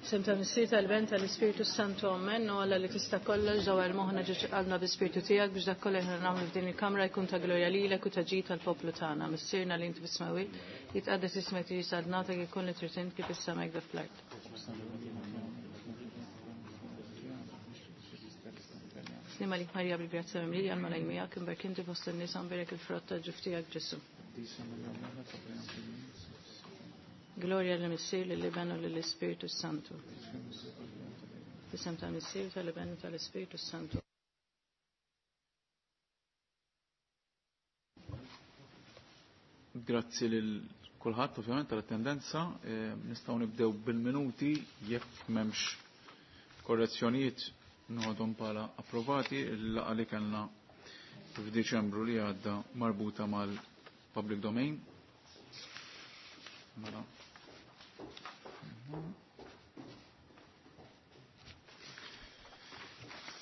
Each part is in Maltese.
Sem ta' Missier tal-Ben tal-Ispirtu Santu Amen, u Alla li tista' kollox dawar moħħna ġiex qalbna bi-Spirtu tiegħek biex dak kollu aħna nagħmlu f'din il-kamra jkun ta' glorja lilek u ta' ġid tal-poplu tagħna. Missierna li inti fis-smewwiet, jitqaddes ismek tiġi saltnatek ikun li trid int kif is-sema hekk fl-art. Slima lik Marija bil-grazzja mimlija l-Mulej miegħek, imberk inti fost in-nisa mberek il-frott tal-ġuf tiegħek Ġesu. Gloria lill-Missier, lill-Iben u lill-Ispirtu Santu. F'isem tal-Missier, tal-Iben u tal-Ispirtu Santu. Grazzi lil kulħadd ovvjament tal-attendenza. Nistgħu nibdew bil-minuti jekk m'hemmx korrezzjonijiet noħodhom bħala approvati il-laqgħa li kellna f'Diċembru li għadda marbuta mal-public domain. Mela.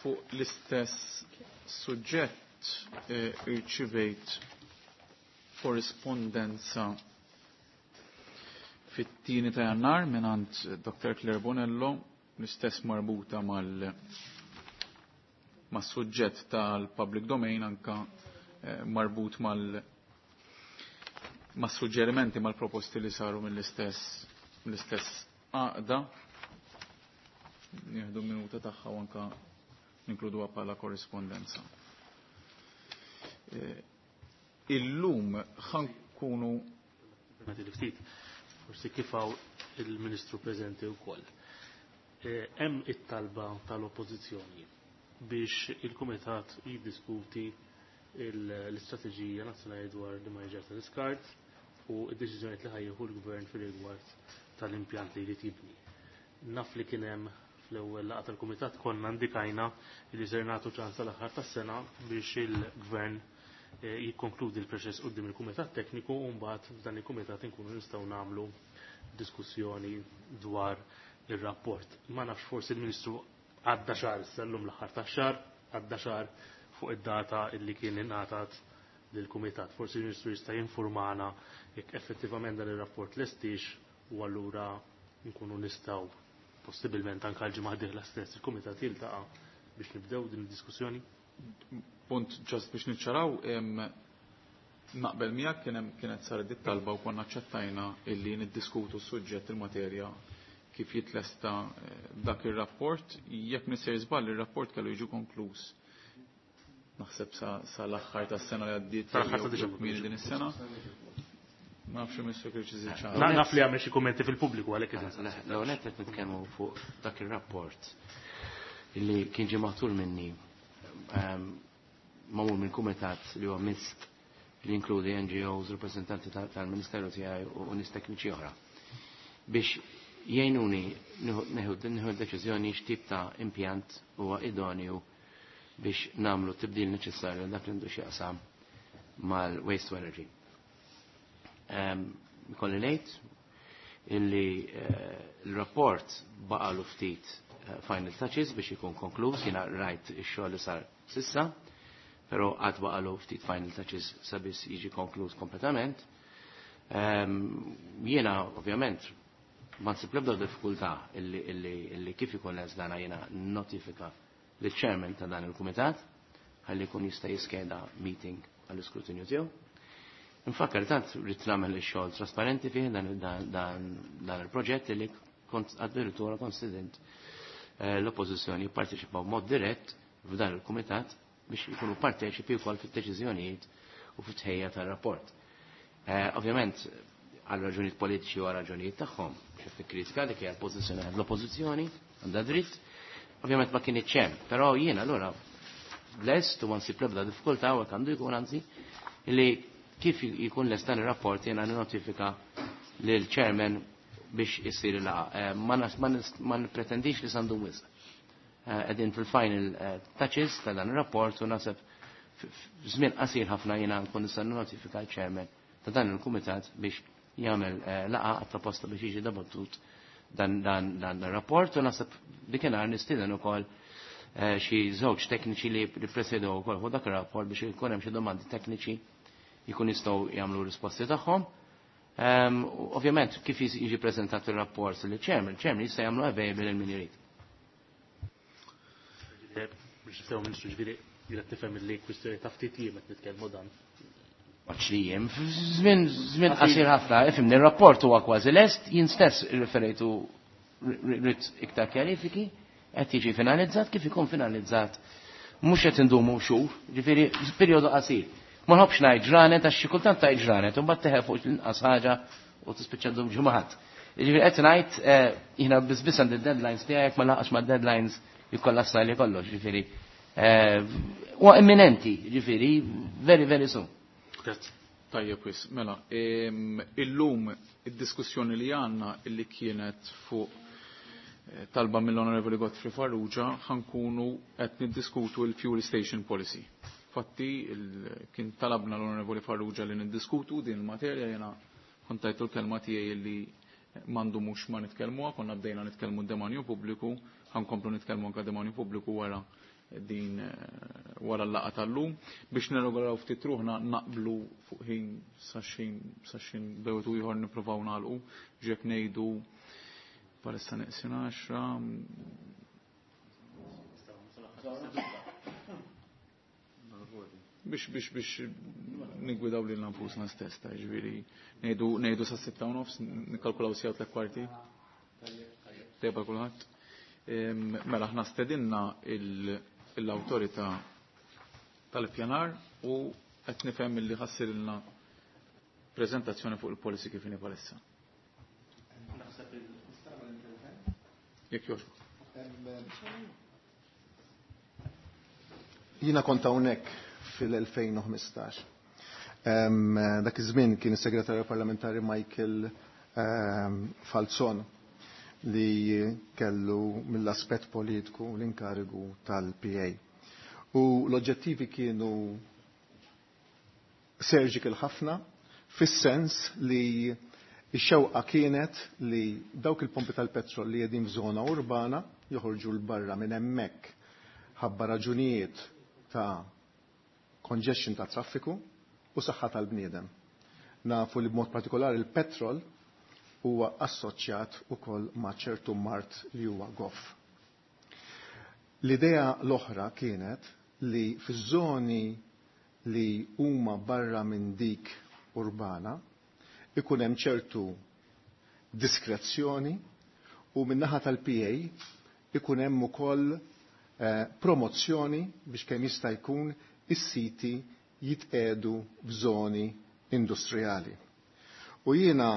Fuq l-istess suġġett irċivejt korrispondenza fit-tieni ta' Jannar mingħand Dr. Claire Bonello, l-istess marbuta mal mas-suġġett tal-public domain anka marbut mal mas-suġġerimenti mal-proposti li saru mill-istess mill-istess għaqda. Nieħdu minuta tagħha u anka ninkluduha bħala korrispondenza. Illum ħankunu ftit, forsi kif hawn il-Ministru preżenti wkoll. Hemm it-talba tal-Oppożizzjoni biex il-Kumitat jiddiskuti l-istrateġija nazzjonali dwar l-immaniġġar tal-iskart u d-deċiżjonijiet li ħajjieħu l-Gvern fir-rigward tal-impjant li jrid jibni. Naf li kien hemm fl-ewwel laqgħa tal-Kumitat konna indikajna li ser nagħtu ċans tal-aħħar tas-sena biex il-Gvern jikkonkludi l-proċess quddiem il-Kumitat Tekniku u mbagħad f'dan il-Kumitat inkunu nistgħu nagħmlu diskussjoni dwar ir-rapport. Ma nafx forsi l-Ministru għadda xahar issa llum l-aħħar tax-xahar, għadda xahar fuq id-data illi kien ingħatat lill-Kumitat. Forsi l-Ministru jista' jinformana jekk effettivament dan ir-rapport lestix u allura nkunu nistgħu possibilment anke l-ġimgħa d-dieħla stess il-Kumitat jiltaqa' biex nibdew din id-diskussjoni. Punt ġast biex niċċaraw, naqbel miegħek kien hemm kienet saret dit talba u konna aċċettajna illi niddiskutu s-suġġett il-materja kif jitlesta dak ir-rapport. Jekk nisir żball ir-rapport kellu jiġu konkluż naħseb sa l-aħħar tas-sena li għaddiet Sal-aħħar ta' Diċembru. kmieni din is-sena. Ma nafx Mr. Kirċiżi ċara. Naf li għamel xi kummenti fil-pubbliku għalhekk qed insaqsi. L-ewwel nett qed nitkellmu fuq dak ir-rapport illi kien ġie maħtur minni magħmul minn kumitat li huwa mist li jinkludi NGOs, rappresentanti tal-Ministeru tiegħi u nies tekniċi oħra biex jgħinuni nieħu d-deċiżjoni x'tip ta' impjant huwa idonju biex nagħmlu t-tibdil neċessarju dak li għandu x'jaqsam mal-waste to energy. Ikolli ngħid illi l-rapport baqalu ftit final touches biex ikun konkluż, jiena rajt ix-xogħol li sar sissa, però għad baqalu ftit final touches sabiex jiġi konkluż kompletament. Jiena ovvjament ma nsib l-ebda diffikultà illi kif ikun lest dana jiena notifika lill-chairman ta' dan il-kumitat ħalli jkun jista' jiskeda meeting għall-iskrutinju tiegħu. Infakkar tant rrid nagħmel ix-xogħol trasparenti fih dan il-proġett li kont addirittura konsident l-oppożizzjoni jipparteċipaw b'mod dirett f'dan il-kumitat biex ikunu parteċipi wkoll fid-deċiżjonijiet u fit-tħejja tar-rapport. Ovvjament għal raġunijiet politiċi u għal raġunijiet tagħhom, xi kritika dik hija l-pożizzjoni għand l-oppożizzjoni għandha dritt, ovvjament ma kienx hemm, però jiena allura lest u ma nsib l-ebda diffikultà u hekk għandu jkun anzi li kif jkun lest dan ir-rapport jiena notifika lil chairman biex issir il-laqgħa. Ma nippretendix li sandum wisq. Qegħdin fil-final touches ta' dan ir-rapport u naħseb f'żmien qasir ħafna jiena nkun nista' notifika l-chairman ta' dan il-kumitat biex jagħmel laqgħa apposta biex jiġi debattut dan ir-rapport u naħseb dikinhar nistieden ukoll xi żewġ tekniċi li ppresedew ukoll fuq dak ir-rapport biex ikun hemm xi domandi tekniċi jkun jistgħu jagħmlu risposti tagħhom. Ovvjament, kif jiġi prezentat il-rapport li chairman, chairman jista' jagħmlu available lil min irid. Biex niftew Ministru ġifieri, jiena tifhem li kwistjoni ta' ftit jiem qed nitkellmu dan. Maċ li jiem, żmien qasir ħafna, ifhimni, ir-rapport huwa kważi lest, jien stess irreferejtu rrid iktar kjarifiki, qed jiġi finalizzat kif ikun finalizzat. Mhux qed indumu xhur, ġifieri perjodu qasir. Ma nħobbx ngħid ġranet għax xi kultant tgħid ġranet u mbagħad teħel fuq l-inqas ħaġa u tispiċċa ddum ġimgħat. Ġifieri qed ngħid jiena biss biss għandi deadlines tiegħek jekk ma laqax mad-deadlines jikkollassa li kollox, ġifieri. Huwa imminenti, ġifieri, very very soon. Grazzi. Tajjeb wis, mela, illum id-diskussjoni li għandna illi kienet fuq talba mill-Onorevoli Godfrey Farrugia ħankunu qed niddiskutu l-Fuel Station Policy. Fatti, kien talabna l-Onorevoli Farrugia li niddiskutu din il-materja, jena kontajtu l-kelma tiegħi li mandu mhux ma nitkellmuha, konna bdejna nitkellmu d-demanju pubbliku, ħankomplu nitkellmu anke demanju pubbliku wara din wara l-laqgħa tal-lum biex nirregolaw ftit ruħna naqblu fuq ħin saxin bewtu ieħor nippruvaw nagħlqu ġek ngħidu palissa neqsin 10 biex biex biex nigwidaw lil nfusna stess ta' ġifieri ngħidu sa' 6:30 nikkalkulaw sigħat tliet kwarti. Tajba kulħadd. Mela aħna stedinna l-awtorità tal-ippjanar u qed nifhem illi ħassirilna preżentazzjoni fuq il-policy kif inhi bħalissa. Jekk jogħġbok. Jiena kont hawnhekk fil-2015. Dak iż-żmien kien is-Segretarju Parlamentari Michael Falzon li kellu mill-aspett politiku l-inkarigu tal-PA. U l-oġġettivi kienu surgical ħafna, fis-sens li x-xewqa kienet li dawk il-pompi tal-petrol li qegħdin f'żona urbana joħorġu l barra minn hemmhekk ħabba raġunijiet ta' congestion ta' traffiku u saħħa tal-bniedem. Nafu li b'mod partikolari il-petrol huwa assoċjat ukoll ma' ċertu mart li huwa goff. L-idea l-oħra kienet li fiż-żoni li huma barra minn dik urbana ikun hemm ċertu diskrezzjoni u min-naħa tal-PA ikun hemm ukoll promozzjoni biex kemm jista' jkun is-siti jitqedu f'żoni industrijali. U jiena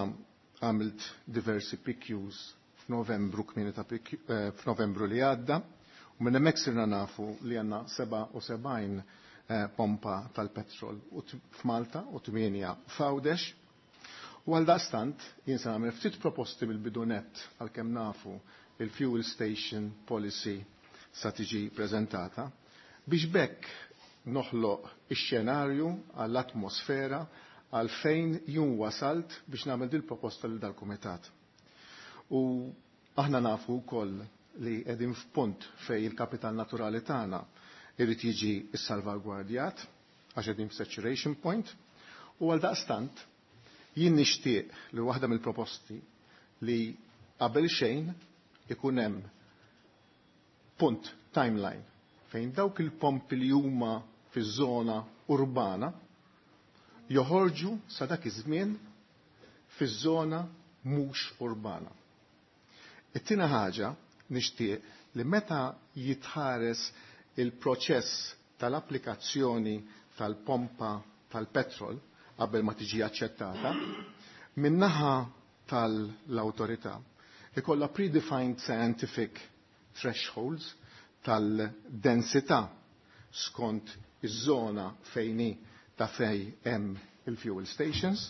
għamilt diversi PQs f'Novembru kmieni ta' f'Novembru li għadda, u minn hemmhekk sirna nafu li għandna 77 pompa tal-petrol f'Malta u 8 f'Għawdex. U għal daqstant jien se nagħmel ftit proposti mill-bidu nett għalkemm nafu il-fuel station policy sa tiġi preżentata biex bekk noħloq ix-xenarju għall-atmosfera għalfejn jun wasalt biex nagħmel dil proposta lil dal-kumitat. U aħna nafu wkoll li qegħdin f'punt fejn il-kapital naturali tagħna irid jiġi ssalvagwardjat għax qegħdin f'saturation point, u għal daqstant jien nixtieq li waħda mill-proposti li qabel xejn ikun hemm punt timeline fejn dawk il-pompi li huma fiż-żona urbana joħorġu sa dak iż-żmien fiż-żona mhux urbana. It-tieni ħaġa nixtieq li meta jitħares il-proċess tal-applikazzjoni tal-pompa tal-petrol qabel ma tiġi aċċettata, min-naħa tal-awtorità ikollha predefined scientific thresholds tal-densità skont iż-żona fejni ta' fej hemm il-fuel stations,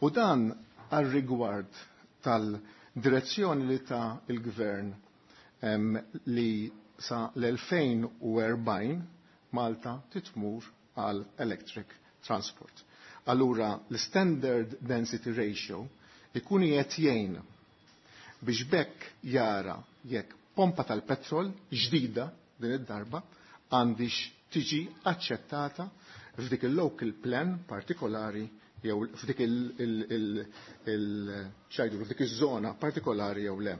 u dan għal rigward tal-direzzjoni li ta' il-gvern li sa l-2040 Malta titmur għal electric transport. Allura l-standard density ratio ikun qed jgħin biex bekk jara jekk pompa tal-petrol ġdida din id-darba għandix tiġi aċċettata f'dik il-local plan partikolari jew f'dik il-ċajdu f'dik iż-żona partikolari jew le.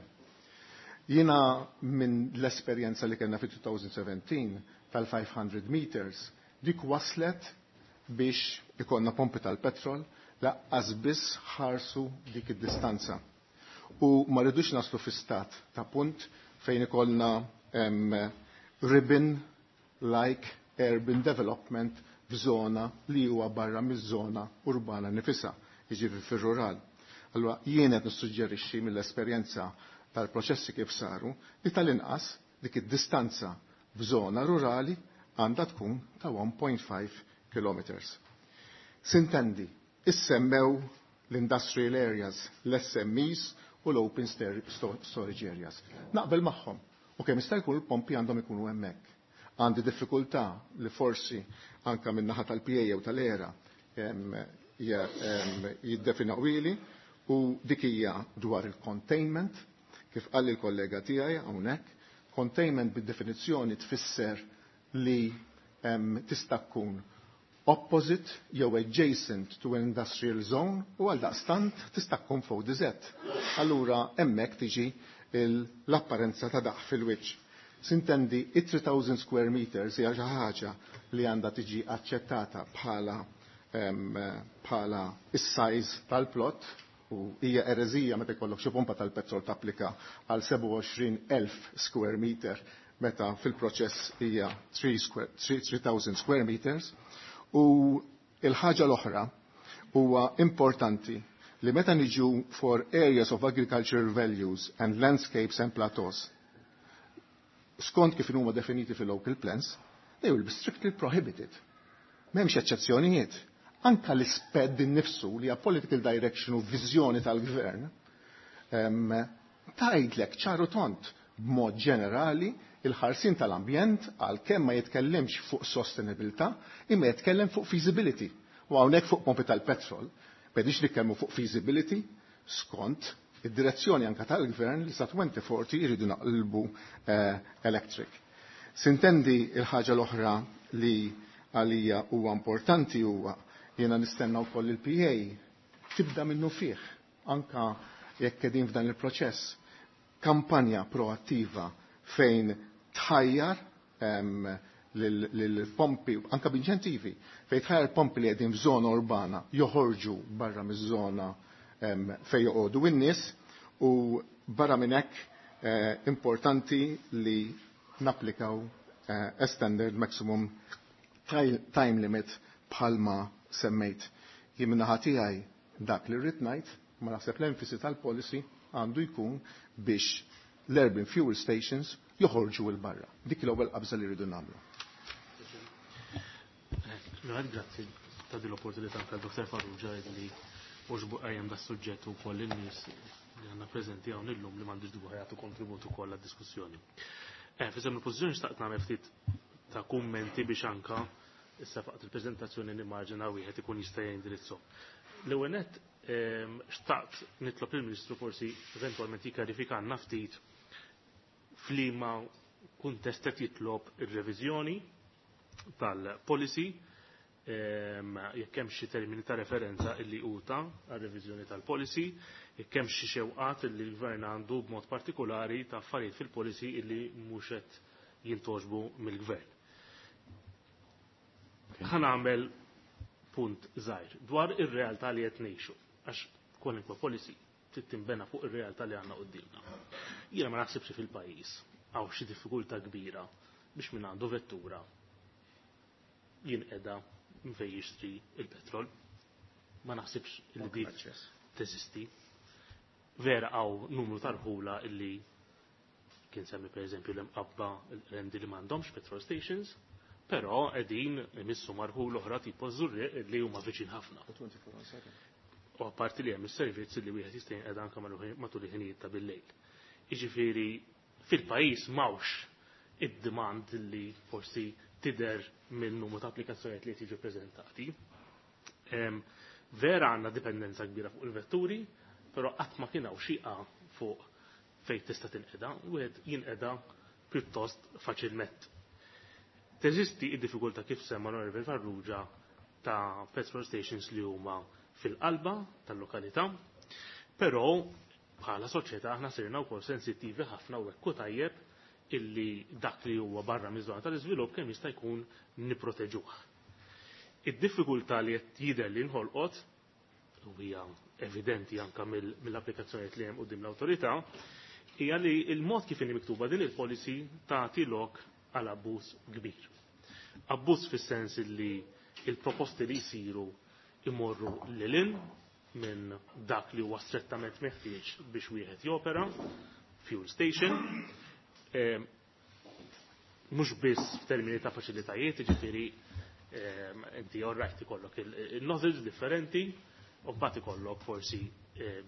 Jiena minn l-esperjenza li kellna fi 2017 tal-500 meters, dik waslet biex ikonna pompi tal-petrol laqqas biss ħarsu dik id-distanza. U ma rridux naslu fi stat ta' punt fejn ikollna ribbon like urban development f'żona li huwa barra miż-żona urbana nifisha, jiġifieri fir-rural. Allura jien qed nissuġġerixxi mill-esperjenza tal-proċessi kif saru li tal-inqas dik id-distanza f'żona rurali għandha tkun ta' 1.5 kilometers. Sintendi, issemmew l-industrial areas, l-SMEs u l-open storage areas. Naqbel magħhom u kemm jista' jkun il-pompi għandhom ikunu hemmhekk. Għandi diffikultà li forsi anka minn naħa tal-PA jew tal-ERA jiddefinawili u dik hija dwar il-containment, kif qal il-kollega tiegħi hawnhekk, containment bid-definizzjoni tfisser li tista' tkun opposite jew adjacent to an industrial zone u għal daqstant tista' tkun fuq DZ. Allura hemmhekk tiġi l-apparenza ta' daq fil-wiċċ. Sintendi, it-3000 square meters hija xi ħaġa li għandha tiġi aċċettata bħala bħala is-size tal-plot u hija ereżija meta jkollok xi pompa tal-petrol tapplika għal 27,000 square meter meta fil-proċess hija 3000 square meters. U il-ħaġa l-oħra huwa importanti li meta niġu for areas of agricultural values and landscapes and plateaus, skont kif huma definiti fil-local plans, they will be strictly prohibited. M'hemmx eċċezzjonijiet. Anka l-isped innifsu li hija political direction u viżjoni tal-gvern, tgħidlek ċaru tont b'mod ġenerali il-ħarsin tal-ambjent għal kemm ma jitkellimx fuq sostenibilità imma jitkellem fuq feasibility. U hawnhekk fuq pompi tal-petrol, b'edix nitkellmu fuq feasibility skont id-direzzjoni anka tal-gvern li sa 2040 jridu naqlbu electric. Sintendi il-ħaġa l-oħra li għalija huwa importanti huwa jiena nistenna wkoll il-PA tibda minnu fih anka jekk qegħdin f'dan il-proċess kampanja proattiva fejn tħajjar lill-pompi, anka b'inċentivi, fejn tħajjar pompi li qegħdin f'żona urbana joħorġu barra miż-żona fejn joqogħdu in-nies u barra minn hekk importanti li napplikaw a standard maximum time limit bħalma semmejt. Jien min-naħa tiegħi dak li rrid ngħid, ma naħseb l-enfasi tal-policy għandu jkun biex l-urban fuel stations joħorġu 'l barra. Dik l-ewwel qabża li rridu nagħmlu. Grazzi ta' din l-opportunità anke Dr. Farrugia li oġbu qajjem da suġġett ukoll in-nies li għandna preżenti hawn illum li m'għandux dubju jagħtu kontribut ukoll għad-diskussjoni. Fisem il-pożizzjoni xtaqt nagħmel ftit ta' kummenti biex anka issa faqt il-preżentazzjoni nimmaġina wieħed ikun jista' jindirizzhom. L-ewwel nett xtaqt nitlob il-Ministru forsi eventwalment jikkarifikanna ftit f'liema kuntest qed jitlob ir-reviżjoni tal-policy, jekk hemm xi termini ta' referenza illi uta għar-reviżjoni tal-policy, jekk hemm xi xewqat illi l-gvern għandu b'mod partikolari ta' affarijiet fil-policy illi mhux qed jintoġbu mill-gvern. Ħa nagħmel punt żgħir dwar ir-realtà li qed ngħixu, għax kwalunkwe policy trid tinbena fuq ir-realtà li għandna quddiemna. Jiena ma naħsibx fil-pajjiż hawn xi diffikultà kbira biex min għandu vettura jinqeda minn fejn jixtri il-petrol. Ma naħsibx li dik teżisti. Vera hawn numru tal-ħula illi kien semmi per eżempju l-Imqabba, l-Qrendi li m'għandhomx petrol stations, però qegħdin imissu marħul oħra tipo Żurrieq li huma viċin ħafna. U apparti li hemm is-servizz li wieħed jista' jinqeda anke matul il-ħinijiet ta' bil-lejl. Jiġifieri fil-pajjiż m'hawnx id-demand li forsi tidher minn numru ta' applikazzjonijiet li jiġu preżentati. Vera għandna dipendenza kbira fuq il-vetturi, però qatt ma kien hawn xi fuq fejn tista' tinqeda, wieħed jinqeda pjuttost faċilment. Teżisti id-diffikultà kif semma l-Onorevoli Farrugia ta' petrol stations li huma fil-qalba tal-lokalità, però bħala soċjetà aħna sirna wkoll sensittivi ħafna u hekk tajjeb illi dak li huwa barra miż-żona tal-iżvilupp kemm jista' jkun nipproteġuh. Id-diffikultà li qed jidher li nħolqot u hija evidenti anka mill-applikazzjonijiet li hemm quddiem l-awtorità, hija li l-mod kif inhi miktuba din il-policy tagħti lok għal abbuż kbir. Abbuż fis-sens li il-proposti li jsiru imorru lil minn dak li huwa strettament meħtieġ biex wieħed jopera fuel station, mhux biss f'termini ta' faċilitajiet, jiġifieri inti all right ikollok il-nozzles differenti, u mbagħad ikollok forsi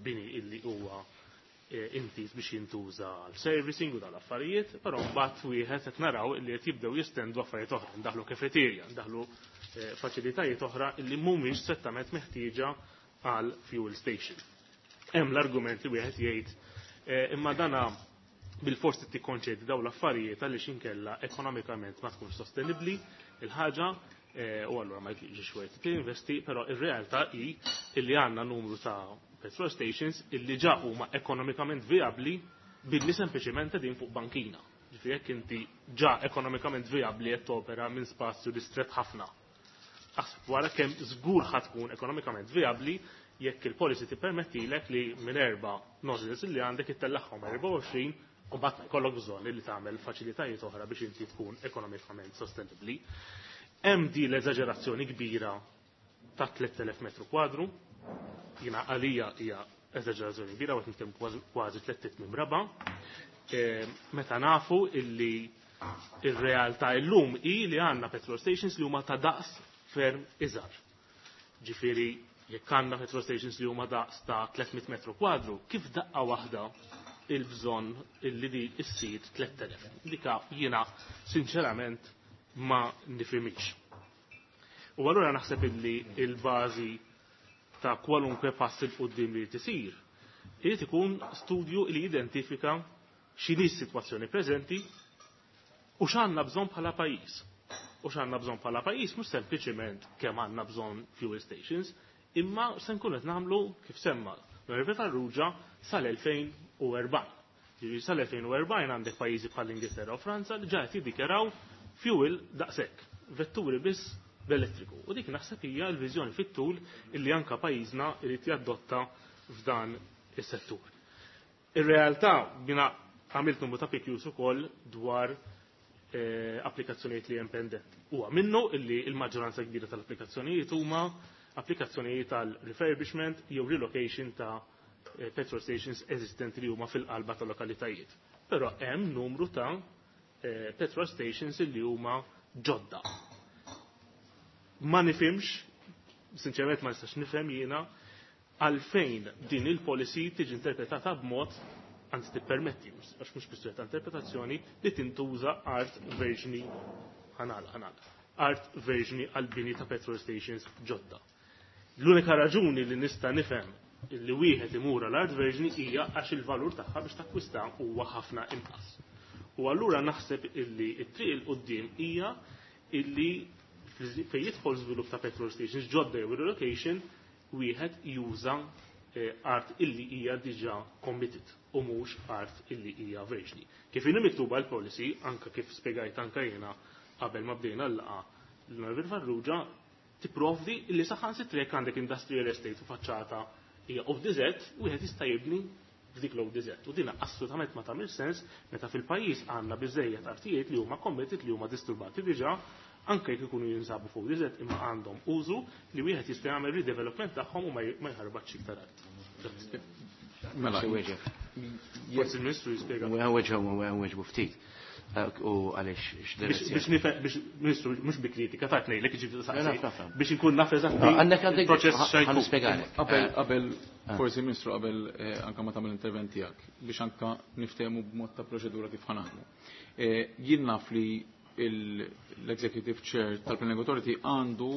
bini illi huwa intiż biex jintuża għal servicing u dal-affarijiet, però mbagħad wieħed qed naraw illi qed jibdew jistendu affarijiet oħra, ndaħlu kafeterja, ndaħlu faċilitajiet oħra illi mhumiex strettament meħtieġa għal fuel station. Hemm l-argument li wieħed jgħid imma dana bil-forsi tikkonċedi daw l-affarijiet għaliex inkella ekonomikament ma tkunx sostenibbli il-ħaġa u allura ma jġiex wieħed tinvesti, però ir-realtà hi illi għandna numru ta' petrol stations illi ġa huma ekonomikament viabbli billi sempliċement din fuq bankina. Ġifieri jekk inti ġa ekonomikament viabbli qed topera minn spazju distret ħafna. Aħseb wara kemm żgur ħa tkun ekonomikament viabbli jekk il-policy tippermettilek li minn erba' nozzles li għandek ittellagħhom 24 u mbagħad jkollok bżonn li tagħmel faċilitajiet oħra biex inti tkun ekonomikament sostenibbli. Hemm di l-eżaġerazzjoni kbira ta' 3000 metru kwadru, jiena għalija hija eżaġerazzjoni kbira, għet nitkellmu kważi 300 minn raba. Meta nafu illi ir-realtà illum hi li għandna petrol stations li huma ta' daqs ferm iżgħar. Ġifieri jekk għandna petrol stations li huma daqs ta' 300 metru kwadru, kif daqqa waħda il-bżonn illi di issir 3000? Dika jiena sinċerament ma nifhimix. U allura naħseb illi il-bażi ta' kwalunkwe pass il quddiem li tisir, irid ikun studju li jidentifika x'inhi s-sitwazzjoni preżenti u x'għandna bżonn bħala pajjiż. U x'għandna bżonn bħala pajjiż mhux sempliċiment kemm għandna bżonn fuel stations, imma se nkunu qed nagħmlu kif semma l-Onorevoli Farrugia sal-2040. Ġifieri sal-2040 għandek pajjiżi bħal Ingilterra u Franza li ġa qed jiddikjaraw fuel daqshekk, vetturi biss b'elettriku. U dik naħseb hija l-viżjoni fit-tul illi anka pajjiżna irid jadotta f'dan is-settur. Ir-realtà bina għamilt numru ta' PQs ukoll dwar applikazzjonijiet li hemm pendenti. Huwa minnu illi l-maġġoranza kbira tal-applikazzjonijiet huma applikazzjonijiet tal-refurbishment jew relocation ta' petrol stations eżistenti li huma fil-qalba tal-lokalitajiet. Però hemm numru ta' petrol stations li huma ġodda. Ma nifhimx, sinċerament ma nistax nifhem jiena għalfejn din il-policy tiġi interpretata b'mod, anzi tippermetti, għax mhux kwistjoni ta' interpretazzjoni, li tintuża art verġni ħanal, ħanal, art verġni għal-bini ta' petrol stations ġodda. L-unika raġuni li nista' nifhem li wieħed imur għal art verġni hija għax il-valur tagħha biex takkwista huwa ħafna inqas. U allura naħseb illi t-triq il quddiem hija illi fejn jidħol żvilupp ta' petrol stations ġodda jew relocation wieħed juża art illi hija diġà committed u mhux art illi hija verġni. Kif inhi miktuba l-policy, anka kif spjegajt anka jiena qabel ma bdejna l-laqgħa l-Onorevoli Farrugia tipprovdi illi saħansitra jekk għandek industrial estate u faċċata hija ODZ, wieħed jista' jibni f'dik l-ODZ. U din assolutament ma tagħmel sens meta fil-pajjiż għandna biżejjed artijiet li huma committed, li huma disturbati diġà, anke jekk ikunu jinsabu fuq ODZ imma għandhom użu li wieħed jista' jagħmel redevelopment tagħhom u ma jħarbatx iktar art. Mela, Forsi il-Ministru jispjega. Weġbu ftit. U għaliex x'direzzjoni. Biex nifhem, biex Ministru mhux bi kritika ta' tnejlek, jiġifieri Le, saqsi, naf, naf, naf. biex inkun naf eżatt Għandek għandek il-proċess x'għajkun. ħa nispjegalek. Qabel, qabel, forsi Ministru, qabel anka ma tagħmel intervent tiegħek biex anka niftehmu b'mod ta' proċedura kif ħanaħdmu. Jien naf li l-Executive Chair tal-Planning Authority għandu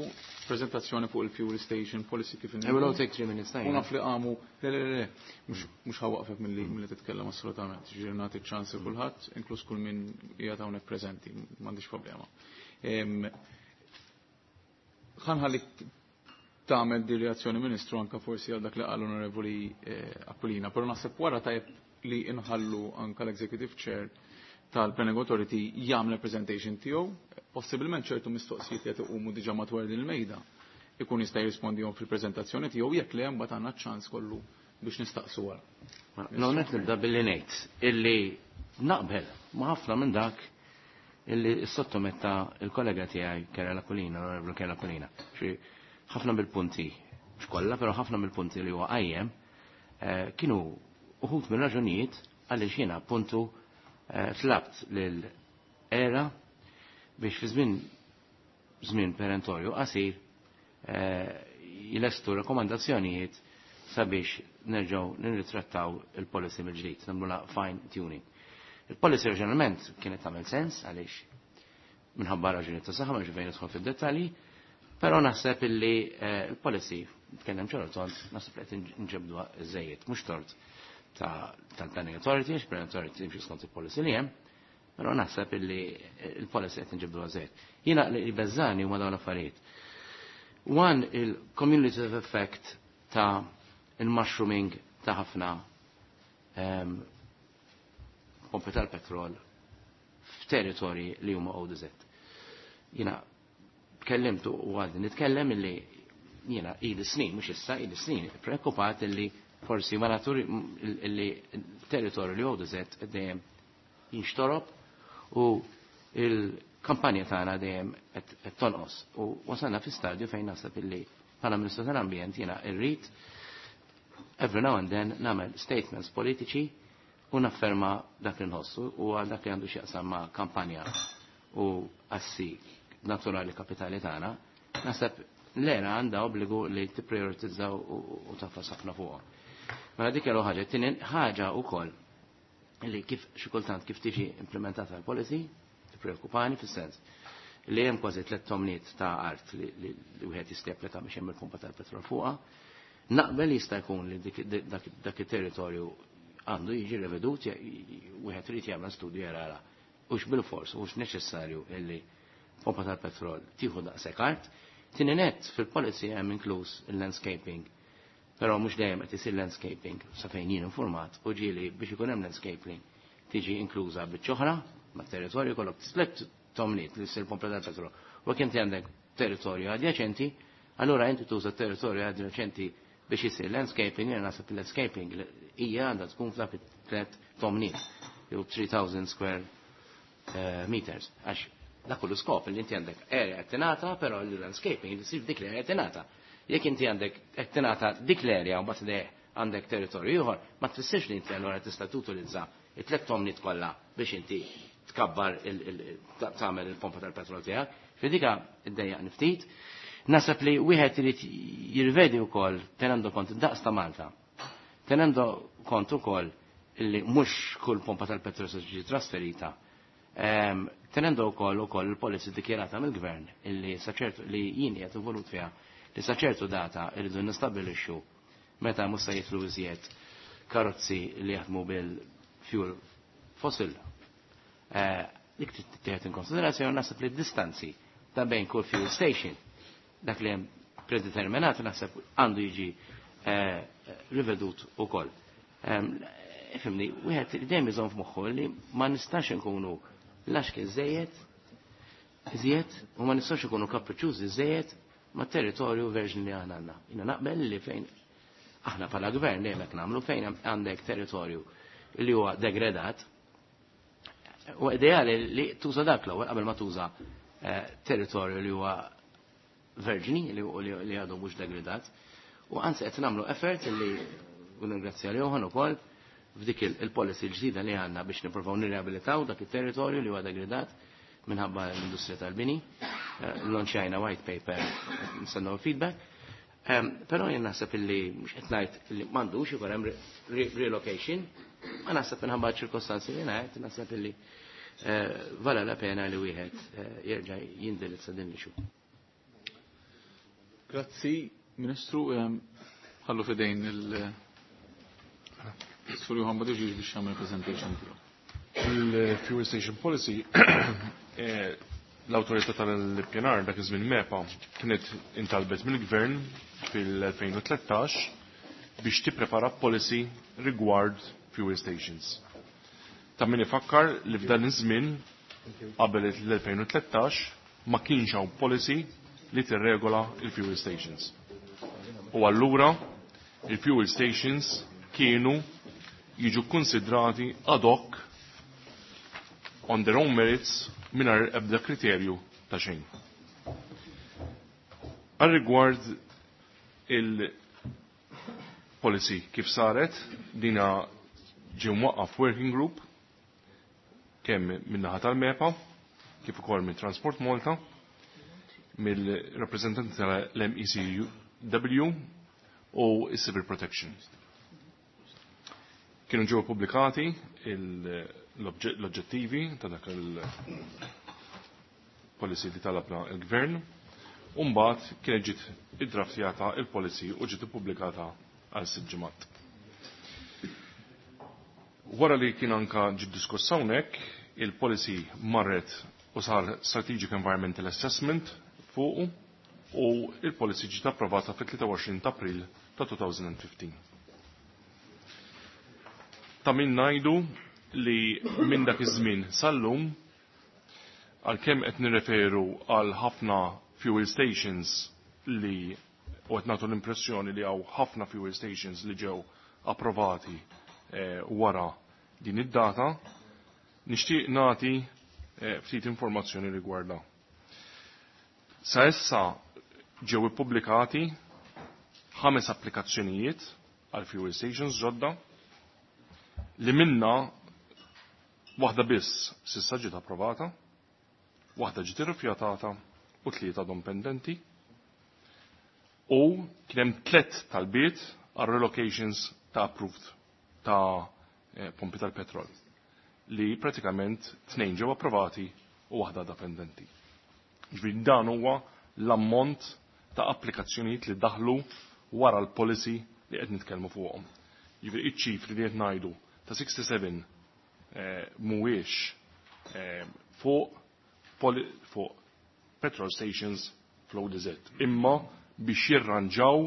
prezentazzjoni fuq il-Fuel Station Policy kif I will all take 3 minutes time. U naf li għamu, le, le, le, le, mhux ħawaqfek milli titkellem assolutament. Ġifieri nagħti ċans lil kulħadd, inkluż kull min qiegħed hawnhekk preżenti, m'għandix problema. Ħanħallik tagħmel di reazzjoni Ministru anka forsi għal dak li qal Onorevoli Aquilina, però naħseb wara tajjeb li inħallu anka l-Executive Chair tal-Planning Authority jagħmel presentation tiegħu, possibilment ċertu mistoqsijiet li qed iqumu diġà madwar din il-mejda ikun jista' jirrispondihom fil-preżentazzjoni tiegħu jekk le mbagħad għandna ċans kollu biex nistaqsu wara. No, net nibda billi ngħid illi naqbel ma' ħafna minn dak illi sottometta il-kollega tiegħi Kerala Kulina, l-Onorevoli Kerala Kulina. Ħafna mill-punti, mhux kollha, però ħafna mill-punti li huwa qajjem kienu uħud minn raġunijiet għaliex jiena appuntu tlabt lil era biex fi żmien żmien perentorju qasir jilestu rekomandazzjonijiet sabiex nerġgħu nirritrattaw il-policy mill-ġdid, nagħmluha fine tuning. Il-policy oriġinalment kienet tagħmel sens għaliex minħabba raġuni ta' saħħa ma fejn nidħol fid-dettalji, però naħseb illi il-policy tkellem ċar tont naħseb li qed nġebduha żejjed, mhux tort tal-Planning Authority, għax Planning Authority timxi skont il-policy li hemm, però naħseb illi il-policy qed nġebduha żejjed. Jiena li beżani huma dawn l-affarijiet. One, il-cumulative effect ta' il-mushrooming ta' ħafna pompi tal-petrol f'territorji li huma ODZ. Jiena tkellimtu u għadni nitkellem illi jiena ili snin, mhux issa ili snin, preokkupat illi forsi ma naturi illi territorju li ODZ dejjem jinxtorob u il-kampanja tagħna dejjem qed tonqos. U wasalna fi stadju fejn naħseb illi bħala Ministru tal-Ambjent jiena rrid every now and then nagħmel statements politiċi u nafferma dak li nħossu u għal dak li għandu x'jaqsam ma' kampanja u assi naturali kapitali tagħna, naħseb l-era għandha obbligu li tipprioritizzaw u tafas ħafna fuqha. Mela dik l ħaġa, tieni ħaġa wkoll li kif xi kultant kif tiġi implementata l-policy, tippreokkupani fis-sens li hemm kważi tliet tomniet ta' art li wieħed jista' japplika biex hemm il-pompa tal-petrol fuqha. Naqbel jista' jkun li dak it-territorju għandu jiġi revedut, wieħed irid jagħmel studju jarara hux bil-fors, hux neċessarju illi pompa tal-petrol tieħu daqshekk art. Tieni net fil-policy hemm inkluż il-landscaping, però mhux dejjem qed isir landscaping sa fejn jien informat u ġieli biex ikun hemm landscaping tiġi inkluża biċċa oħra mat-territorju kollok tliet tomniet li ssir pompa tal-petrol. U jekk inti għandek territorju adjaċenti, allura inti tuża territorju adjaċenti biex jisir landscaping, jena naħseb il-landscaping hija għandha tkun f'dak it-tliet tomniet, jew 3000 square meters. Għax dak kullu skop li inti għandek area qed tingħata, però l-landscaping li jsir dik l-area qed tingħata. Jekk inti għandek qed tingħata dik l-area u mbagħad għandek territorju ieħor, ma tfissirx li inti allura tista' tutilizza it-tliet tomniet kollha biex inti tkabbar tagħmel il-pompa tal-petrol tiegħek. Fidika iddejjaq ftit. Naħseb li wieħed irid jirvedi wkoll tenendo kont id-daqs ta' Malta. Tenendo kont ukoll illi mhux kull pompa tal-petrol se tiġi trasferita. Tenendo wkoll ukoll il-policy dikjarata mill-gvern illi saċertu li jien qiegħed involut fiha li sa ċertu data irridu nistabilixxu meta mhux se jidħlu iżjed karozzi li jaħdmu bil-fuel fossil. Dik tittieħed in konsiderazzjoni naħseb li d-distanzi ta' bejn kull fuel station dak li hemm predeterminat naħseb għandu jiġi rivedut ukoll. Ifhimni, wieħed dejjem iżomm f'moħħu li ma nistax inkunu laxki żejjed iżjed u ma nistax ikunu kapriċjużi żejjed ma' territorju verġni li aħna għandna. Jiena naqbel li fejn aħna bħala gvern dejjem hekk nagħmlu fejn għandek territorju li huwa degradat u ideali li tuża dak l-ewwel qabel ma tuża territorju li huwa verġni li għadu mhux degradat. U anzi qed nagħmlu effort li u ningrazzja li Johan ukoll f'dik il-policy l-ġdida li għandna biex nippruvaw nirriabilitaw dak it-territorju li huwa degradat minħabba l-industrija tal-bini. Launchajna white paper, nistennew feedback. Però jien naħseb illi mhux qed ngħid illi m'għandux ikun hemm relocation, ma naħseb minħabba ċirkostanzi li ngħid, naħseb illi vala la pena li wieħed jerġa' jindirizza din l-issue. Grazzi, Ministru, ħallu fidejn il-Sur Johan Buttigieg biex jagħmel presentation tiegħu. Il-Fuel Station Policy L-Awtorità tal-Ippjanar dak iż-żmien MEPA kienet intalbet mill-Gvern fil-2013 biex tipprepara policy rigward fuel stations. Ta' min ifakkar li f'dan iż-żmien qabel l-2013 ma kienx hawn policy li tirregola il-fuel stations. U allura il-fuel stations kienu jiġu konsidrati ad hoc on their own merits mingħajr ebda kriterju ta' xejn. Għal rigward il-policy kif saret, dina ġie mwaqqaf working group kemm min-naħa tal-MEPA, kif ukoll minn Transport Malta, mill-rappreżentanti tal-MECW u s-Civil Protection. Kienu ġew pubblikati l-oġġettivi ta' dak il-policy li talabna il-Gvern, u mbagħad kienet ġiet iddraftjata il-policy u ġiet ippubblikata għal sitt ġimgħat. Wara li kien anka ġiet diskuss hawnhekk, il-policy marret u sar Strategic Environmental Assessment fuqu u il-policy ġiet approvata fit-23 ta' April ta' 2015. Ta' min ngħidu li minn dak iż-żmien sal-lum għalkemm qed nirreferu għal ħafna fuel stations li u qed nagħtu l-impressjoni li hawn ħafna fuel stations li ġew approvati wara din id-data, nixtieq nagħti ftit informazzjoni rigwardha. Sa issa ġew ippubblikati 5 applikazzjonijiet għal fuel stations ġodda li minna waħda biss s'issa ġiet approvata, waħda ġiet irrifjutata u 3 għadhom pendenti. U kien hemm 3 talbiet għal relocations ta' approved ta' pompi tal-petrol li pratikament 2 ġew approvati u waħda għadha pendenti. Ġifieri dan huwa l-ammont ta' applikazzjonijiet li daħlu wara l-policy li qed nitkellmu fuqhom. Ġifieri iċ-ċifri li qed ngħidu ta' 67 mhuwiex fuq petrol stations fl-ODZ, imma biex jirranġaw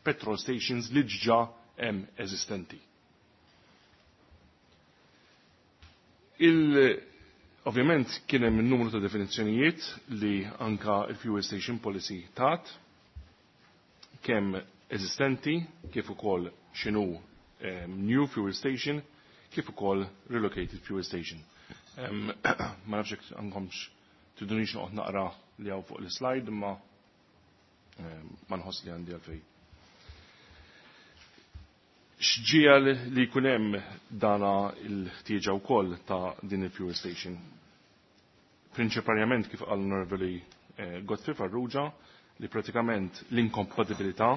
petrol stations li ġġa hemm eżistenti. Ovvjament kien hemm numru ta' definizzjonijiet li anka il-fuel station policy tat, kemm eżistenti, kif ukoll x'inhu new fuel station, kif ukoll relocated fuel station. Ma nafx jekk għandkomx tidunix noqgħod naqra li hawn fuq l-slide, imma ma nħoss li għandi għalfejn. X'ġiegħel li jkun hemm dana l-ħtieġa wkoll ta' din il-fuel station? Prinċiparjament kif qal Onorevoli Godfrey Farrugia, li pratikament l-inkompatibilità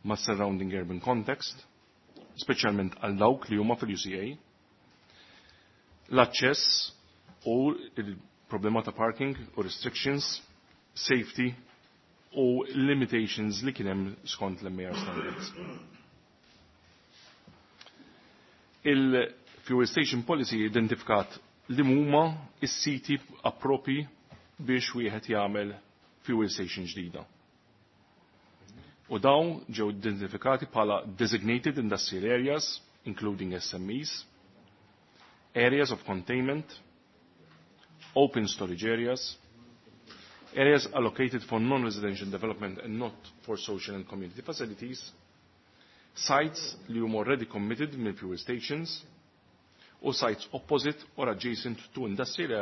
ma' surrounding urban context, speċjalment għal dawk li huma fil-UCA, l-aċċess u il-problema ta' parking u restrictions, safety u limitations li kien hemm skont l-MAR standards. Il-Fuel Station Policy identifikat li huma is-siti appropi biex wieħed jagħmel fuel station ġdida. U dawn ġew identifikati bħala designated industrial areas, including SMEs, areas of containment, open storage areas, areas allocated for non-residential development and not for social and community facilities, sites li huma already committed mill fuel stations, u sites opposite or adjacent to industrial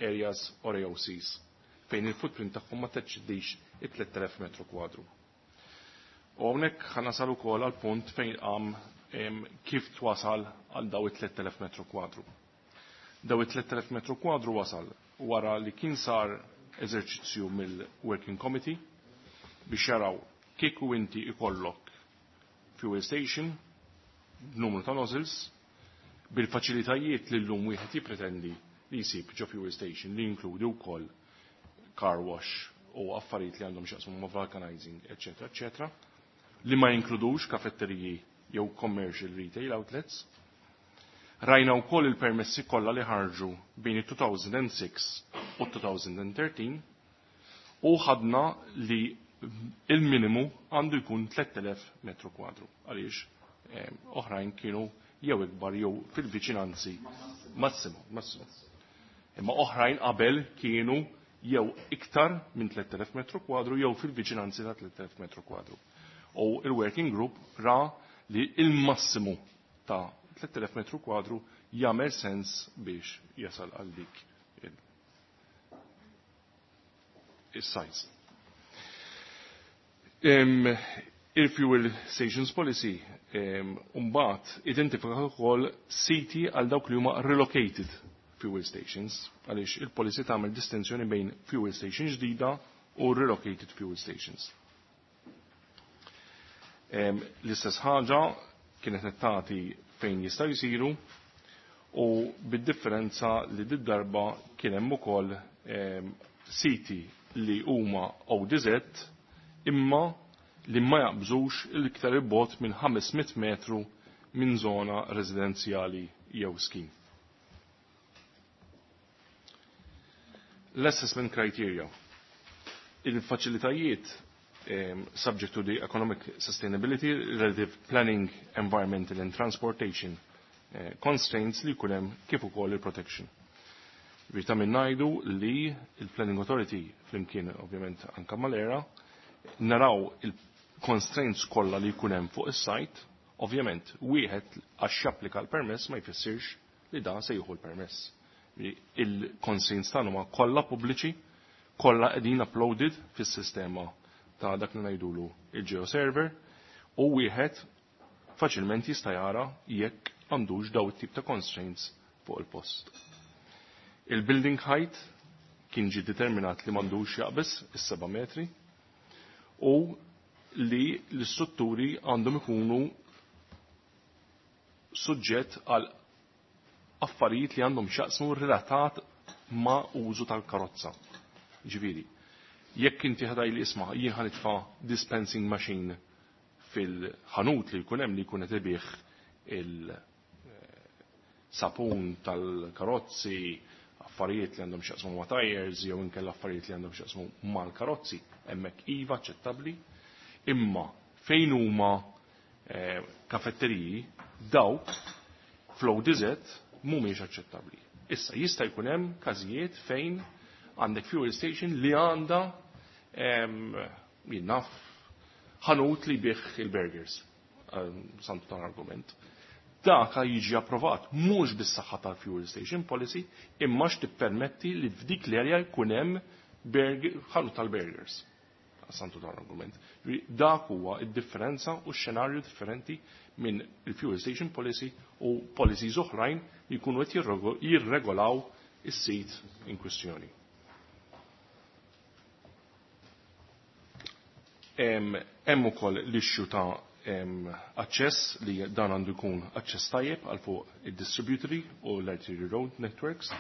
areas or AOCs, fejn il-footprint tagħhom ma teċċedix it-3000 metru kwadru. U hawnhekk ħa nasal ukoll għal punt fejn qam kif twasal għal daw it-3000 metru kwadru. Daw it-3000 metru kwadru wasal wara li kien sar eżerċizzju mill-Working Committee biex jaraw kieku inti ikollok fuel station b'numru ta' nozzles bil-faċilitajiet li llum wieħed jippretendi li jsib ġo fuel station li jinkludi wkoll car wash u affarijiet li għandhom x'jaqsmu ma' vulcanizing, eċetera, eċetera, li ma jinkludux kafetteriji jew commercial retail outlets. Rajna wkoll il-permessi kollha li ħarġu bejn it-2006 u 2013 u ħadna li il-minimu għandu jkun 3000 metru kwadru għaliex oħrajn kienu jew ikbar jew fil-viċinanzi massimu, massimu. Imma oħrajn qabel kienu jew iktar minn 3000 metru kwadru jew fil-viċinanzi ta' 3000 metru kwadru. U il-working group ra li il-massimu ta' 3000 metru kwadru jagħmel sens biex jasal għal dik il-size. Il-Fuel Stations Policy mbagħad identifika wkoll siti għal dawk li huma relocated fuel stations għaliex il-policy tagħmel distinzjoni bejn fuel station ġdida u relocated fuel stations. L-istess ħaġa kienet qed tagħti fejn jistgħu jsiru u bid-differenza li did-darba kien hemm ukoll siti li huma ODZ imma li ma jaqbżux l-iktar il-bot minn 500 metru minn zona residenzjali jew skin. L-assessment criteria. Il-faċilitajiet subject to the economic sustainability, relative planning, environmental and transportation constraints li kunem kif ukoll il-protection. Rita minn ngħidu li il-Planning Authority flimkien ovvjament anka mal-era naraw il-constraints kollha li jkun hemm fuq is-site, ovvjament wieħed għax japplika l-permess ma jfissirx li dan se jieħu l-permess. Il-constraints tagħna huma kollha pubbliċi, kollha qegħdin uploaded fis-sistema ta' dak li ngħidulu il-geoserver u wieħed faċilment jista' jara jekk għandux daw it-tip ta' constraints fuq il-post. Il-building height kien ġi determinat li m'għandux jaqbes is-7 metri u li l-istrutturi għandhom ikunu suġġett għal affarijiet li għandhom xaqsmu relatat ma' użu tal-karozza. Ġifieri, jekk inti ħadaj li isma' jien ħanitfa' dispensing machine fil-ħanut li jkun hemm li jkun qed ibih il-sapun tal-karozzi, affarijiet li għandhom x'jaqsmu ma' tires jew inkella affarijiet li għandhom x'jaqsmu mal-karozzi, hemmhekk iva aċċettabbli, imma fejn huma kafetteriji dawk fl-ODZ mhumiex aċċettabbli. Issa jista' jkun hemm każijiet fejn għandek fuel station li għandha jien naf ħanut li bih il-burgers, santu tal-argument. Daka jiġi approvat mhux bis-saħħa tal-fuel station policy imma x'tippermetti li f'dik l-area jkun hemm ħanut tal-burgers. Santu tal-argument. Dak huwa id-differenza u x-xenarju differenti minn il-fuel station policy u policies oħrajn li jkunu qed jirregolaw is-sit in kwistjoni. Hemm ukoll l-issue ta' aċċess li dan għandu jkun aċċess tajjeb għal fuq id-distributary u l-arterial road networks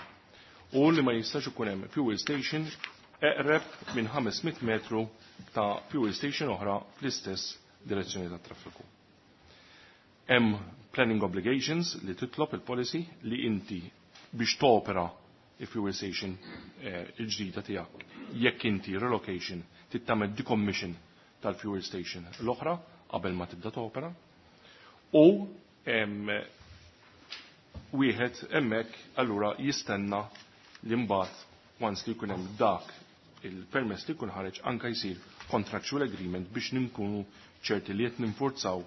u li ma jistax ikun hemm fuel station eqreb minn 500 metru ta' fuel station oħra fl-istess direzzjoni tat traffiku. Hemm planning obligations li titlob il-policy li inti biex topera il-fuel station il-ġdida tiegħek jekk inti relocation tittamel decommission tal-fuel station l-oħra qabel ma tibda topera u wieħed hemmhekk allura jistenna li mbagħad once li jkun hemm dak il-permess li jkun ħareġ anka jsir contractual agreement biex ninkunu ċerti li qed ninforzaw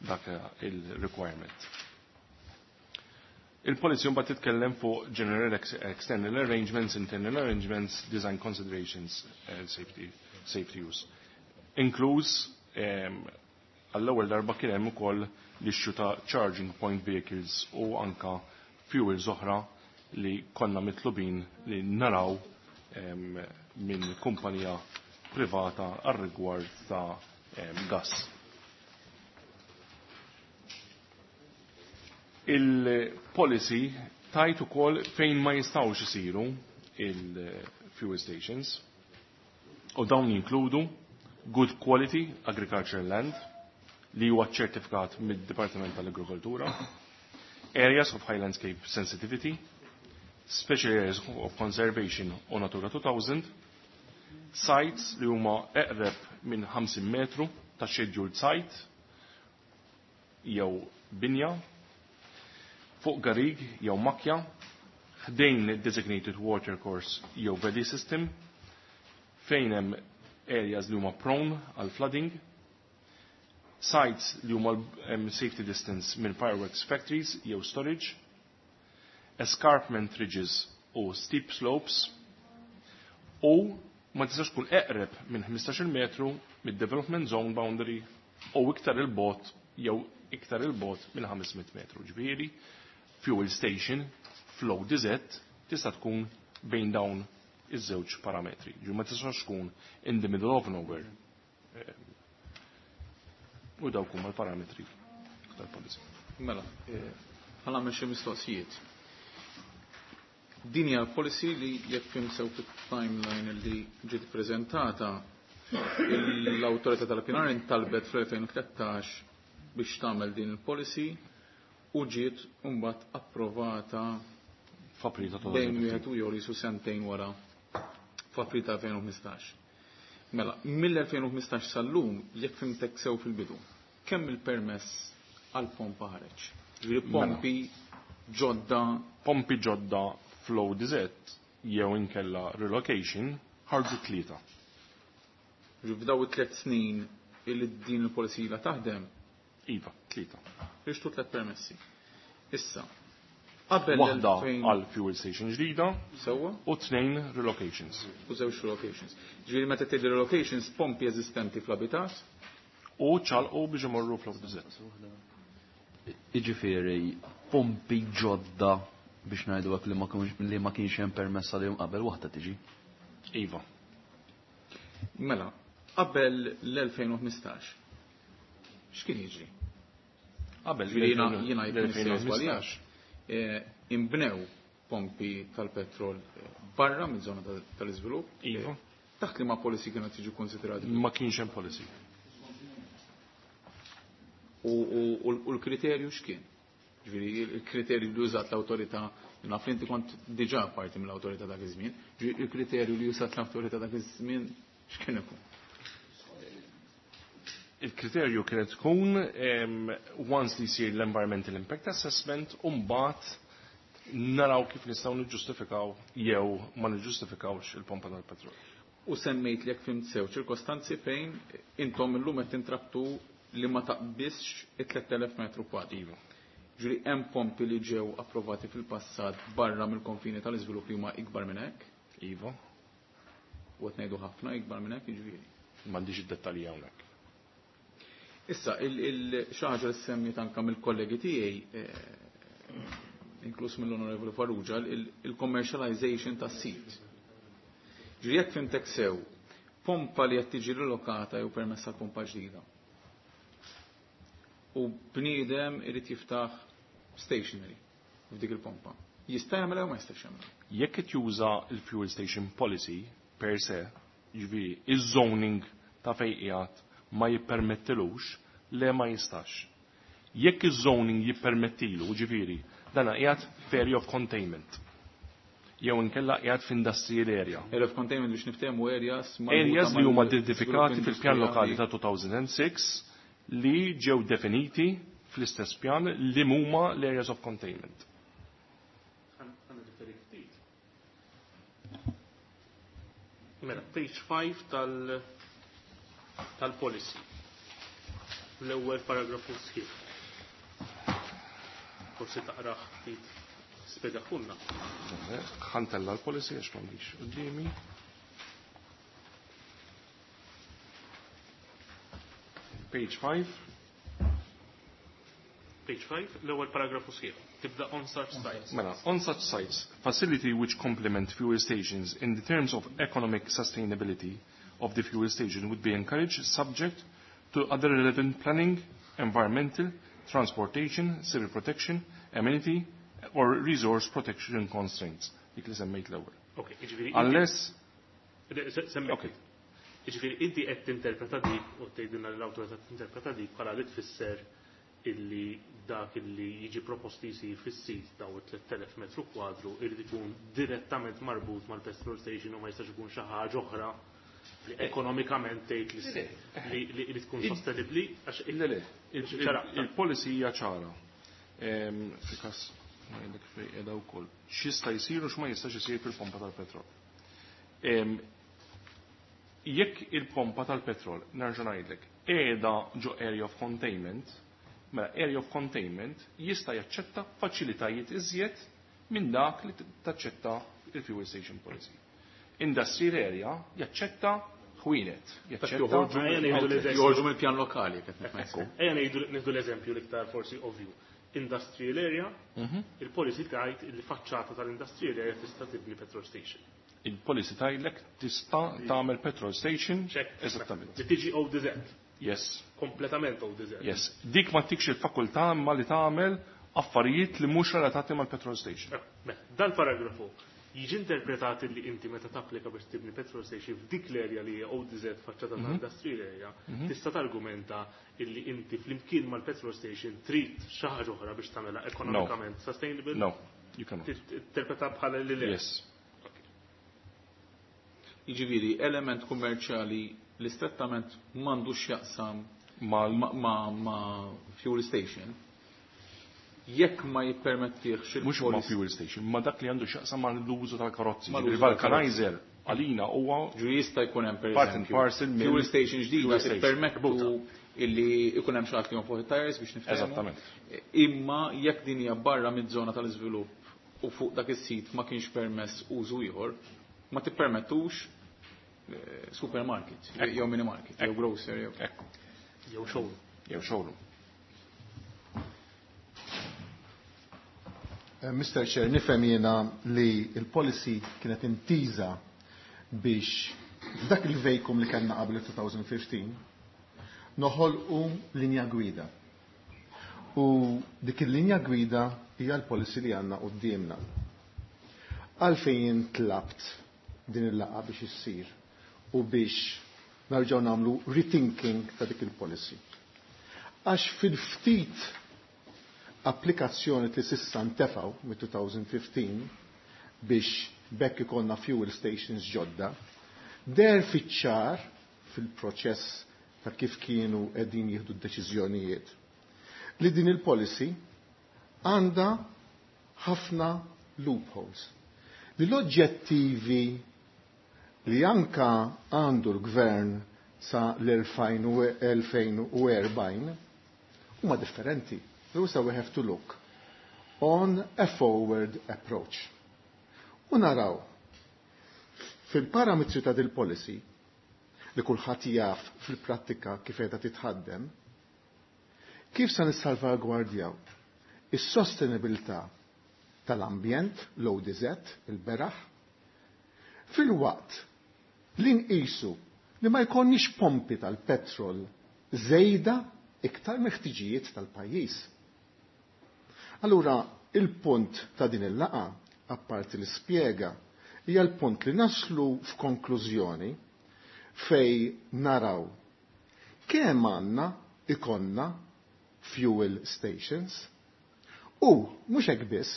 dak il-requirement. Il-policy mbagħad titkellem fuq general external arrangements, internal arrangements, design considerations, safety use. Inkluż għall-ewwel darba kien hemm ukoll l-issue ta' charging point vehicles u anka fuels oħra li konna mitlubin li naraw minn kumpanija privata għar-rigward ta' gas. Il-policy tajt ukoll fejn ma jistgħux isiru il-fuel stations u dawn jinkludu good quality agricultural land li huwa ċertifikat mid-Dipartiment tal-Agrikoltura, areas of high landscape sensitivity, Special Areas of Conservation u Natura 2000, sites li huma eqreb minn 50 metru ta' scheduled site jew binja, fuq garig jew makja, ħdejn designated water course jew valley system, fejn hemm areas li huma prone għal flooding, sites li huma safety distance minn fireworks factories jew storage, escarpment ridges u steep slopes, u ma tistax tkun eqreb minn 15 metru mid-development zone boundary u iktar il-bot jew iktar il-bot minn 500 metru. Ġifieri, fuel station flow DZ tista' tkun bejn dawn iż-żewġ parametri. Ġu ma tistax tkun in the middle of nowhere. U dawk huma l-parametri tal-policy. Mela, ħa nagħmel xi mistoqsijiet. Din hija l-policy li jekk fhimt sew fit-timeline li ġiet preżentata, l-awtorità tal-pjanar intalbet fl-2013 biex tagħmel din il-policy u ġiet mbagħad approvata f'April ta' bejn wieħed u ieħor jisu sentejn wara f'April ta' 2015. Mela, mill-2015 sal-lum, jekk fhimtek sew fil-bidu, kemm il-permess għal pompa ħareġ? Ġifieri pompi ġodda. Pompi ġodda fl-ODZ jew inkella relocation ħarġu 3. Ġifieri f'daw it-3 snin illi din il-policy la taħdem? Iva, 3. Rixtu 3 permessi. Issa, qabel waħda għal fuel station ġdida sewwa u 2 relocations. U żewġ relocations. Ġifieri meta tgħid relocations pompi eżistenti fl-abitat u ċalqu biex imorru fl-ODZ. Jiġifieri pompi ġodda biex ngħidu hekk li ma kienx hemm permessa li qabel waħda tiġi. Iva. Mela, qabel l-2015 x'kien jiġri? Qabel Ġifieri jiena jkun żbaljat. Imbnew pompi tal-petrol barra minn żona tal-iżvilupp. Iva. Taħt li ma policy kienu tiġi konsiderati? Ma kienx hemm policy. U l-kriterju x'kien? Ġifieri il-kriterju li użat l-awtorità, naf li inti kont diġà parti mill-awtorità dak iż-żmien, ġifieri il-kriterju li użat l-awtorità dak iż-żmien x'kien ikun? Il-kriterju kienet tkun once li jsir l-environmental impact assessment u mbagħad naraw kif nistgħu niġġustifikaw jew ma niġġustifikawx il-pompa tal-petrol. U semmejt li jekk fhimt sew ċirkostanzi fejn intom illum qed tintrabtu li ma taqbisx it-3000 metru kwadru. Iva. Ġifieri hemm pompi li ġew approvati fil-passat barra mill-konfini tal-iżvilupp li huma ikbar minn hekk? Iva. U qed ngħidu ħafna ikbar minn hekk, jiġifieri. M'għandix id-dettalji hawnhekk. Issa, xi ħaġa li semmiet anke mill-kollegi tiegħi, inkluż mill-Onorevoli Farrugia, il-commercialization tas-sit. Ġifieri jekk fhimtek sew, pompa li qed tiġi rilokata jew permessa pompa ġdida. U bniedem irid jiftaħ stationary f'dik il-pompa. Jista' jagħmel jew ma jistax jagħmel? Jekk qed juża l-fuel station policy per se, jiġifieri iż-zoning ta' fejn qiegħed ma jippermettilux, le ma jistax. Jekk iż-zoning jippermettilu, ġifieri, dan qiegħed f'area of containment. Jew inkella qiegħed f'industrial area. Area of containment biex niftehmu areas marbuta Areas li huma mal- identifikati fil-pjan lokali industriali. ta' 2006 li ġew definiti fl-istess pjan li huma l-areas of containment. Mela, page 5 tal-policy. L-ewwel paragrafu sħiħ. Forsi taqrah ftit spjegaħulna. Ħantella l-policy għax m'għandix quddiemi. Page 5. Page 5, l-ewwel paragrafu sħiħ. Tibda on such sites. Mela, on such sites, facility which complement fuel stations in the terms of economic sustainability of the fuel station would be encouraged subject to other relevant planning, environmental, transportation, civil protection, amenity, or resource protection constraints. Dik li semmejt l-ewwel. Ok, jiġifieri Unless semmejt. Ok. Jiġifieri inti qed tinterpreta dik u tgħidilna li l-awtorità tinterpreta dik bħala li tfisser illi dak illi jiġi proposti jsir fis-sit daw it-3000 metru kwadru irid ikun direttament marbut mal-petrol station u ma jistax ikun xi ħaġa oħra li ekonomikament tgħid li li tkun sostenibbli għax Le, le, il-policy hija ċara. Fil-każ ngħidlek fejn qiegħda wkoll. X'jista' jsir u x'ma jistax isir fil-pompa tal-petrol. Jekk il-pompa tal-petrol, nerġa' ngħidlek, qiegħda ġo area of containment, mela area of containment jista' jaċċetta faċilitajiet iżjed minn dak li taċċetta il-fuel station policy. Industrial area jaċċetta ħwienet, jaċċetta Joħorġu mill-pjan lokali, qed nifhem. Ejja ngħidu nieħdu l-eżempju l-iktar forsi ovvju. Industrial area, il-policy tgħid li faċċata tal-industrial area tista' tibni petrol station. Il-policy tgħidlek tista' tagħmel petrol station. Eżattament. Li tiġi ODZ. Yes. Kompletament ODZ. Yes. Dik ma tikx il-fakultà imma li tagħmel affarijiet li mhux relatati mal-petrol station. Mela, dal-paragrafu jiġi interpretat li inti meta tapplika biex tibni petrol station f'dik l-area li hija ODZ faċċata ta' industrial area, tista' targumenta illi inti flimkien mal-petrol station trid xi ħaġa oħra biex tagħmilha ekonomikament sustainable? No, you cannot. Interpreta bħala li le. Yes. Jiġifieri element kummerċjali li strettament m'għandux x'jaqsam Mal ma' fuel station, jekk ma jippermettihx Mhux ma' il-policy. fuel station, ma dak li għandu x'jaqsam mal-użu tal-karozzi. Mal-użu Il-vulcanizer għalina huwa Ġu jista' jkun hemm per Part and eżempju parcel mill- fuel station ġdida fuel station. tippermettu illi ikun hemm xi ħadd li jonfoħ it-tires biex niftehmu. Eżattament. Imma jekk din hija barra miż-żona tal-iżvilupp u fuq dak is-sit ma kienx permess użu ieħor, ma tippermettux supermarket, jew mini market, jew grocery, jew Ekku. Jew showroom. Jew showroom. Mr. Chair, nifhem jiena li il-policy kienet intiża biex f'dak il-vacuum li kellna qabel 2015 noħolqu linja gwida. U dik il-linja gwida hija l-policy li għandna quddiemna. Għalfejn tlabt din il-laqgħa biex issir u biex narġgħu nagħmlu rethinking ta' dik il-policy. Għax fil-ftit applikazzjoni li sissa ntefgħu mit-2015 biex bekk ikollna fuel stations ġodda, der fiċ-ċar fil-proċess ta' kif kienu qegħdin jieħdu d-deċiżjonijiet li din il-policy għandha ħafna loopholes. Li l-oġġettivi li anka għandu l-gvern sa l-2040 huma differenti. So we have to look on a forward approach. U naraw fil-parametri ta' dil-policy li kulħadd jaf fil-prattika kif qiegħda titħaddem, kif sa nissalvagwardjaw is-sostenibilità tal-ambjent, l-ODZ, il-beraħ, fil-waqt li nqisu li ma jkollniex pompi tal-petrol żejda iktar meħtiġijiet tal-pajjiż. Allura, il-punt ta' din il-laqa, apparti li spjega, hija l-punt li naslu f'konklużjoni fej naraw kemm għandna ikonna fuel stations u mhux hekk biss,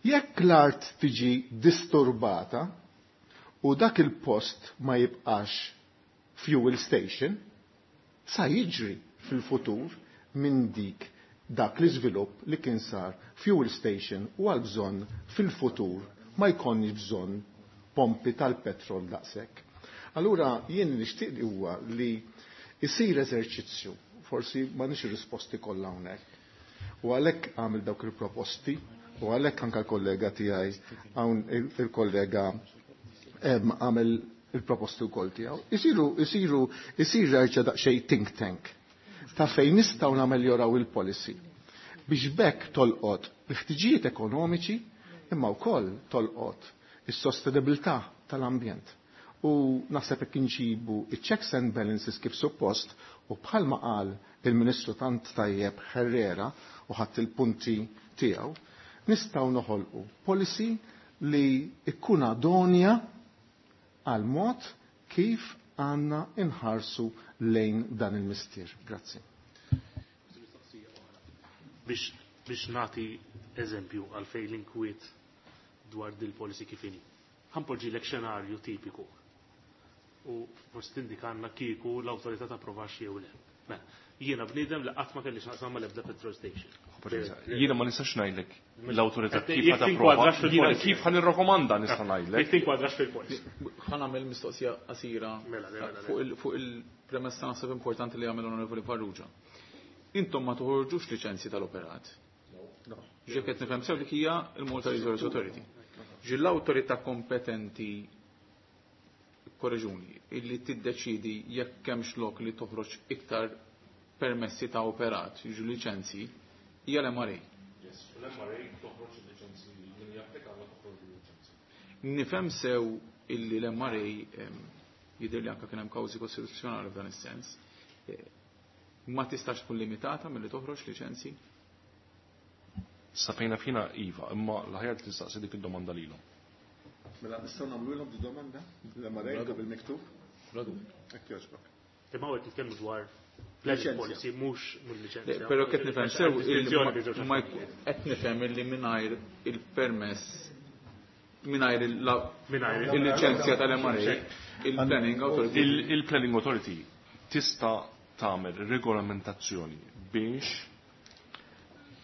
jekk l-art tiġi disturbata u dak il-post ma jibqax fuel station, sa jiġri fil-futur minn dik dak l-iżvilupp li kien sar fuel station u għal bżonn fil-futur ma jkollniex bżonn pompi tal-petrol daqshekk. Allura jien nixtieq li huwa li jsir eżerċizzju, forsi ma nix ir-risposti kollha hawnhekk. U għalhekk għamil dawk il-proposti u għalhekk anke l-kollega tiegħi hawn il-kollega għamel il-proposti wkoll tiegħu. Isir reġa' daqsxejn think tank ta' fejn nistgħu nameljoraw il-policy biex bekk tolqot l-ħtiġijiet ekonomiċi imma wkoll tolqot is-sostenibilità tal-ambjent. U naħseb hekk inġibu iċ-checks and balances kif suppost u bħalma qal il-Ministru tant tajjeb Herrera u ħadd il-punti tiegħu, nistgħu noħolqu policy li ikkun adonja għal mod kif għandna inħarsu lejn dan il-mistier. Grazzi. Biex biex nagħti eżempju għalfejn l-inkwiet dwar dil-policy kif inhi. Ħa npoġġilek xenarju tipiku u forsi tindikanna kieku l-awtorità tapprovax jew le. Mela, jiena bniedem li qatt ma kelli x'naqsam mal-ebda petrol station. Jiena ma nistax ngħidlek l-awtorità kif ħa tapprova. Jiena kif ħa nirrakkomanda nista' ngħidlek. Jekk tinkwadrax fil-policy. Ħa nagħmel mistoqsija qasira Mela, mela, mela. fuq il-premessa naħseb importanti li għamel Onorevoli Farrugia. Intom ma toħorġux liċenzji tal-operat. Ġifieri qed nifhem sew dik hija il-Malta Resource Authority. Ġi l-awtorità kompetenti korreġuni illi tiddeċidi jekk hemmx lok li toħroġ iktar permessi ta' operat, jiġu liċenzji, hija l-MRA. Yes, l-MRA toħroġ il-liċenzji min japplika għandha toħroġ il-liċenzji. Nifhem sew illi l-MRA jidher li anke kien hemm kawżi kostituzzjonali f'dan is-sens. Ma tistax tkun limitata milli toħroġ liċenzji? Sa fejna fina iva, imma l-aħjar tistaqsi dik id-domanda lilhom. Mela nistgħu nagħmluhom di domanda l-MRA bil-miktub? Hekk jogħġbok. Imma hawn qed nitkellmu dwar planning policy mhux mill-liċenzja. Però qed nifhem sew qed nifhem illi mingħajr il-permess mingħajr il-liċenzja tal-MRA il-Planning Authority Il-Planning Authority tista' tagħmel regolamentazzjoni biex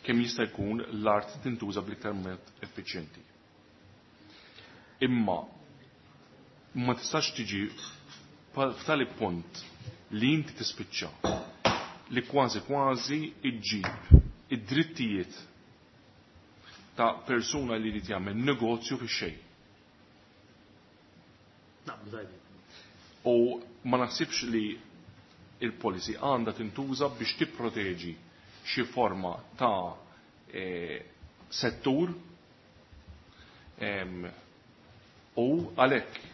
kemm jista' jkun l-art tintuża bl-iktar mod effiċjenti. Imma ma tistax tiġi f'tali punt li inti tispiċċa li kważi kważi iġġib id-drittijiet ta' persuna li jrid jagħmel negozju fix-xejn. U ma naħsibx li il-policy għandha tintuża biex tipproteġi xi forma ta' settur u għalhekk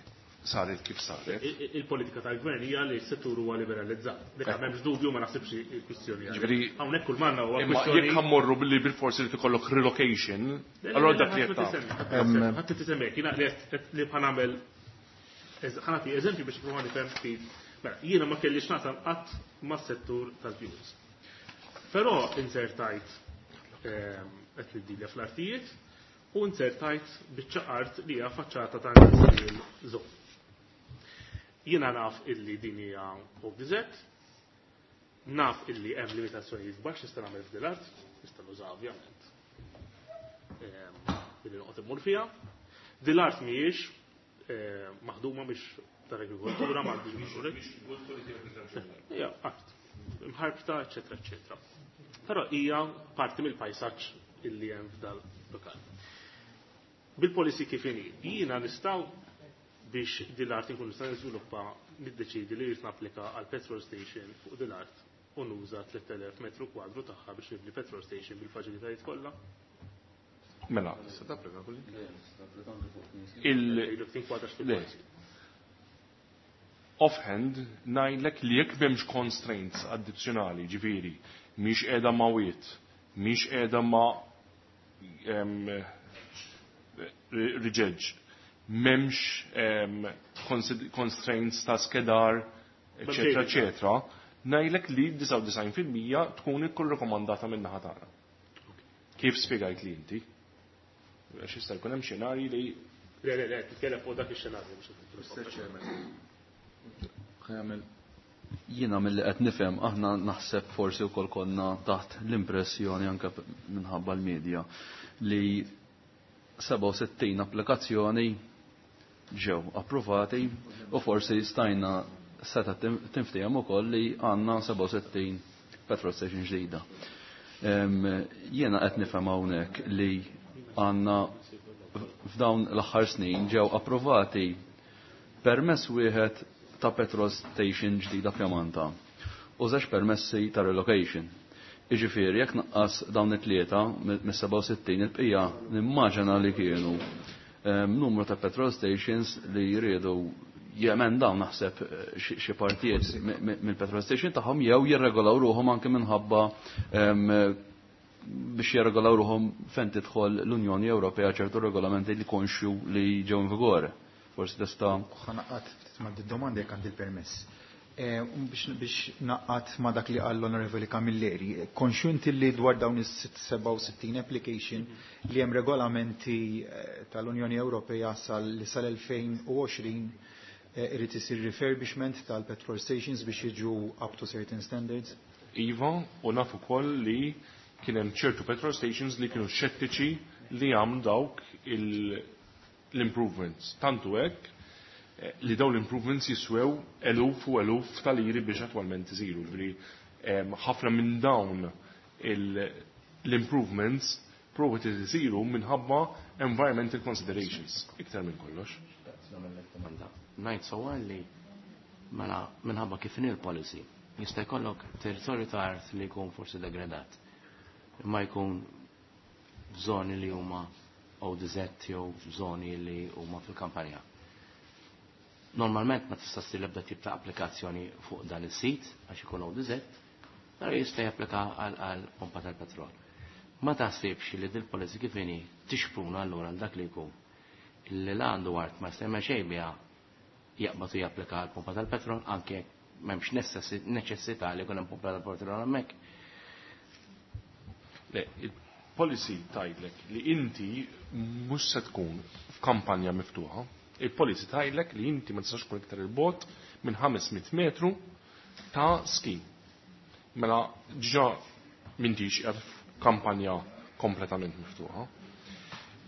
saret kif saret. Il-politika tal-gvern hija li s-settur huwa liberalizzat. Dik m'hemmx dubju ma naħsibx il-kwistjoni. Ġifieri hawnhekk kull manna huwa imma kwistjoni. Jekk ħammorru billi bil-forsi li tikollok relocation, allora dak li qed tagħmel. Ħadd tisemmek, jiena li bħal nagħmel ħanati eżempju biex nipprova nifhem ftit. Mela, jiena ma kellix naqsam qatt mas-settur tal-fuels. Però insertajt qed niddilja fl-artijiet u insertajt biċċa art li hija faċċata ta' industrial zone. Jiena naf illi din hija OBZ, naf illi hemm limitazzjonijiet kbar x'nista' nagħmel f'din l-art, nista' nuża ovvjament. Billi noqgħod immur fiha. Din l-art mhijiex maħduma biex tal-agrikoltura, ma għandix Hija art, imħarbta, eċetera, eċetera. Però hija parti mill-pajsaġġ illi hemm f'dal lokal. Bil-policy kif inhi, jiena nistgħu biex din l-art inkun nista' niżviluppa niddeċidi li rrid napplika għal petrol station fuq din l-art u nuża 3000 metru kwadru tagħha biex nibni petrol station bil-faċilitajiet kollha. Mela. Tista' tapplika kulli? Il Offhand ngħidlek li jekk m'hemmx constraints addizzjonali, ġifieri, mhix qiegħda ma' wiet, mhix qiegħda ma' riġeġ, m'hemmx constraints ta' skedar, eċetera, eċetera, ngħidlek li 99% tkun ikkun rekomandata minn naħa tagħna. Kif spjegajt li inti? Għax jista' jkun hemm xenarji li Le, le, le, titkellem fuq dak ix-xenarju mhux Mr. Chairman. Jiena mill-li qed nifhem aħna naħseb forsi wkoll konna taħt l-impressjoni anke minħabba l-medja li 67 applikazzjoni ġew approvati u forsi stajna seta tinftehom ukoll li għandna 67 petrol station ġdida. Jiena qed nifhem hawnhekk li għandna f'dawn l-aħħar snin ġew approvati permess wieħed ta' petrol station ġdida f'Jamanta u żewġ permessi ta' relocation. Jiġifieri jekk naqqas dawn it-tlieta mis-67 il-bqija nimmaġina li kienu numru ta' petrol stations li jriedu jemendaw naħseb xi partijiet mill-petrol station tagħhom jew jirregolaw ruħhom anke minħabba biex jirregolaw ruħhom fejn tidħol l-Unjoni Ewropea ċertu regolamenti li konxju li ġew in vigore. Forsi tista' Ħanaqqat ftit ma' domanda jekk għandi l-permess. Biex naqqat ma dak li qal l-Onorevoli Camilleri, konxju inti li dwar dawn is-67 application li hemm regolamenti tal-Unjoni Ewropea li sal-2020 irid isir refurbishment tal-petrol stations biex jiġu up to certain standards? Iva, u naf ukoll li kien hemm ċertu petrol stations li kienu xettiċi li għamlu dawk l-improvements. Tantu hekk li dawn l-improvements jiswew eluf u eluf tal-liri biex attwalment isiru. Ġifieri ħafna minn dawn l-improvements provi isiru minħabba environmental considerations, iktar minn kollox. Ngħid sewwa li mela minħabba kif inhi l-policy jista' jkollok territorju ta' art li jkun forsi degradat. Imma jkun f'żoni li huma ODZ jew f'żoni li huma fil-kampanja. Normalment ma tista' ssir l-ebda tip ta' applikazzjoni fuq dan is-sit għax ikun ODZ, però jista' japplika għal pompa tal-petrol. Ma taħsibx li dil-policy kif inhi tixpruna allura għal dak li jkun illi la għandu art ma jista' xejn biha jaqbad u japplika għal pompa tal-petrol anke jekk m'hemmx neċessità li jkun hemm pompa tal-petrol hemmhekk. Le, il-policy tgħidlek li inti mhux se tkun f'kampanja miftuħa. Il-policy tgħidlek li inti ma tistax tkun iktar il-bogħod minn 500 metru ta' scheme. Mela ġa m'intix qiegħed f'kampanja kompletament miftuħa.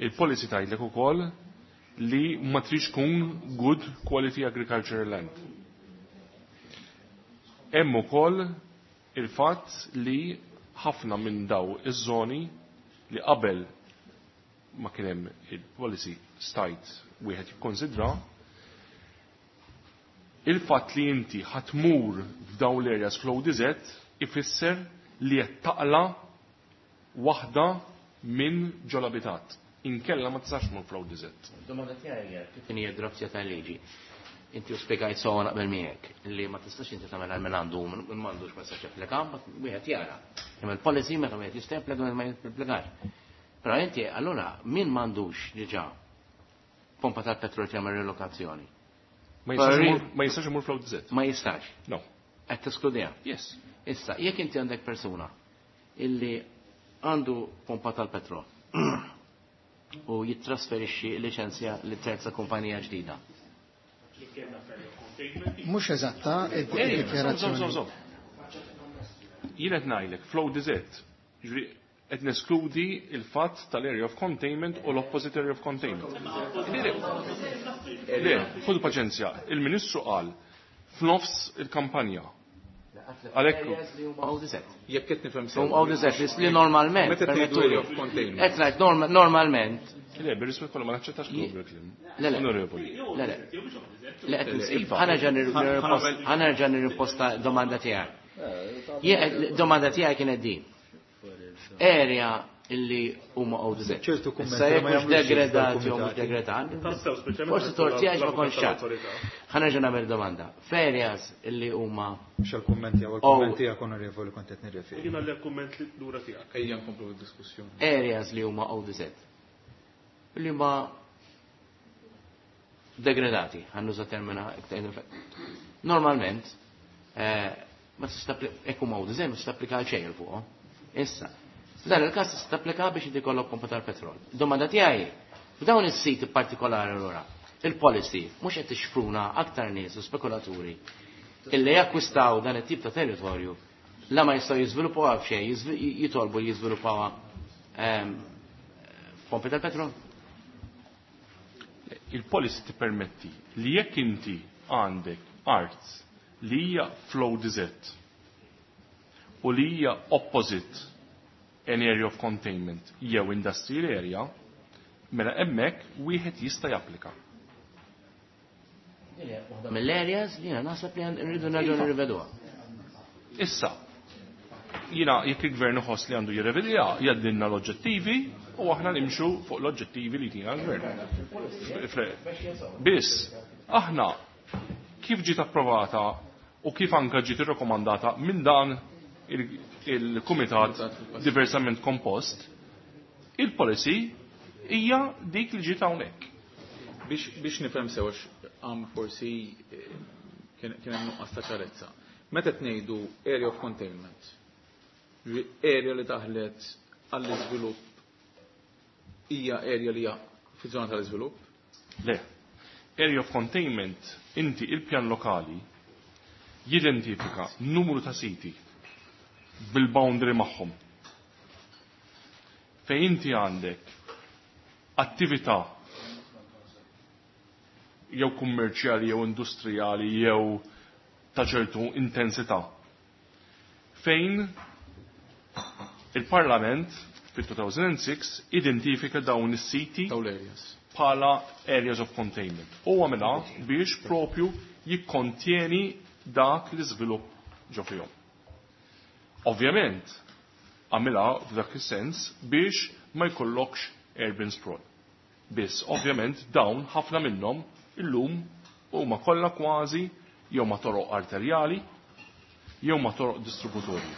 Il-policy tgħidlek ukoll li ma trix tkun good quality agricultural land. Hemm ukoll il-fatt li ħafna minn daw iż-żoni li qabel ma kien hemm il-policy stajt wieħed jikkonsidra, il-fatt li inti ħatmur f'dawn l-areas fl-ODZ ifisser li qed taqla waħda minn ġol-abitat. Inkella ma tistax tmur fl-ODZ. Domanda tiegħi hija kif inhi d-draftja tal-liġi. Inti u spjegajt sewwa naqbel miegħek li ma tistax inti tagħmel għal min għandu u min m'għandux ma jistax japplika, mbagħad wieħed jara. Imma l-policy meta wieħed jista' japplika ma japplikax. Però inti allura min m'għandux diġà pompa tal-petrol jagħmel relokazzjoni? Ma jistax imur fl-ODZ. Ma jistax. No. Qed teskludija. Yes. Issa, jekk inti għandek persuna illi għandu pompa tal-petrol u jittrasferixxi liċenzja li terza kumpanija ġdida. Mhux eżatta id-dikjarazzjoni. Jien qed ngħidlek fl-ODZ, ġifieri qed neskludi il-fatt tal-area of containment u l-opposite area of containment. Le, ħudu paċenzja, il-Ministru qal f'nofs il-kampanja. Għalhekk Jekk qed nifhem sew. Huma ODZ li normalment, Meta tgħidu area of containment. Qed ngħid normalment. Le, bir-rispett kollu ma naċċettax kliem. Le, le. Onorevoli. Le, le. Le, qed nsib. Ħa nerġa' nirriposta domanda tiegħek. Domanda tiegħek kienet din. Area illi huma ODZ. ċertu kummenti Issa jekk ma mhux jagħmlux sens degradati jew mhux dal-kumitati. degradati. Tassew, speċjalment Forsi torti għax ma kontx ċar. l-awtorità. Ħa nerġa' nagħmel domanda. F'areas illi huma Mhux għall-kummenti jew għall-kummenti tiegħek onorevoli kont qed nirreferi. Jiena l kumment li lura tiegħek. Ejja nkomplu bid-diskussjoni. Areas li huma ODZ. Li huma degradati, ħa nuża termina iktar. Normalment, ma tista' jekk huma ODZ ma tista' applika għal xejn il fuqhom. Issa, f'dan il-każ tista' tapplika biex inti jkollok pompa tal-petrol. Domanda tiegħi, f'dawn is-siti partikolari allura, il-policy mhux qed tixfruna aktar nies u spekulaturi illi jakkwistaw dan it-tip ta' territorju la ma jistgħu jiżviluppaw f'xejn, jitolbu li jiżviluppaw pompi tal-petrol. Il-policy tippermetti li jekk inti għandek art li hija fl-ODZ u li hija opposite an area of containment jew industrial area, mela hemmhekk wieħed jista' japplika. Waħda mill-areas li jiena naħseb li nridu nerġgħu nirriveduha. Issa, jiena jekk il-gvern iħoss li għandu jirrevedija, jgħaddilna l-oġġettivi u aħna nimxu fuq l-oġġettivi li tina l-gvern. Biss, aħna kif ġiet approvata u kif anka ġiet irrakkomandata minn dan il-kumitat diversament kompost, il-policy hija dik li ġiet hawnhekk. Biex nifhem sew għax għam forsi Kien hemm nuqqas ta' ċarezza. Meta qed ngħidu area of containment, area li daħlet għall-iżvilupp hija area li hija fiż-żona tal-iżvilupp? Le. Area of containment, inti il-pjan lokali jidentifika numru ta' siti bil-boundary magħhom. Fejn inti għandek attività jew kummerċjali jew industrijali jew ta' ċertu intensità. Fejn il-Parlament fil-2006 identifika dawn is-siti bħala areas of containment. U għamilha biex propju jikkontjeni dak l-iżvilupp ġo fihom. Ovvjament, għamilha f'dak is-sens biex ma jkollokx urban sprawl. Biss, ovvjament, dawn ħafna minnhom illum huma kollha kważi jew ma toroq arterjali jew ma toroq distributorji.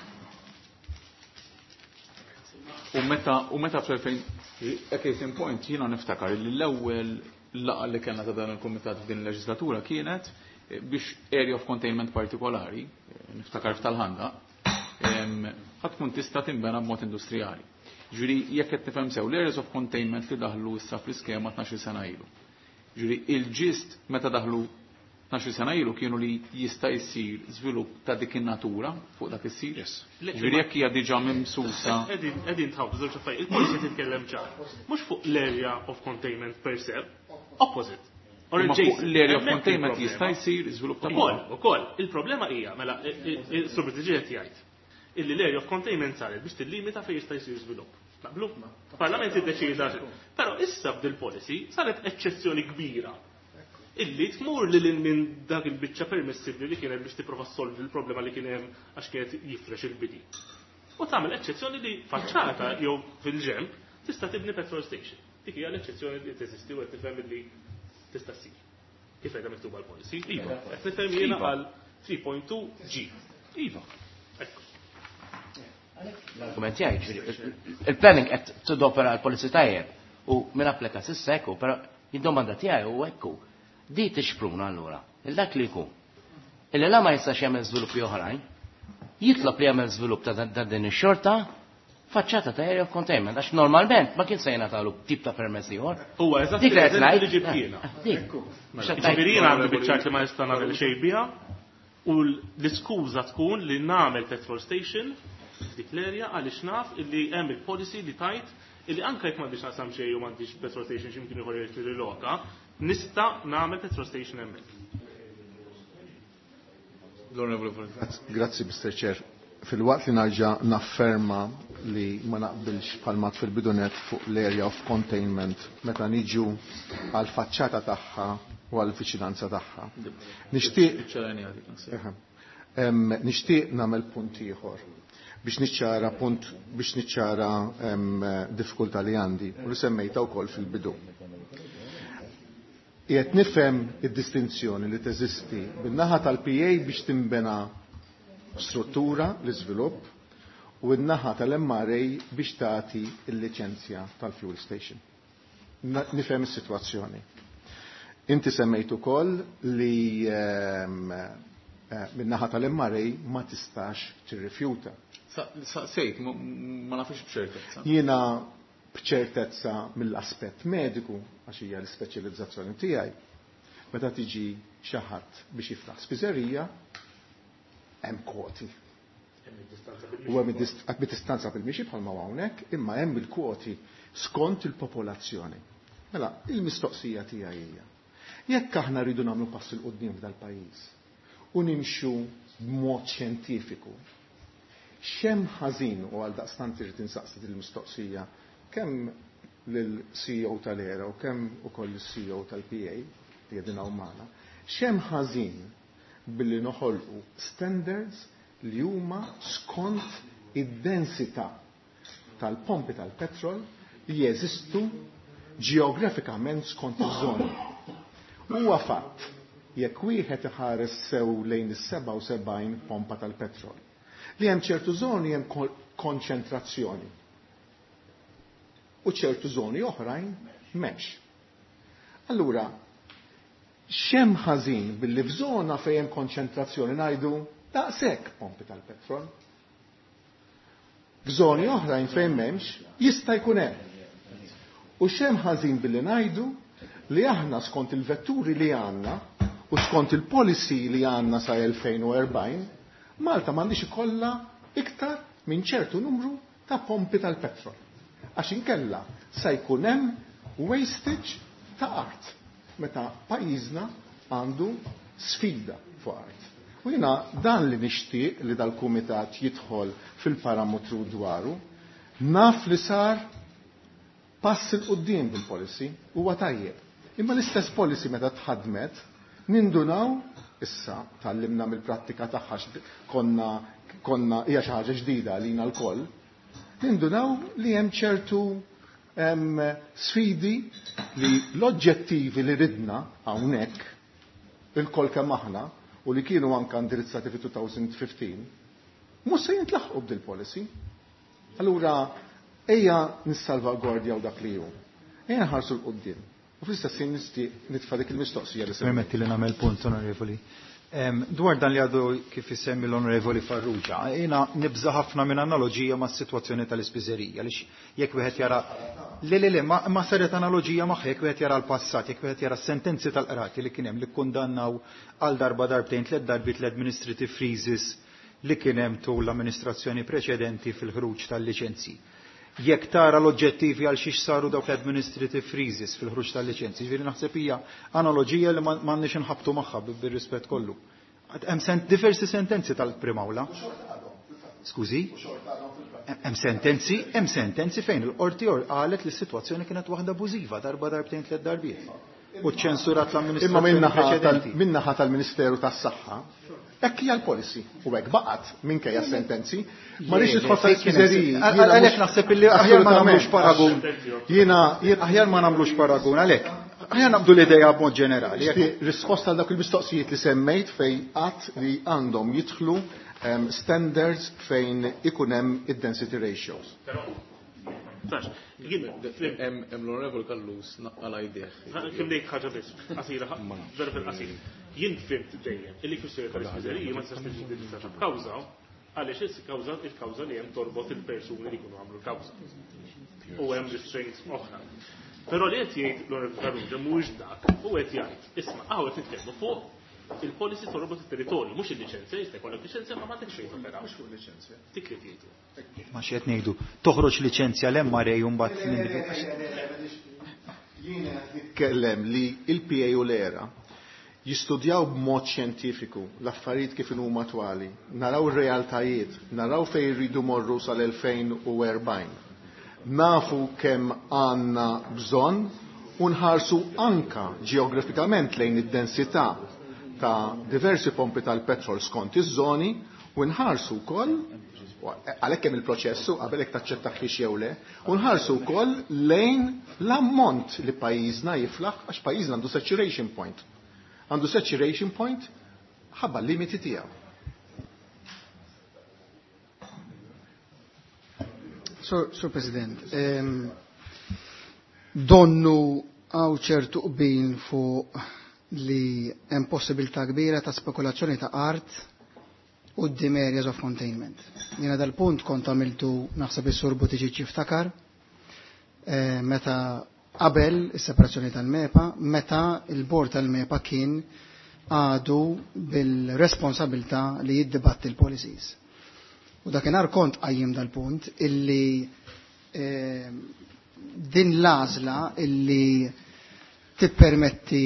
U meta fl-2000, a case in point, jiena niftakar li l-ewwel laqgħa li kellna ta' dan il-kumitat f'din il-leġislatura kienet biex area of containment partikolari, niftakar f'tal-Ħandaq, ħadd tkun tista' tinbena b'mod industrijali. Ġifieri jekk qed nifhem sew l-areas of containment li daħlu issa fl-iskema 12 sena ilu. Ġifieri il-ġist meta daħlu 12 sena ilu kienu li jista' jsir żvilupp ta' dik in-natura fuq dak is-sit. Yes. Ġifieri jekk hija diġà mimsusa. Qegħdin tħawdu żewġ affarijiet. Il-policy titkellem ċar. Mhux fuq l-area of containment per se, opposite. Or Imma fuq adjacent. l-area of Hemmhekk containment il-problema. jista' jsir żvilupp ta' Ukoll, ukoll, il-problema hija, mela, il-Sur Buttigieg qed jgħid illi l-area of containment saret biex tillimita fejn jista' jsir żvilupp. Naqblu? Parlament iddeċida. Però issa b'dil policy saret eċċezzjoni kbira illi tmur lil hinn minn dak il-biċċa permissibbli li kienet biex tipprova ssolvi l-problema li kien hemm għax kienet jifrex il-bidi. U tagħmel eċċezzjoni li faċċata jew fil-ġemp tista' tibni petrol station. Dik hija l-eċċezzjoni li teżisti u qed tifhem illi tista' ssir. Kif qiegħda miktuba l-policy? Iva. Qed nifhem jiena Iva. għal 3.2 G. Iva. Ekku. L-argument tiegħi, ġifieri, il-planning qed tidopera l-policy tajjeb u min applika s'issa ekku, però id-domanda tiegħi hu ekku. Di tixpruna allura, il-dak li jkun. Illi la ma jistax jagħmel żviluppi oħrajn, jitlob li jagħmel żvilupp ta' din ix-xorta, faċċata ta' area of containment, għax normalment ma kien se jingħatalu tip ta' permess ieħor. Huwa eżatt Dik li qed l-eżempju ngħid. li ġibt jiena. Dik. Mhux qed Ġifieri ngħid. jiena għandi biċċa li ma nista' nagħmel xejn biha u l-iskuża tkun li nagħmel petrol station f'dik l-area għaliex naf illi hemm il-policy li tajt illi anke jekk m'għandix naqsam xejn u m'għandix petrol station x'imkien ieħor jrid riloka, nista' nagħmel petrol station hemmhekk. L-Onorevoli Floriana. Grazzi, Mr. Chair. Fil-waqt li narġa' nafferma li ma naqbilx palmat fil-bidunet fuq l-area of containment meta niġu għal faċċata tagħha u għal viċinanza tagħha. Nixtieq Iċ-ċarani għadik, naħseb. Eħe. Nixtieq nagħmel punt ieħor biex niċċara punt biex niċċara diffikultà li għandi u li semmejta wkoll fil-bidu. Qiegħed nifhem id-distinzjoni li teżisti bin-naħa tal-PA biex tinbena struttura l-iżvilupp u n-naħa tal-MRA biex tagħti l-liċenzja tal-fuel station. Nifhem is-sitwazzjoni. Inti semmejt ukoll li min-naħa tal-MRA ma tistax tirrifjuta. Sejt, ma nafx b'ċertezza. Jiena b'ċertezza mill-aspett mediku, għax hija l-ispeċjalizzazzjoni tiegħi, meta tiġi xi ħadd biex jiftaħ spiżerija, hemm kwoti. U hemm id-distanza bil-mixi bħalma hawnhekk, imma hemm il-kwoti skont il-popolazzjoni. Mela, il-mistoqsija tiegħi hija: jekk aħna rridu nagħmlu pass il quddiem f'dal-pajjiż u nimxu b'mod xjentifiku, x'hemm ħażin u għal daqstant irid insaqsi din il-mistoqsija kemm lill-CEO tal-ERA u kemm ukoll lis-CEO tal-PA li qegħdin hawn magħna, x'hemm ħażin billi noħolqu standards li huma skont id-densità tal-pompi tal-petrol li jeżistu ġeografikament skont iż-żoni. Huwa fatt jekk wieħed iħares sew lejn is-77 pompa tal-petrol li hemm ċertu żoni hemm konċentrazzjoni u ċertu żoni oħrajn m'hemmx. Allura, X'hemm ħażin billi f'żona fejn hemm konċentrazzjoni ngħidu daqshekk pompi tal-petrol. F'żoni oħrajn fejn m'hemmx jista' jkun hemm. U x'hemm ħażin billi ngħidu li aħna skont il-vetturi li għandna u skont il-policy li għandna sa 2040, Malta m'għandix ikollha iktar minn ċertu numru ta' pompi tal-petrol. Għax inkella sa jkun hemm wastage ta' art meta pajjiżna għandu sfida fuq art. U jiena dan li nixtieq li dal-kumitat jidħol fil-parametru dwaru, naf li sar pass 'il quddiem bil-policy, huwa tajjeb. Imma l-istess policy meta tħadmet, nindunaw, issa tgħallimna mill-prattika tagħha konna konna hija xi ħaġa ġdida għalina lkoll, nindunaw li hemm ċertu sfidi li l-oġġettivi li ridna hawnhekk ilkoll kemm aħna u li kienu anka indirizzati fi 2015 mhux se jintlaħqu b'dil policy. Allura ejja nissalvagwardjaw dak li hu. Ejja nħarsu 'l quddiem. U fl-istess ħin nixtieq nitfa' dik il-mistoqsija li Permetti li nagħmel punt, Onorevoli. Dwar dan li għadu kif isemmi l-Onorevoli Farrugia, jiena nibża ħafna minn analoġija ma' situazzjoni tal-ispiżerija, għaliex jekk wieħed jara le le le ma, ma saret analoġija magħha jekk wieħed jara l-passat, jekk wieħed jara sentenzi tal-qrati li kien hemm li kkundannaw għal darba darbtejn tliet darbiet l-administrative freezes li kien hemm tul l-amministrazzjoni preċedenti fil-ħruġ tal-liċenzji. Jekk tara l-oġġettivi għal xiex saru dawk l-administrative freezes fil-ħruġ tal-liċenzji, ġifieri naħseb hija analoġija li m'għandniex inħabtu magħha bir-rispett kollu. Hemm diversi sentenzi tal-Prim'Awla. Skużi? Hemm sentenzi, hemm sentenzi fejn il-qorti qalet li s-sitwazzjoni kienet waħda abużiva darba darbtejn tliet darbiet. U ċensurat Imma l-amministrazzjoni preċedenti. min-naħa tal-Ministeru tas-Saħħa, hekk hija l-policy u hekk baqgħet minkejja sentenzi. Ma rridx nidħol tal-ispiżeriji. Għalhekk naħseb illi aħjar ma nagħmlux paragun. Jiena aħjar ma nagħmlux paragun għalhekk. Aħjar naqbdu l-idea b'mod ġenerali. Risposta għal dawk il-mistoqsijiet li semmejt fejn qatt li għandhom jidħlu standards fejn ikun hemm id-density ratios. Hemm l-Onorevoli Callus naqqala jdejh. Kemm ngħid ħaġa biss, qasira, vera fil-qasir. Jien fhimt dejjem illi kwistjoni tal-ispiżeriji ma tistax tiġi indirizzata b'kawża għaliex il-kawża il-kawża li hemm torbot il-persuni li jkunu għamlu l-kawża. U hemm restraints oħra. Però li qed jgħid l-Onorevoli Farrugia mhuwiex dak, u qed jgħid, isma' hawn qed nitkellmu fuq il-policy torbot it-territorju, mhux il-liċenzja, jista' jkollok liċenzja ma m'għandekx fejn topera. Mhux fuq liċenzja. Dik li jgħidu. Ma xi qed ngħidu, toħroġ liċenzja l-MRA u mbagħad Jiena qed nitkellem li il-PA u l-ERA jistudjaw b'mod xjentifiku l-affarijiet kif huma attwali, naraw ir-realtajiet, naraw fejn irridu morru sal-2040. Nafu kemm għandna bżonn u nħarsu anka ġeografikament lejn id-densità ta' diversi pompi tal-petrol skont iż-żoni u nħarsu wkoll għalhekk hemm il-proċessu qabel hekk taċċettaħ jew le, u nħarsu wkoll lejn l-ammont li pajjiżna jiflaħ għax pajjiżna għandu saturation point. Għandu saturation point ħabba l-limiti tiegħu. Sur President, donnu għaw ċertu qbil fuq li hemm possibilità kbira ta' spekulazzjoni ta' art quddiem areas of containment. Jiena dal-punt kont għamiltu naħseb is-Sur Buttigieg jiftakar meta qabel is-separazzjoni tal-MEPA, meta il-bord tal-MEPA kien għadu bil-responsabilità li jiddibatti l-policies. U dakinhar kont qajjim dal-punt illi din l-għażla illi tippermetti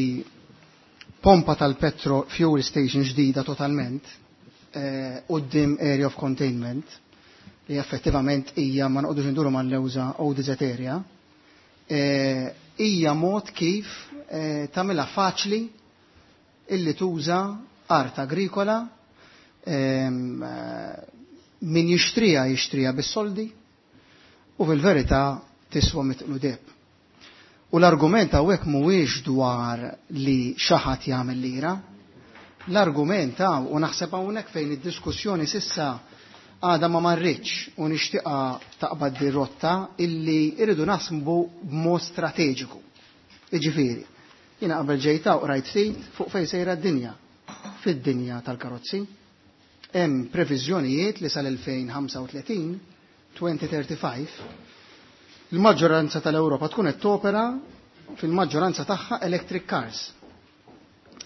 pompa tal-petro fuel station ġdida totalment quddiem area of containment li effettivament hija ma noqogħdux induru mal-lewża ODZ area, hija mod kif tagħmilha faċli illi tuża art agrikola, min jixtrija jixtrija bis-soldi u fil-verità tiswa mitqlu deb. U l-argument hawnhekk mhuwiex dwar li xi ħadd jagħmel lira. L-argument hawn, u naħseb hawnhekk fejn id-diskussjoni sissa għadha ma marritx u nixtieqha taqbad di rotta illi irridu naħsbu b'mod strateġiku. Jiġifieri, Jiena qabel ġejt hawn qrajt ftit fuq fejn sejra d-dinja. Fid-dinja tal-karozzi. Hemm previżjonijiet li sal-2035, 2035, il-maġġoranza tal-Ewropa tkun qed topera fil-maġġoranza tagħha electric cars.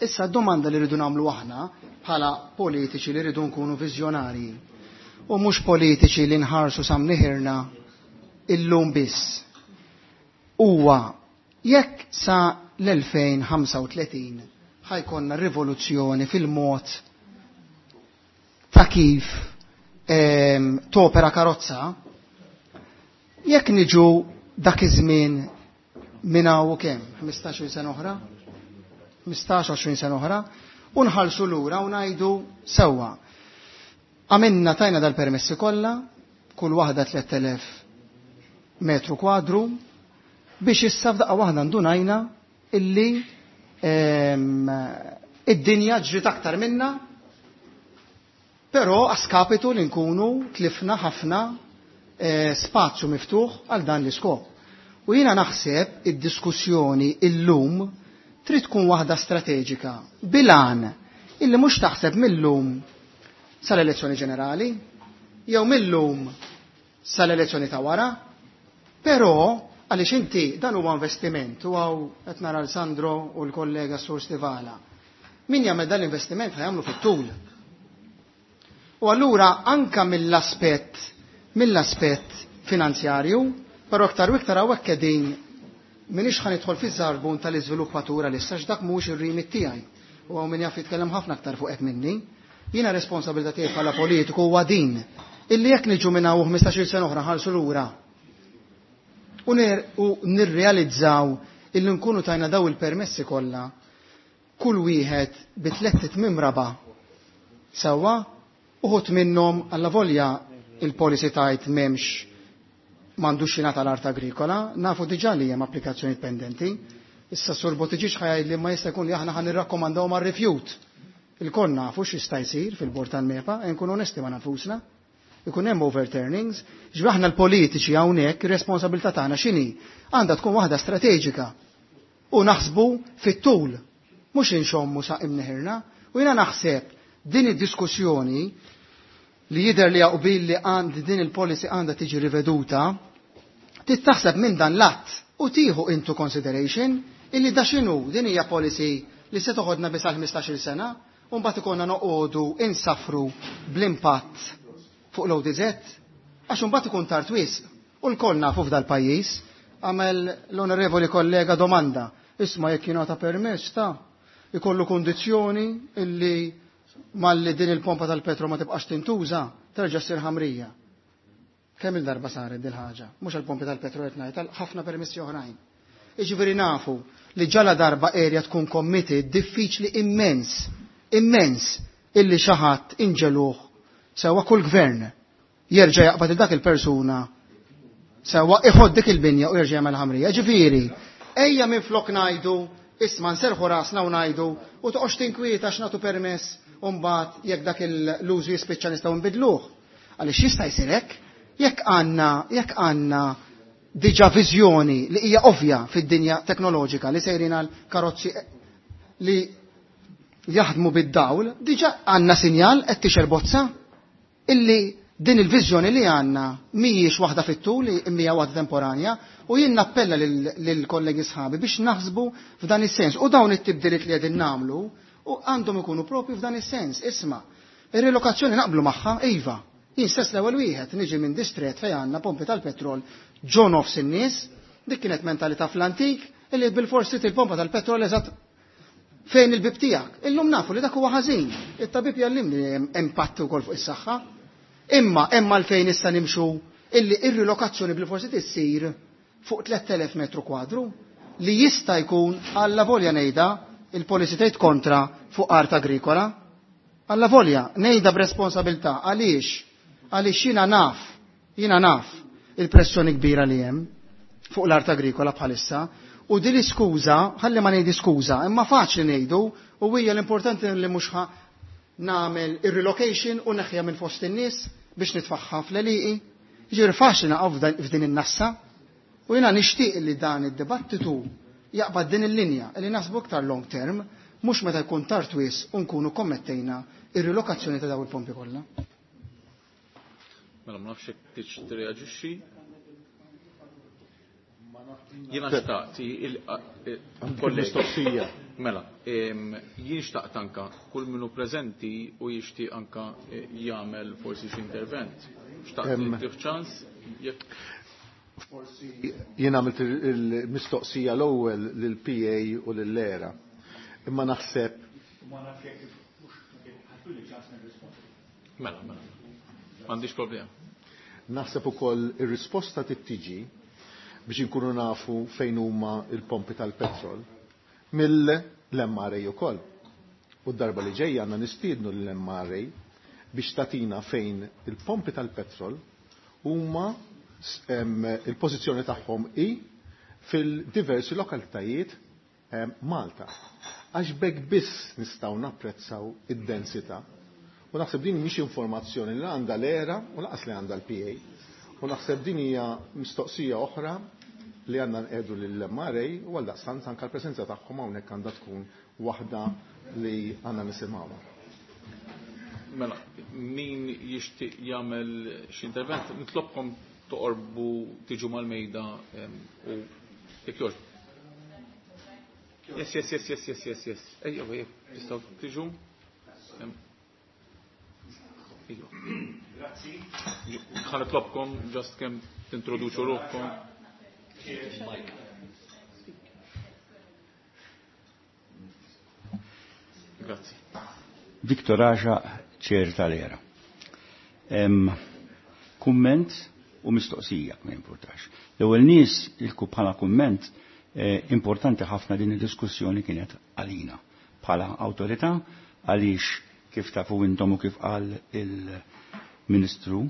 Issa d-domanda li rridu nagħmlu aħna bħala politiċi li rridu nkunu viżjonarji u mhux politiċi li nħarsu sa mniħirna illum biss. Huwa jekk sa l-2035 ħa jkollna rivoluzzjoni fil-mod ta' kif topera karozza, jekk niġu dak iż-żmien minn hawn u kemm, 15-il sena oħra, 15-20 sena oħra, u nħallsu lura u ngħidu sewwa. Għamilna tajna dal-permessi kollha, kull waħda 3000 metru kwadru, biex issa f'daqqa waħda ndunajna illi id-dinja ġriet aktar minna, però askapitu li nkunu tlifna ħafna spazju miftuħ għal dan l-iskop. U jiena naħseb id-diskussjoni illum trid tkun waħda strateġika, bilan illi mhux taħseb millum sal-elezzjoni ġenerali, jew millum sal-elezzjoni ta' wara, però għaliex inti dan huwa investiment, u hawn qed nara l-Sandro u l-kollega Sur Stivala. Min jagħmel dan l-investiment ħa jagħmlu fit-tul. U allura anka mill-aspett finanzjarju, però aktar u iktar hawnhekk qegħdin m'iniex ħa nidħol fiż-żarbun tal-iżviluppatura issa x'dak mhuwiex ir-remit tiegħi. U hawn min jaf jitkellem ħafna aktar fuq hekk minni. Jiena responsabilità tiegħi bħala politiku huwa din illi jekk niġu minn hawn 15-il sena oħra ħarsu lura u nirrealizzaw illi nkunu tajna daw il-permessi kollha kull wieħed bi tliet tmiem raba' sewwa, uħud minnhom alla volja il-policy tajt m'hemmx m'għandux jingħata l-art agrikola, nafu diġà li hemm applikazzjoni pendenti. Issa Sur Buttigieg ħa jgħid li ma jista' jkun li aħna ħa nirrakkomandaw mar-rifjut. Il-koll nafu x'jista' jsir fil-bord tal-MEPA, e nkunu onesti ma' nafusna. Ikun hemm overturnings, ġifieri aħna l-politiċi hawnhekk ir-responsabilità tagħna x'inhi? Għandha tkun waħda strateġika. U naħsbu fit-tul, mhux inxommu sa imneħirna. U jiena naħseb din id-diskussjoni li jidher li qbil li għand din il-policy għandha tiġi riveduta, tittaħseb minn dan l-att u tieħu into consideration illi da x'inhu din hija policy li se toħodna biss għal 15-il sena u mbagħad ikollna noqogħdu insafru bl-impatt fuq l-ODZ, għax imbagħad ikun tard wisq. U lkoll nafu f'dal-pajjiż, għamel l-onorevoli kollega domanda, isma' jekk jingħata permess ta' ikollu kondizzjoni illi malli din il-pompa tal-petro ma tibqax tintuża, terġa' ssir ħamrija. Kemm il-darba saret dil ħaġa? Mhux għall-pompi tal-petro qed ngħid, għal ħafna permessi oħrajn. Jiġifieri nafu li ġala darba area tkun committed diffiċli immens, immens illi xi ħadd inġeluh sewwa kull gvern jerġa' jaqbad il dak il-persuna sewwa iħodd dik il-binja u jerġa' jagħmel ħamrija. Ġifieri, ejja minflok ngħidu isma' nserħu rasna u ngħidu u toqgħodx tinkwieta għax nagħtu permess u mbagħad jekk dak l-użu jispiċċa nistgħu nbidluh. Għaliex jista' jsir hekk, jekk għandna diġà viżjoni li hija ovvja fid-dinja teknoloġika li sejrin għal karozzi li jaħdmu bid-dawl, diġà għandna sinjal qed tixel bozza illi din il-viżjoni li għandna mhijiex waħda fit-tul, hija waħda temporanja, u jien nappella lill-kollegi sħabi biex naħsbu f'dan is-sens. U dawn it-tibdiliet li qegħdin nagħmlu u għandhom ikunu propju f'dan is-sens. Isma', ir-relokazzjoni naqblu magħha, iva. Jien stess l-ewwel wieħed niġi minn distret fejn għandna pompi tal-petrol ġo nofs in-nies, dik kienet mentalità fl-antik illi bil-forsi il-pompa tal-petrol eżatt fejn il-bib tiegħek. Illum nafu li dak huwa ħażin. It-tabib jallimni li hemm impatt ukoll fuq is-saħħa. Imma hemm għalfejn issa nimxu illi ir-rilokazzjoni bil-forsi tissir fuq 3000 metru kwadru li jista' jkun alla volja ngħidha il-policy tgħid kontra fuq art agrikola. Alla volja ngħidha b'responsabilità għaliex? Għaliex jiena naf il-pressjoni kbira li hemm fuq l-art agrikola bħalissa u din l-iskuża, ħalli ma ngħidi skuża, imma faċli ngħidu u hija l-importanti li mhux ħa nagħmel ir-relocation u neħja minn fost in-nies biex nitfaħħa fl-għelieqi. Ġifieri faċli naqgħu f'din in-nassa u jiena nixtieq li dan id-dibattitu jaqbad din il-linja li naħsbu iktar long term, mhux meta jkun tard wisq u nkunu kommettejna ir-rilokazzjoni ta' dawn il-pompi kollha. Mela ma nafx jekk tridx tirreaġixxi. Jiena xtaqt il-mistoqsija. Mela, jien xtaqt anka kull minnu preżenti u jixtieq anka jagħmel forsi xi intervent. Xtaqt li ċans jekk Forsi jien għamilt il-mistoqsija l-ewwel lill-PA u lill-ERA. Imma naħseb Ma nafx jekk ħattuli ċans nirrispondi. Mela, mela. M'għandix problema. Naħseb ukoll ir-risposta trid tiġi biex inkunu nafu fejn huma il-pompi tal-petrol mill-MRA ukoll. U d-darba li ġejja għandna nistiednu l-MRA biex tagħtina fejn il-pompi tal-petrol huma, il-pożizzjoni tagħhom hi fil-diversi lokalitajiet Malta. Għax b'hekk biss nistgħu napprezzaw id-densità. U naħseb din mhix informazzjoni li għandha l-ERA u lanqas li għandha l-PA. U naħseb din hija mistoqsija oħra li għandna nqiegħdu lill-MRA u għaldaqstant anke l-preżenza tagħhom hawnhekk għandha tkun waħda li għandna nisimgħuha. Mela, min jixtieq jagħmel xi intervent, nitlobkom toqorbu, tiġu mal-mejda u jekk jogħġ. Yes. Ejja, ejja, tistgħu tiġu? Ejja. Grazzi. Ħa nitlobkom just kemm tintroduċu ruħkom. Mike. Grazzi. Viktor Aġa, chair tal-ERA. Kumment u mistoqsija, ma importax. L-ewwel nies ilku bħala kumment importanti ħafna din id-diskussjoni kienet għalina bħala awtorità, għaliex kif tafu intom u kif qal il-Ministru,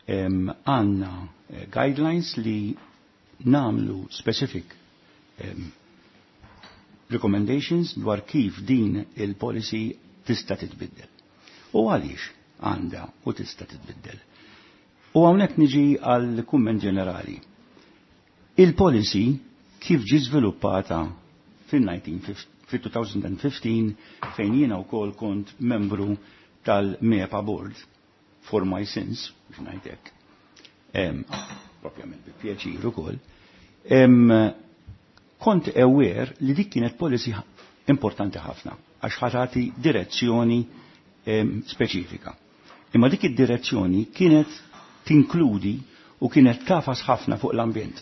għandna guidelines li namlu specific recommendations dwar kif din il-policy tista' titbiddel. U għaliex għandha u tista' titbiddel. U hawnhekk niġi għal kumment ġenerali. Il-policy kif ġi żviluppata fil-2015, fejn jiena wkoll kont membru tal-MEPA Board for my sins, biex ngħidlek. Propjament bi pjaċir ukoll. Kont aware li dik kienet policy importanti ħafna għax ħa tati direzzjoni speċifika. Imma dik id-direzzjoni kienet tinkludi u kienet tagħfas ħafna fuq l-ambjent.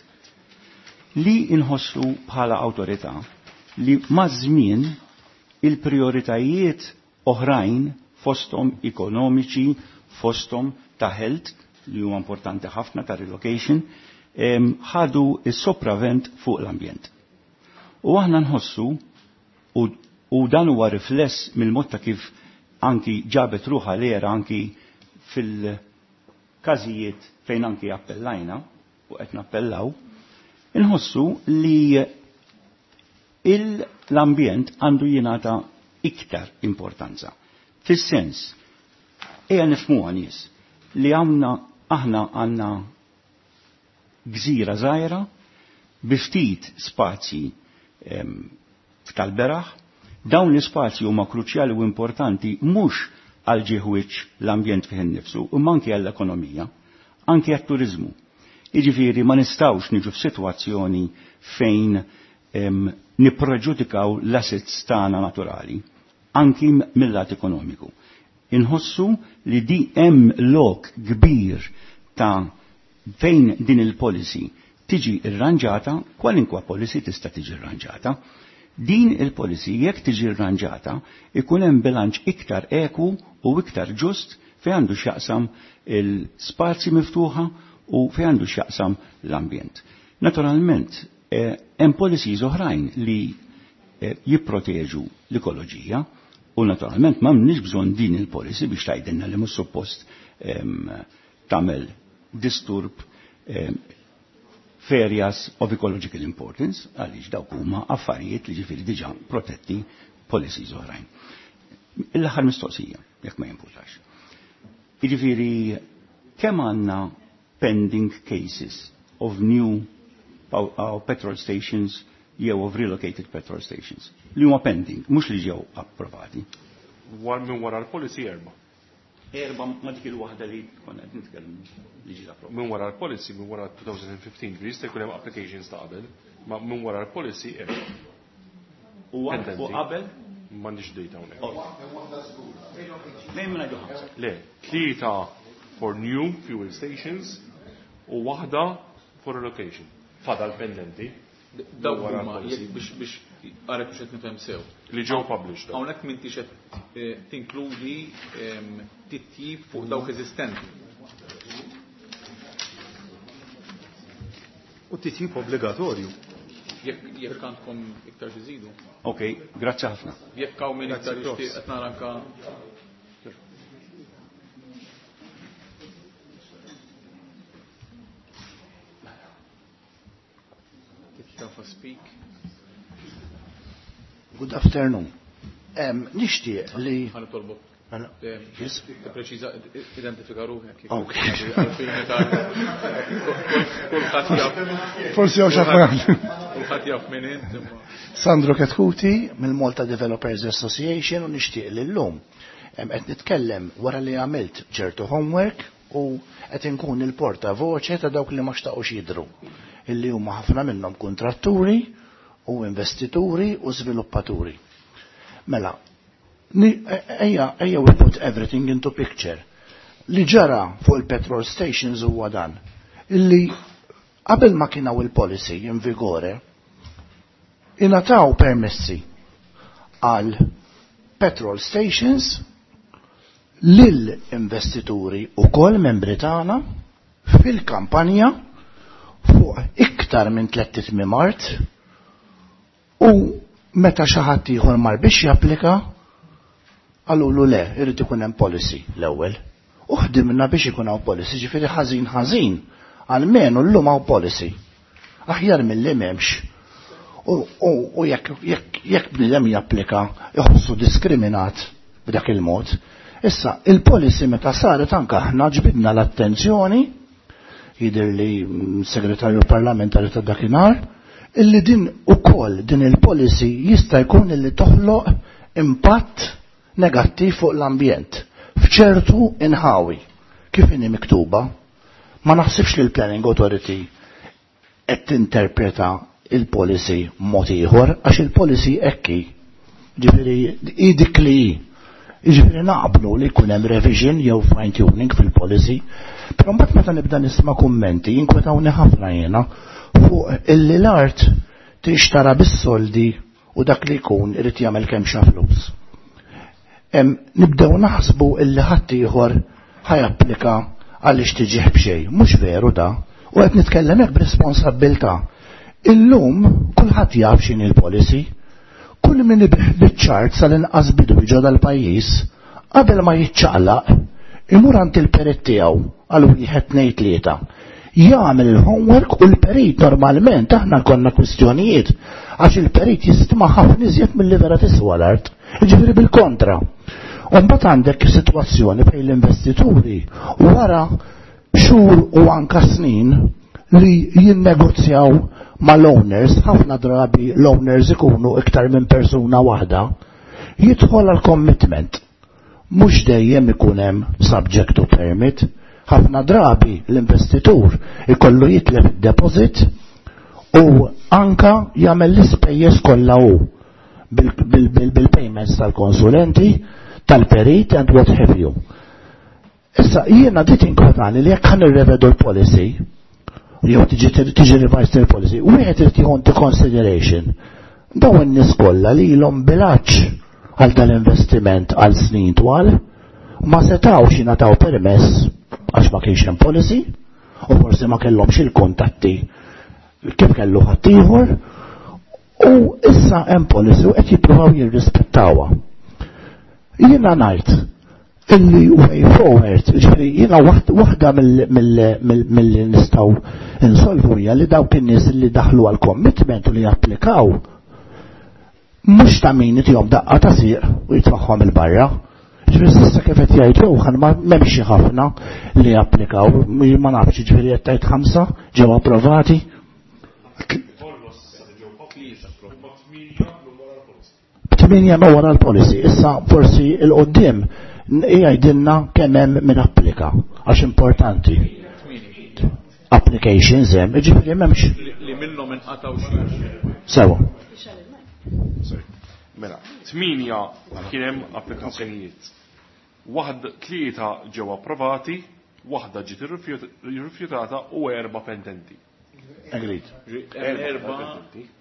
Li inħossu bħala awtorità li maż-żmien il-prioritajiet oħrajn, fostom ekonomiċi, fostom ta' health, li huwa importanti ħafna ta' relocation, ħadu is-sopravvent fuq l-ambjent. U aħna nħossu, u dan huwa rifless mill-mod ta' kif anki ġabet ruħa l-ERA anki fil-każijiet fejn anki appellajna u qed nappellaw, inħossu li l-ambjent għandu jingħata iktar importanza. Fis-sens, ejja nifhmuha nies li għandna, aħna għandna gżira żgħira bi ftit spazji tal-beraħ. Dawn l-ispazji huma kruċjali u importanti mhux għal ġieħwiċ l-ambjent fih innifsu, imma anke għall-ekonomija, anke għat-turizmu. Jiġifieri ma nistgħux niġu f'sitwazzjoni fejn nippreġudikaw l-assets tagħna naturali, anki mill-lat ekonomiku. Inħossu li di hemm lok kbir ta' fejn din il-policy tiġi irranġata, kwalinkwa policy tista' tiġi irranġata. Din il-policy jekk tiġi irranġata, ikun hemm bilanċ iktar eku u iktar ġust fejn għandu x'jaqsam il-spazji miftuħa u fejn għandu x'jaqsam l-ambjent. Naturalment, hemm policies oħrajn li jipproteġu l-ekoloġija u naturalment m'għandniex bżonn din il-policy biex tgħidilna li mhux suppost tagħmel disturb areas of ecological importance, għaliex dawk huma affarijiet li ġifieri diġà protetti policies oħrajn. L-aħħar mistoqsija, jekk ma jimpurtax. Jiġifieri kemm għandna pending cases of new petrol stations jew of relocated petrol stations li huma pending, mhux li ġew approvati. Minn wara l-policy erba'. Erba' ma dik il-waħda li konna qed nitkellmu li ġiet approvata. Minn wara l-policy, minn wara 2015, li jista' jkun hemm applications ta' qabel, ma minn wara l-policy erba'. U qabel? M'għandix data hawnhekk. Lejn minn ħamsa. Le, tlieta for new fuel stations u waħda for relocation. Fadal pendenti. Dawk huma biex biex għarek biex qed nifhem sew. Li ġew published. Hawnhekk m'intix qed eh, tinkludi ehm, titjib fuq dawk eżistenti. U titjib obbligatorju. Jekk għandkom iktar xi Ok, grazzi ħafna. Jekk hawn min iktar jixtieq qed nara anka speak. Good afternoon. Nixtieq li. Ħa Yes. Preċiża, identifika ruħek. Ok. Forsi għaw xafran. Kulħadd jaf min int. Sandro Ketkuti mill-Malta Developers Association u nixtieq li llum qed nitkellem wara li għamilt ċertu homework u qed inkun il-porta voċe ta' dawk li ma xtaqux jidru illi huma ħafna minnhom kontratturi u investituri u sviluppaturi. Mela, ejja ejja we put everything into picture. Li ġara fuq il-petrol stations huwa dan. Illi qabel ma kien hawn il-policy in vigore, ingħataw permessi għal petrol stations lil investituri u kol membri tagħna fil-kampanja fuq iktar minn 300 mart u meta xi ħadd ieħor mar biex japplika qalulu le, irid ikun hemm policy l-ewwel. U ħdimna biex ikun hawn policy, ġifieri ħażin ħażin, almenu llum hawn policy. Aħjar milli m'hemmx. U jekk jekk bniedem japplika iħossu diskriminat b'dak il-mod. Issa, il-policy meta saret anke aħna ġbidna l-attenzjoni jidher li segretarju parlamentari ta' dakinhar, illi din ukoll din il-policy jista' jkun illi toħloq impatt negattiv fuq l-ambjent f'ċertu inħawi kif inhi miktuba. Ma naħsibx li l-Planning Authority qed tinterpreta il-policy mod ieħor għax il-policy hekk hi. Ġifieri hi dik li hi. Jiġifieri naqblu li jkun hemm revision jew fine tuning fil-policy, però mbagħad meta nibda nisma' kummenti jinkwetawni ħafna jiena fuq illi l-art tixtara bis-soldi u dak li jkun irid jagħmel kemm xa flus. Nibdew naħsbu illi ħadd ieħor ħajapplika għaliex tiġih b'xejn. Mhux veru da. U qed nitkellem hekk b'responsabbiltà. Illum kulħadd jaf x'inhi l-policy. Kull min ibih biċ-ċart sal-inqas bidu ġo dal-pajjiż, qabel ma jiċċaqlaq, imur għand il-perit tiegħu għal wieħed tnejn tlieta. Jagħmel il-homework u l-perit normalment aħna konna kwistjonijiet għax il-perit jistima ħafna iżjed milli vera tiswa l-art. Jiġifieri bil-kontra. U mbagħad għandek sitwazzjoni fejn l-investituri wara xhur u anka snin li jinnegozjaw mal-owners, ħafna drabi l-owners ikunu iktar minn persuna waħda, jidħol għal commitment. Mhux dejjem ikun hemm subject to permit, ħafna drabi l-investitur ikollu jitlef id-deposit u anka jagħmel l-ispejjeż kollha hu bil-payments tal-konsulenti, tal-perit and what have you. Issa jiena dit inkwetani li jekk ħa nirrevedu l-policy, jew tiġi revised il-policy, wieħed irid jieħu into consideration dawn in-nies kollha li ilhom bilaċ għal dal-investiment għal snin twal, ma setawx jingħataw permess għax ma kienx hemm policy u forsi ma kellhomx il-kuntatti kif kellu ħaddieħor u issa hemm policy u qed jippruvaw jirrispettawha. Jiena ngħid illi way forward, ġifieri jiena waħda mill-li nistgħu insolvu hija li dawk in-nies li daħlu għal commitment u li japplikaw mhux ta' min itihom daqqa ta' sieq u jitfaħħom il-barra. Ġifieri s'issa kif qed jgħid Johan ma m'hemmx ħafna li japplikaw, ma nafx ġifieri qed tgħid ħamsa ġew approvati. 8 ma wara l-policy. Issa forsi il-qoddim jgħidilna kemm hemm min applika għax importanti. Applications hemm, jiġifieri m'hemmx. Li minnhom inqatgħu xi. Sewa. Mela, 8 kien hemm applikazzjonijiet. Waħd tlieta ġew approvati, waħda ġiet irrifjutata u erba' pendenti. Agreed. Erba'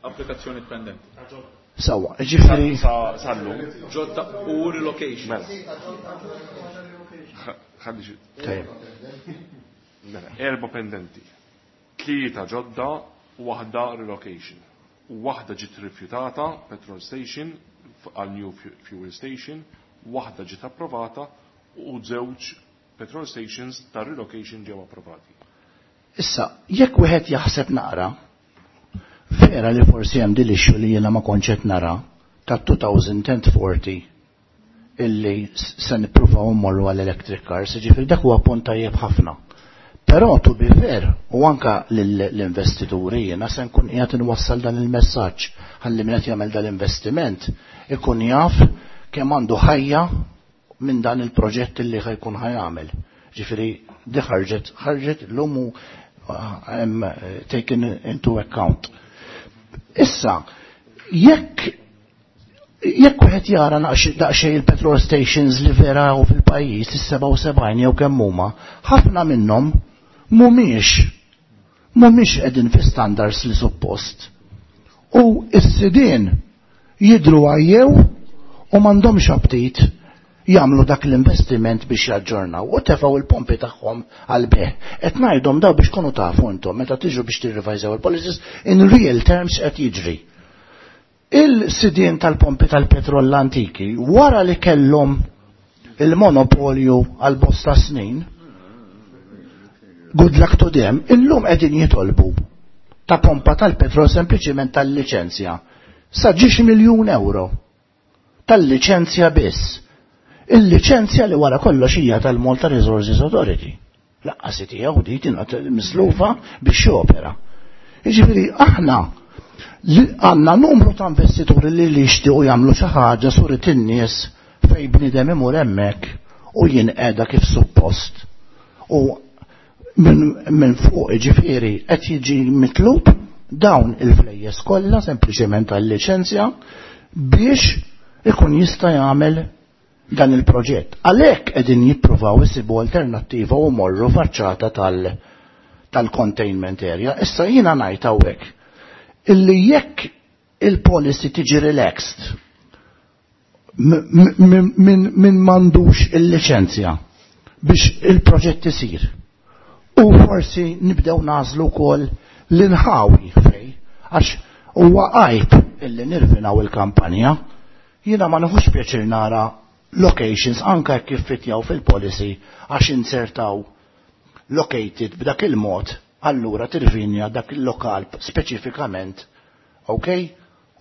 applikazzjoni pendenti. Sawa, ġifieri. Sallu. Ġodda u relocation. Mela. Ħalli xi. Mela, erba' pendenti. Tlieta ġodda u waħda relocation. U waħda ġiet rifjutata, petrol station, għal new fuel station, waħda ġiet approvata u żewġ petrol stations ta' relocation ġew approvati. Issa, jekk wieħed jaħseb naqra, vera li forsi hemm din l-issue li jiena ma kontx qed nara ta' 2040 illi se nippruvaw immorru għall electric cars, ġifieri dak huwa punt tajjeb ħafna. Però to be fair, u anka l-investituri jiena se nkun qiegħed inwassal dan il-messaġġ ħalli min qed jagħmel dal-investiment ikun jaf kemm għandu ħajja minn dan il-proġett li ħajkun ħajamel. Ġifieri di ħarġet ħarġet l-lum u taken into account. Issa, jekk jekk wieħed jara daqsxejn il-petrol stations li vera u fil-pajjiż is-77 jew kemm huma, ħafna minnhom mhumiex mhumiex qegħdin fi standards li suppost. U s-sidien jidru għajjew u m'għandhomx aptit jagħmlu dak l-investiment biex jaġġornaw u tefgħu il-pompi tagħhom għal bejgħ. Qed ngħidhom daw biex kunu tafu intom meta tiġu biex tirrevajżaw il-policies in real terms qed jiġri. Il-sidien tal-pompi tal-petrol l-antiki wara li kellhom il-monopolju għal bosta snin, good luck to them, illum qegħdin jitolbu ta' pompa tal-petrol sempliċiment tal-liċenzja sa ġiex miljun euro tal-liċenzja biss. Il-liċenzja li wara kollox hija tal-Malta Resources Authority. Laqqas tiegħu di tingħat mislufa biex jopera. Jiġifieri aħna għandna numru ta' investituri li li jixtiequ jagħmlu xi ħaġa surit in-nies fejn bniedem imur hemmhekk u jinqeda kif suppost. U minn fuq ġifieri qed jiġi mitlub dawn il-flejjes kollha sempliċement għal-liċenzja biex ikun jista' jagħmel dan il-proġett. Għalhekk qegħdin jippruvaw isibu alternattiva u morru faċċata tal-containment area. Issa jiena ngħid hawnhekk illi jekk il-policy tiġi relaxed min m'għandux il-liċenzja biex il-proġett isir. U forsi nibdew nażlu wkoll l-inħawi fej, għax huwa għajb illi nirvinaw il-kampanja. Jiena ma nħux pjaċir nara locations anka kif fitjaw fil-policy għax insertaw located b'dak il-mod, allura tirvinja dak il-lokal speċifikament, ok?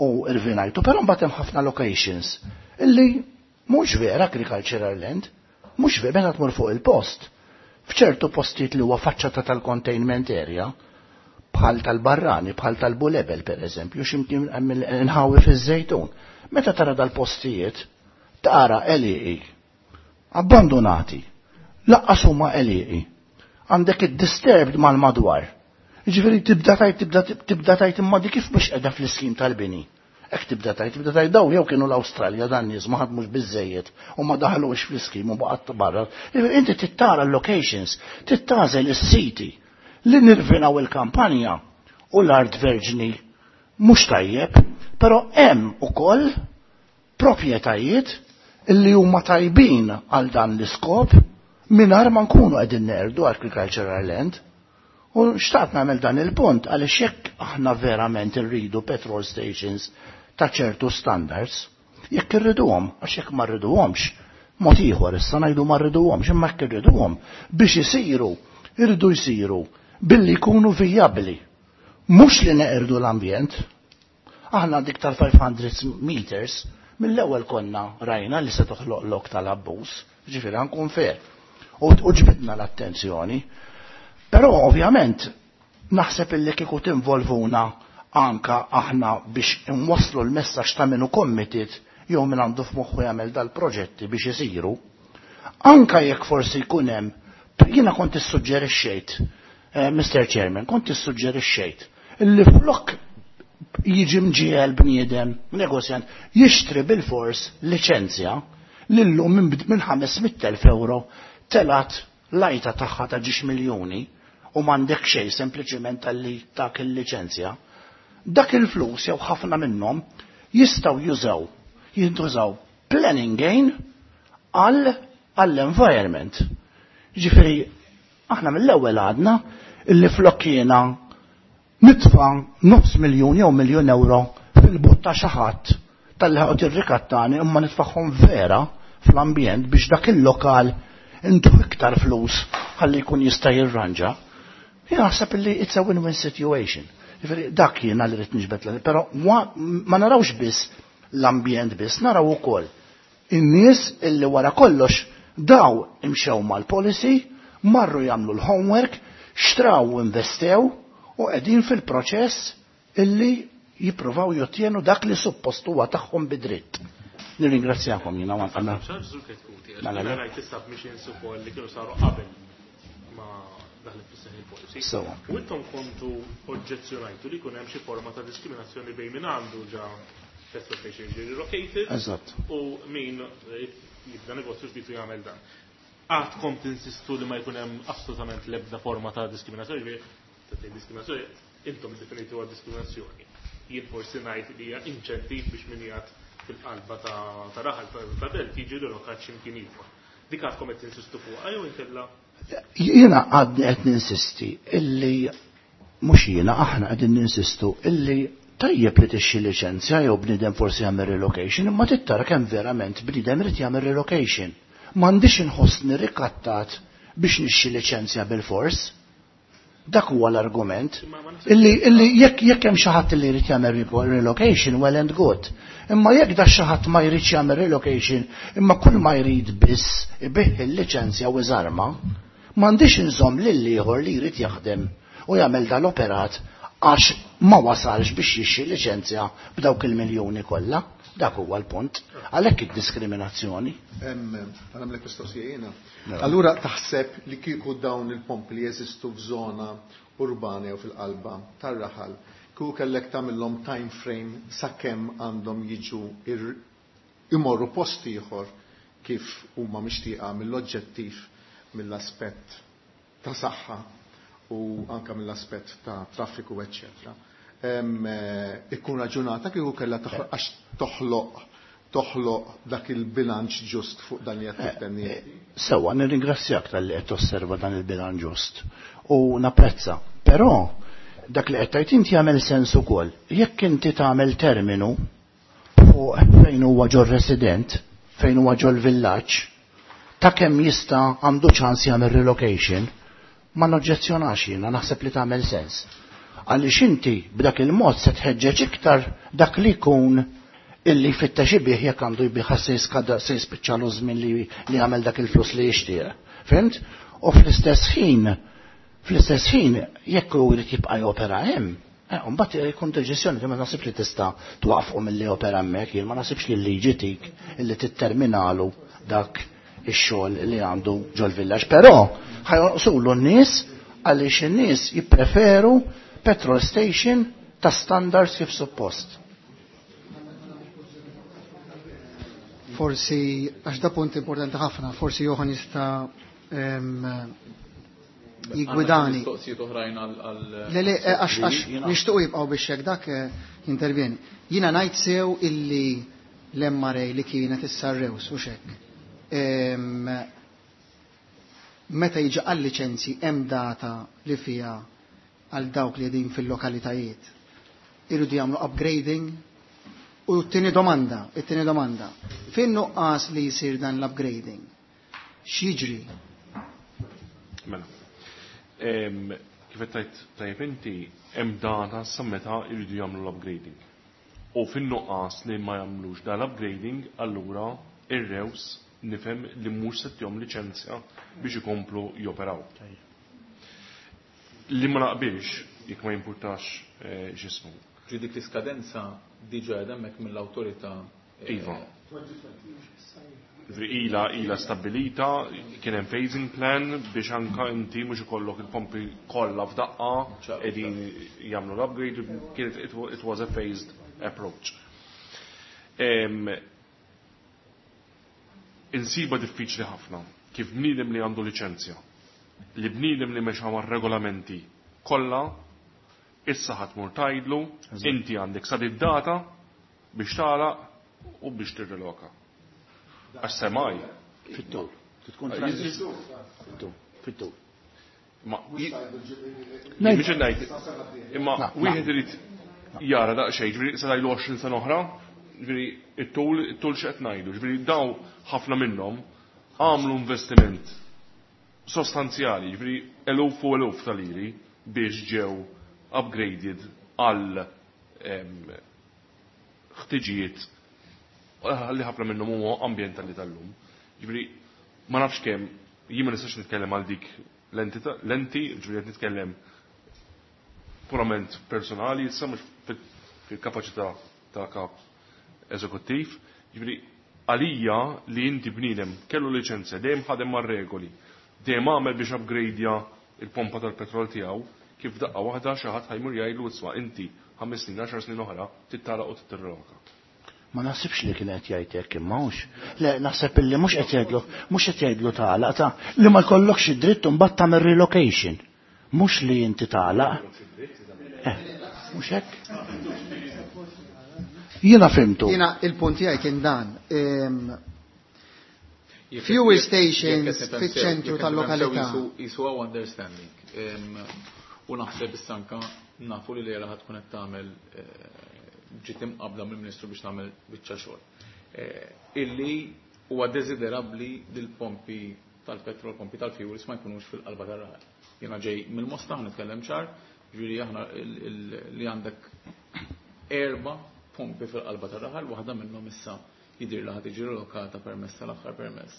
U irvinajtu, però mbagħad hemm ħafna locations illi mhux vera agricultural land, mhux vera meta tmur fuq il-post. F'ċertu postijiet li huwa faċċata tal-containment area, bħal tal-Barrani, bħal tal-Bulebel per eżempju, x'imkien inħawi fiż-Żejtun. Meta tara dal-postijiet, tara għelieqi, abbandonati, laqqas huma għelieqi. Għandek id-disturbed mal-madwar. Ġifieri tibda tajt, tibda tibda tajt imma di kif mhux qiegħda fl-iskim tal-bini. Hekk tibda tajt, tibda tajt daw jew kienu l-Awstralja dan nies ma ħadmux biżejjed u ma daħlux fl-iskim u baqgħet barra. Ġifieri inti tittara l-locations, tittażel is-siti li nirvinaw il-kampanja u l-art verġni mhux tajjeb, però hemm ukoll proprjetajiet illi huma tajbin għal dan l-iskop mingħajr ma nkunu qegħdin nerdu agricultural land. U xtaqt nagħmel dan il-punt għaliex jekk aħna verament irridu petrol stations ta' ċertu standards, jekk irriduhom, għax jekk ma rriduhomx, mod ieħor issa ngħidu ma rriduhomx, imma jekk irriduhom biex isiru, irridu jsiru billi jkunu vijabbli. Mhux li neqirdu l-ambjent. Aħna dik tal-500 meters mill-ewwel konna rajna li se toħloq lok tal-abbuż, ġifieri ħankun fair. U ġbidna l-attenzjoni. Però ovvjament naħseb illi kieku tinvolvuna anka aħna biex inwasslu l-messaġġ ta' minnu committed jew min għandu f'moħħu jagħmel dal-proġetti biex isiru, anka jekk forsi jkun hemm, jiena kont issuġġerixxejt, Mr. Chairman, kont issuġġerixxejt illi flok jiġi mġiegħel bniedem, negozjant, jixtri bil-fors liċenzja li llum minn 500,000 euro telat lajta tagħha ta' ġiex miljuni u m'għandek xejn sempliċiment talli tak il-liċenzja. Dak il-flus jew ħafna minnhom jistgħu jużaw, jintużaw planning gain għall-environment. Ġifieri aħna mill-ewwel għadna illi flok jiena nitfa' nofs miljun jew miljun euro fil-but ta' xi ħadd talli ħaqgħod irrikattani imma nitfagħhom vera fl-ambjent biex dak il-lokal intuh iktar flus ħalli jkun jista' jirranġa. Jien naħseb illi it's a win-win situation. Ġifieri dak jiena li rrid niġbed, però ma narawx biss l-ambjent biss, naraw ukoll in-nies illi wara kollox daw imxew mal-policy, marru jagħmlu l-homework, xtraw u investew u qegħdin fil-proċess illi jippruvaw jottjenu dak li suppost huwa tagħhom bidritt. Nirringrazzjakom jiena ma nqalna. Mela, rajt is-submissions ukoll li kienu saru qabel ma daħlet fis-seħħ il-policy. Sewa. U intom kontu oġġezzjonajtu li jkun hemm xi forma ta' diskriminazzjoni bejn min għandu ġa petrol station ġie relocated Eżatt. u min jibda negozju ġdid u jagħmel dan. Għadkom tinsistu li ma jkun hemm assolutament l-ebda forma ta' diskriminazzjoni, ġifieri ta' diskriminazzjoni, intom iddefinituha diskriminazzjoni. Jien forsi ngħid li hija inċentiv biex min jgħid fil-qalba ta' raħal ta' belt jiġi relokat x'imkien ieħor. Dik għadkom qed tinsistu fuqha jew inkella? Jiena għadni qed ninsisti illi mhux jiena, aħna qegħdin ninsistu illi tajjeb li tixxi liċenzja jew bniedem forsi jagħmel relocation, imma tittara kemm verament bniedem irid jagħmel relocation. M'għandix inħossni rikattat biex nixxi liċenzja bil-fors. Dak huwa l-argument. Illi jekk hemm xi ħadd li jrid jagħmel relocation, well and good. Imma jekk da xi ħadd ma jridx jagħmel relocation, imma kull ma jrid biss ibih il-liċenzja u iżarma, m'għandix inżomm lil ieħor li jrid jaħdem u jagħmel dal-operat għax ma wasalx biex jixxi liċenzja b'dawk il-miljuni kollha. Dak huwa l-punt. Għalhekk id-diskriminazzjoni. Nagħmlek mistoqsija jiena. Allura taħseb li kieku dawn il-pompi li jeżistu f'żona urbana jew fil-qalba tar-raħal, kieku kellek tagħmilhom time frame sakemm għandhom jiġu imorru post ieħor kif huma mixtieqa mill-oġġettiv, mill-aspett ta' saħħa u anka mill-aspett ta' traffiku, eċċetera. Ikun raġunata kieku kellha għax toħloq dak il-bilanċ ġust fuq dan li qed tistenni. Sewa, nirringrazzjak talli qed tosserva dan il-bilanċ ġust u napprezza. Però dak li qed tgħid inti jagħmel sens ukoll. Jekk inti tagħmel terminu fuq fejn huwa ġol resident, fejn huwa ġol villaġġ, ta' kemm jista' għandu ċans jagħmel relocation, ma noġġezzjonax jiena, naħseb li tagħmel sens. Għaliex inti b'dak il-mod se tħeġġeġ iktar dak li jkun illi jfittex ibih jekk għandu jbih se jiskada se jispiċċalu żmien li jagħmel dak il-flus li jixtieq. Fhimt? U fl-istess ħin jekk hu jrid jibqa' jopera hemm, mbagħad jkun deċiżjoni li ma naħsibx li tista' twaqfqu milli jopera hemmhekk, jien ma naħsibx li l-liġi tik illi titterminalu dak ix-xogħol li għandu ġol-villaġġ. Però ħajonqsulu n-nies għaliex in-nies jippreferu petrol station ta' standards kif suppost. Forsi, għax da punt importanti ħafna, forsi Johan jista' jigwidani. Mistoqsijiet oħrajn għal Le, le, għax nixtiequ jibqgħu biex hekk dak jintervjeni. Jiena ngħid sew illi l-MRA li kienet issa Rews u xek. Meta jiġi għal liċenzji hemm data li fiha għal dawk li qegħdin fil-lokalitajiet. Irridu jagħmlu upgrading. U t-tieni domanda, fejn nuqqas li jsir dan l-upgrading? X'jiġri? Mela. Kif qed tgħid tajjeb inti, hemm data sa meta jridu jagħmlu l-upgrading. U fin-nuqqas li ma jagħmlux dan l-upgrading, allura ir-Rews nifhem li mhux se tihom liċenzja biex ikomplu joperaw. Li ma naqbilx, jekk ma jimpurtax x'ismu. Ġi dik l-iskadenza diġà qed hemmhekk mill-awtorità Iva. Ila ila stabilita, kien hemm phasing plan biex anka inti mhux ikollok il-pompi kollha f'daqqa qegħdin jagħmlu l-upgrade, kienet it was a phased approach. Insiba diffiċli ħafna kif bniedem li għandu liċenzja, li bniedem li mexa mar-regolamenti kollha, issa ħadd mur tgħidlu inti għandek sa data biex tagħlaq u biex tirriloka. Għax semaj. Fit-tul. Tkun fit-tul. Ma mhux ngħid. Imma wieħed irid jara daqsxejn, ġifieri se ngħidu 20 sena oħra, ġifieri it-tul it-tul x'qed ngħidu, ġifieri daw ħafna minnhom għamlu investiment sostanzjali, ġifieri eluf u eluf ta' liri biex ġew upgraded għal ħtiġijiet li ħafna minnhom huma ambjentali tal-lum. Ġifieri ma nafx kemm jien ma nistax nitkellem għal dik l-entità l-enti, ġifieri qed nitkellem purament personali, issa mhux fil-kapaċità ta' kap eżekuttiv. Ġifieri għalija li inti bniedem kellu liċenzja, dejjem ħadem mar-regoli, dejjem għamel biex upgradeja il-pompa tal-petrol tiegħu, kif daqqa waħda xi ħadd ħajmur jgħidlu isma' inti 5 snin, 10 snin oħra tittalaq u tittirreloka. Ma naħsibx li kien qed jgħid hekk imma hux. Le naħseb illi mhux qed jgħidlu, mhux qed jgħidlu tagħlaq ta' li ma jkollokx id-dritt imbagħad tagħmel relocation. Mhux li inti tagħlaq. Eh, mhux hekk? Jiena fimtu. Jiena il-punt tiegħi kien dan. Fuel stations fiċ-ċentru tal-lokalità. Jisu għaw understanding. U naħseb issa anka nafu li l-era tkun qed tagħmel ġiet imqabla mill-Ministru biex tagħmel biċċa xogħol. Illi huwa desiderabbli li l-pompi tal-petrol, pompi tal-fuels ma jkunux fil-qalba tar-raħal. Jiena ġej mill-Mosta nitkellem ċar, ġifieri aħna li għandek 4 pompi fil-qalba tar-raħal, waħda minnhom issa jidir li ħad tiġi relokata permess tal-aħħar permess.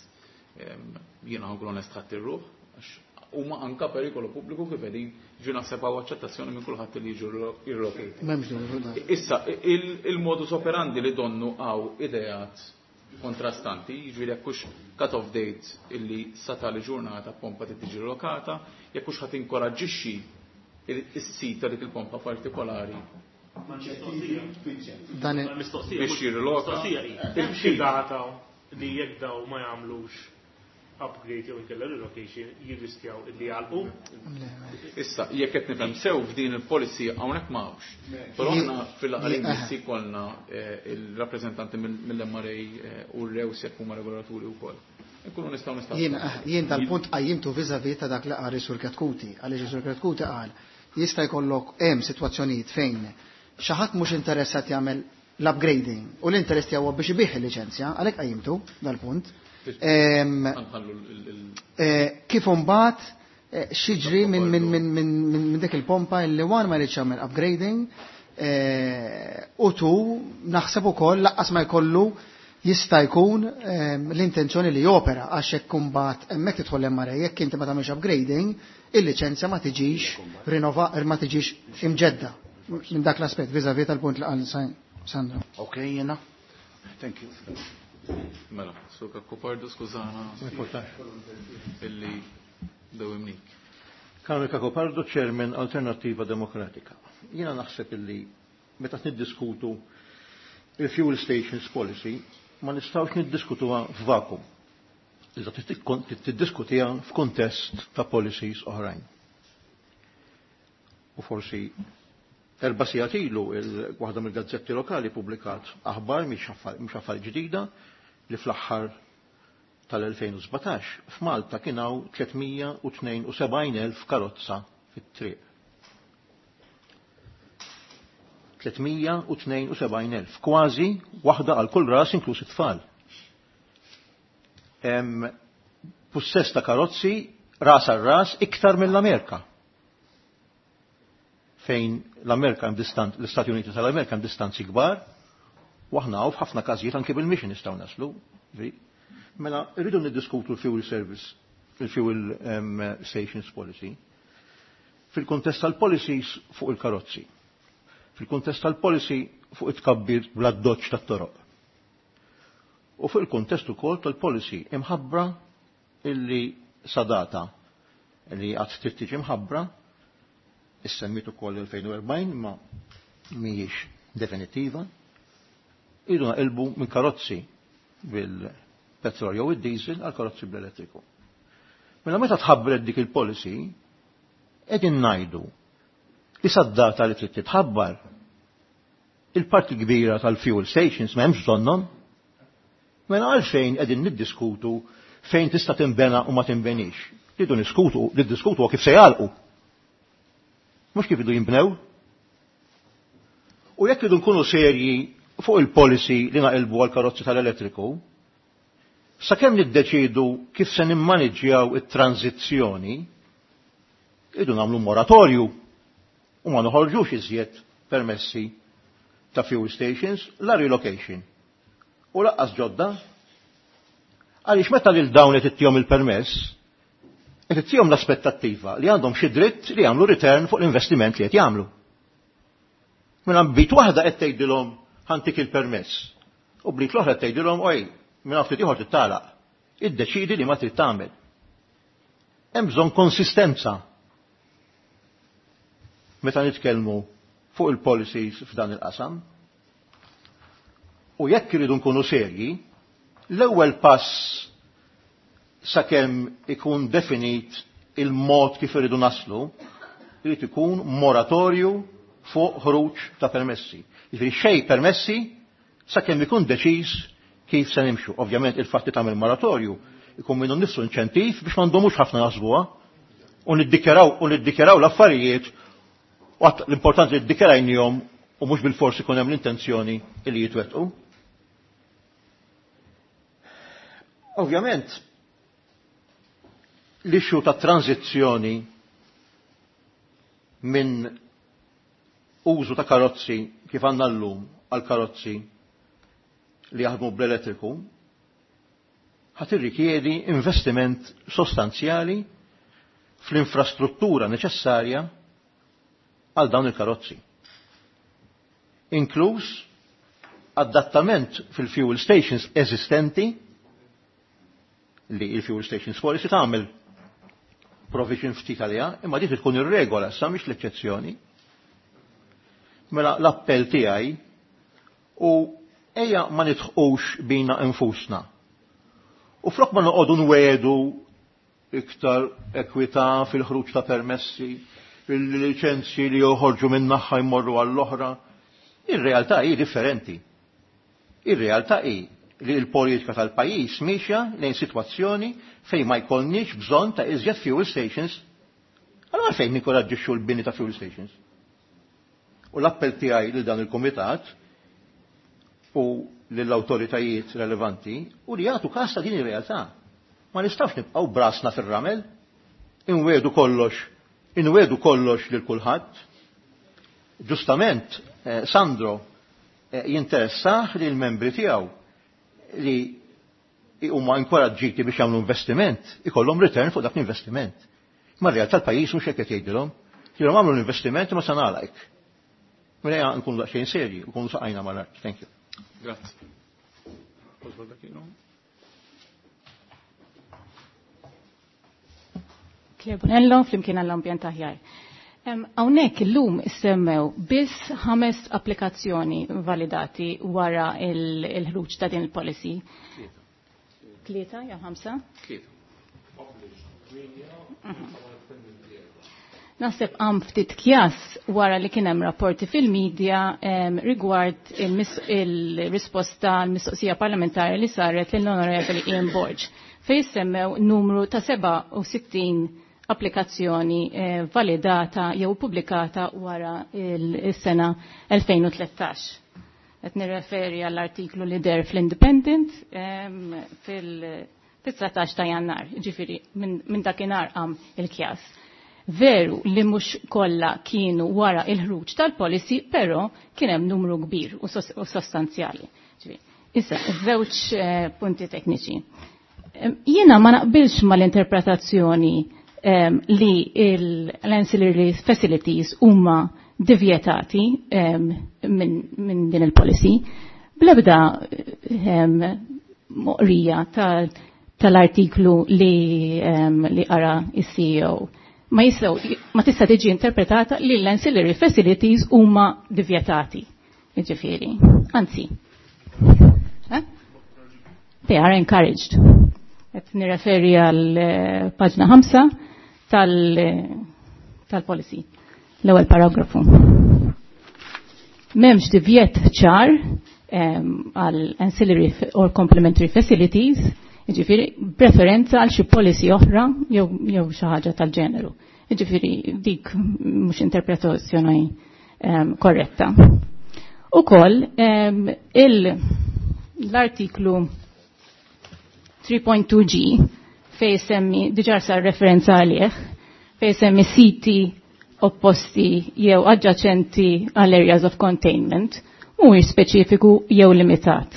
Jiena ħankun onest ħadd ir-ruħ, għax huma anka perikolu pubbliku kif qegħdin ġu naħseb hawn aċċettazzjoni minn kulħadd li jiġu relocate. M'hemmx dubju dan. Issa, il-modus operandi li donnu hawn ideat kontrastanti, jiġifieri jekk hux cut-off date illi sa tali ġurnata pompa trid tiġi relokata, jekk hux ħadd inkoraġġixxi is-sit ta' dik il-pompa partikolari. Dan biex jirriloka. Hemm xi data li jekk daw ma jagħmlux upgrade jew inkella relocation jirriskjaw illi jagħlqu. Issa, jekk qed nifhem sew f'din il-policy hawnhekk ma hawnx. Però aħna fil-laqgħa li jkollna il-rappreżentanti mill-MRA u r-rews jekk huma regolaturi wkoll. Nkunu nistgħu nistgħu. Jien dal-punt qajjimtu vis-à-vis ta' dak li qal Sur Chetcuti, għaliex Sur Chetcuti qal jista' jkollok hemm sitwazzjonijiet fejn xi ħadd mhux interessat jagħmel l-upgrading u l-interess tiegħu biex ibih il-liċenzja, għalhekk qajjimtu dal-punt. Kif imbagħad xiġri minn dik il-pompa li one ma jridx jagħmel upgrading u tu naħseb ukoll laqqas ma jkollu jista' jkun l-intenzjoni li jopera għax hekk imbagħad hemmhekk tidħol MRA jekk inti ma tagħmilx upgrading, il-liċenzja ma tiġix rinnova, ma tiġix imġedda minn dak l-aspett vis-à-vis tal-punt li qal Sandro. Ok, jiena. Thank you. Mela, Sur Cacopardo, skużana illi dewimnik. Carmel Cacopardo, Chairman Alternativa Demokratika. Jiena naħseb illi meta niddiskutu il-Fuel Stations Policy ma nistgħux niddiskutuha f'vakum. Iżda tiddiskutiha f'kuntest ta' policies oħrajn. U forsi 4 sigħat ilu waħda mill-gazzetti lokali publikat aħbar mhix affar ġdida li fl-aħħar tal-2017 f'Malta kien hawn 372,000 karozza fit-triq. 372,000, kważi waħda għal kull ras inkluż it-tfal. Hemm pussess ta' karozzi ras għal ras iktar mill-Amerika. Fejn l-Amerika hemm distan-, l-Istati Uniti tal-Amerika hemm distanzi kbar, u aħna hawn f'ħafna każijiet anke bil-mixi nistgħu naslu. Mela rridu niddiskutu l-fuel service, il-fuel stations policy, fil-kuntest tal-policies fuq il-karozzi, fil-kuntest tal-policy fuq it-tkabbir bla doċ tat-toroq, U fuq il-kuntest ukoll tal-policy imħabbra illi sadata li għad trid tiġi mħabbra, issemmit ukoll 2040 ma mhijiex definitiva, irridu naqilbu minn karozzi bil-petrol jew id-diesel għal karozzi bl-elettriku. Mela meta tħabbret dik il-policy, qegħdin ngħidu li sad-data li trid titħabbar il-parti kbira tal-fuel stations m'hemmx bżonnhom. Mela għalfejn qegħdin niddiskutu fejn tista' tinbena u ma tinbenix. Ridu niskutu, niddiskutu kif se jagħlqu. Mhux kif idu jinbnew. U jekk idu nkunu serji fuq il-policy li naqilbu għal karozzi tal-elettriku, sakemm niddeċidu kif se nimmaniġġjaw it-tranzizzjoni, idu nagħmlu moratorju u ma noħorġux iżjed permessi ta' fuel stations la relocation. U laqqas ġodda. Għaliex meta lil dawn qed ittihom il-permess, qed ittihom l-aspettattiva li għandhom xi dritt li jagħmlu return fuq l-investiment li qed jagħmlu. Mela bit waħda qed tgħidilhom ħantik il-permess. U blit l-oħra tgħidilhom oj, minn ftit ieħor tittalaq. Iddeċidi li ma trid tagħmel. Hemm bżonn konsistenza meta nitkellmu fuq il-policies f'dan il-qasam. U jekk iridu nkunu serji, l-ewwel pass sakemm ikun definit il-mod kif iridu naslu, irid ikun moratorju fuq ħruġ ta' permessi. Jiġifieri xejn permessi sakemm ikun deċiż kif se nimxu. Ovvjament il-fatt li tagħmel moratorju ikun minnu nnifsu inċentiv biex ma ndomux ħafna naħsbuha u niddikjaraw u niddikjaraw l-affarijiet u l-importanti li ddikjarajnihom u mhux bil-forsi ikun hemm l-intenzjoni li jitwettqu. Ovvjament, l-issue ta' tranzizzjoni minn użu ta' karozzi kif għandna llum għal karozzi li jaħdmu bl-elettriku ħat irrikjedi investiment sostanzjali fl-infrastruttura neċessarja għal dawn il-karozzi. Inkluż adattament fil-fuel stations eżistenti li il-fuel stations policy tagħmel provision ftit għaliha, imma dik tkun ir-regola sa mhix l-eċċezzjoni. Mela l-appell tiegħi u ejja ma nidħqux bina infusna. U flok ma noqogħdu nwedu iktar ekwità fil-ħruġ ta' permessi, il-liċenzji li joħorġu minn naħa jmorru għall-oħra, ir-realtà hi differenti. Ir-realtà hi li l-politika tal-pajjiż miexja lejn sitwazzjoni fejn ma jkollniex bżonn ta' iżjed fuel stations. Allora għalfejn ninkoraġġixxu l-bini ta' fuel stations? U l-appell tiegħi lil dan il-kumitat u lill-awtoritajiet relevanti u li jagħtu każ ta' din ir-realtà. Ma nistgħux nibqgħu brasna fir-ramel, inwedu kollox, inwedu kollox lil kulħadd. Ġustament, Sandro jinteressah li l-membri tiegħu li huma inkoraġġiti biex jagħmlu investiment, ikollhom return fuq dak l-investiment. Ma r-realtà l-pajjiż mhux hekk qed jgħidilhom. Jgħidilhom għamlu l-investiment ma se nagħlaq. Mela ejja nkunu daqsxejn serji, nkunu saqajna mal-art. Thank you. Grazzi. Oswald Aquino. Claire Bonello, flimkien għall-ambjent aħjar. Hawnhekk illum issemmew biss 5 applikazzjoni validati wara il-ħruġ ta' din il-policy. 3 jew 5? 3. Naħseb għam ftit kjas wara li kien hemm rapporti fil-medja rigward il-risposta għall-mistoqsija parlamentari li saret lill-Onorevoli Ian Borg fejn semmew numru ta' 67 applikazzjoni validata jew pubblikata wara il-sena 2013. Qed nirreferi għall-artiklu li der fl-Independent fil-19 ta' Jannar, ġifieri minn dakinhar qam il-kjas. Veru li mhux kollha kienu wara il-ħruġ tal-policy, però kien hemm numru kbir u sostanzjali. Issa, żewġ punti tekniċi. Jiena ma naqbilx mal-interpretazzjoni li l-ancillary facilities huma divjetati minn din il-policy. Bl-ebda moqrija tal-artiklu li qara is-CEO. Ma jistgħu ma tista' tiġi interpretata li l-ancillary facilities huma divjetati. Jiġifieri. Anzi. Eh? They are encouraged. Qed nirreferi għal paġna 5 tal-policy, l-ewwel paragrafu. M'hemmx divjet ċar għal ancillary or complementary facilities, jiġifieri preferenza għal xi policy oħra jew xi ħaġa tal-ġeneru. Jiġifieri dik mhux interpretazzjoni korretta. Ukoll l-artiklu 3.2G fej semmi, diġà sar referenza għalih, fej semmi siti opposti jew adjacenti għal areas of containment, mhuwiex speċifiku jew limitat.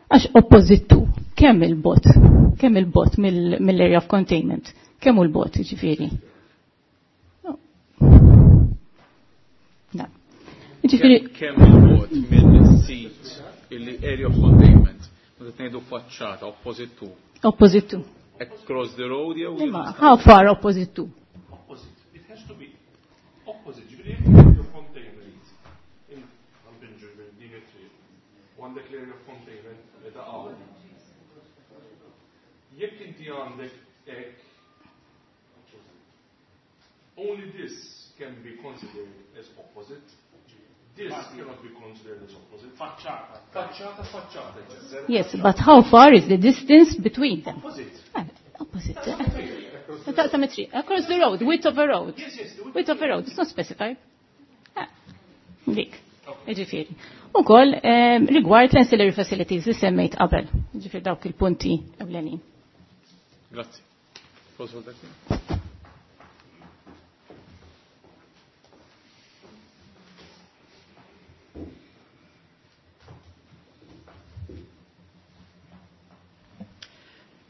Għax oppożittu, kemm il-bot, kemm il-bot mill-area of containment, kemm hu l-bot jiġifieri? No. No. Jiġifieri kemm il-bot mill-sit illi area of containment, meta tgħidu faċċata opposite to. Opposite to. Across the road jew Imma how far opposite to? Opposite. It has to be opposite. Ġifieri jekk area of containment din it-triq u għandek l-area of containment li taqgħu. Jekk inti għandek hekk only this can be considered as opposite. This cannot be considered as opposite. Faċċata. Faċċata, faċċata. Yes, but how far is the distance between them? Opposite. Opposite. Taqsam it-triq. Across the road, width of a road. Yes, yes, the width of a road. It's not specified. Dik. Jiġifieri. Ukoll rigward l-ancillary facilities li semmejt qabel. Jiġifieri dawk il-punti ewlenin. Grazzi. Posso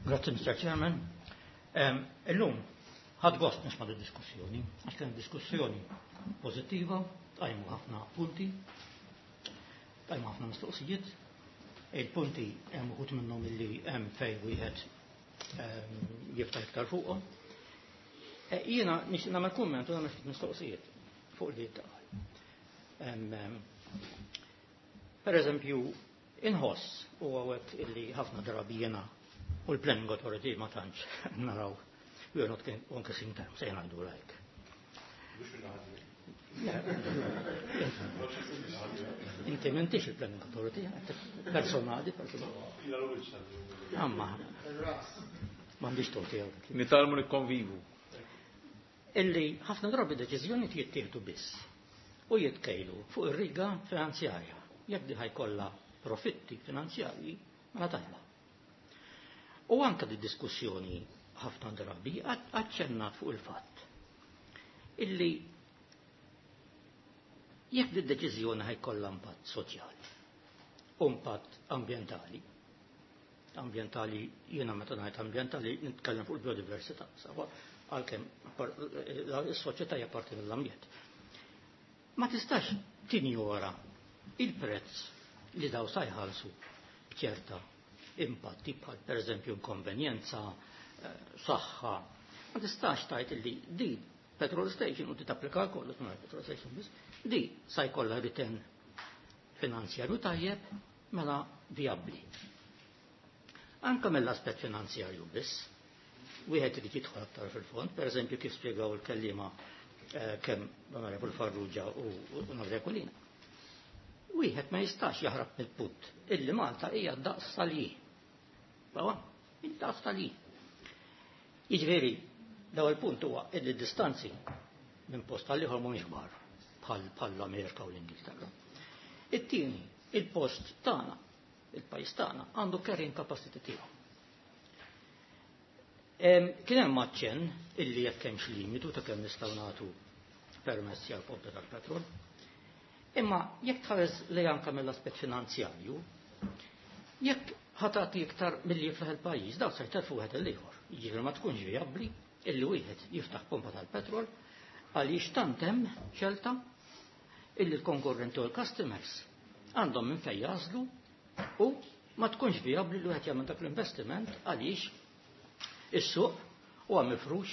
Grazzi, Mr. Chairman. Illum, ħadt gost nisma' di diskussjoni, għax kien diskussjoni pozittiva, tqajmu ħafna punti, tqajmu ħafna mistoqsijiet. Il-punti hemm uħud minnhom illi hemm fejn wieħed jiftaħ iktar fuqhom. Jiena nixtieq nagħmel kumment u nagħmel ftit mistoqsijiet fuq li tqal. Per eżempju, inħoss u għawek illi ħafna drabi jiena u l-Planning Authority ma tantx naraw. We are not on the same terms, ejja ngħidu like. Inti m'intix il-Planning Authority, personali, personali. Amma, m'għandix tort tiegħu. Nitalmu nikkonvivu. Illi ħafna drabi deċiżjoni jittieħdu biss u jitkejlu fuq ir-riga finanzjarja. Jekk di ħajkollha profitti finanzjarji, mela tajba. U anka di diskussjoni ħafna drabi aċċennat fuq il-fatt illi jekk di deċiżjoni ħajkollha impatt soċjali u impatt ambjentali, ambjentali jiena meta ngħid ambjentali nitkellem fuq il-biodiversità, sawa għalkemm is-soċjetà hija parti mill-ambjent. Ma tistax tinjora il-prezz li daw sa jħallsu b'ċerta impatti bħal pereżempju inkonvenjenza, saħħa. Ma tistax tgħid illi di petrol station u ti tapplika kollu mingħajr petrol station biss, di sa jkollha return finanzjarju tajjeb mela vijabbli. Anka mill-aspett finanzjarju biss, wieħed irid jidħol aktar fil-fond, pereżempju kif spjegaw il-kelliema kemm l-Onorevol Farrugia u l-Onorevol Aquilina. Wieħed ma jistax jaħrab mill-punt illi Malta hija daqs tal-ji. Bawa, id-daqs tal-ji. Jiġifieri, l-ewwel punt huwa illi distanzi minn post għal ieħor mhumiex kbar bħal l-Amerika u l-Ingilterra. It-tieni, il-post tagħna, il-pajjiż tagħna għandu carrying capacity tiegħu. Kien hemm aċċenn illi jekk hemmx limitu ta' kemm nistgħu nagħtu permessi għal pompi tal-petrol. Imma jekk tħares li anke mill-aspett finanzjarju, jekk ħatati iktar milli jiflaħ il-pajjiż, daw se jtelfu wieħed il-ieħor. Jiġifieri ma tkunx vijabbli illi wieħed jiftaħ pompa tal-petrol għaliex tant hemm xelta illi l-konkurrenti u l-customers għandhom minn fejn jażlu u Ma tkunx vijabbli li wieħed jagħmel dak l-investiment għaliex is-suq huwa mifrux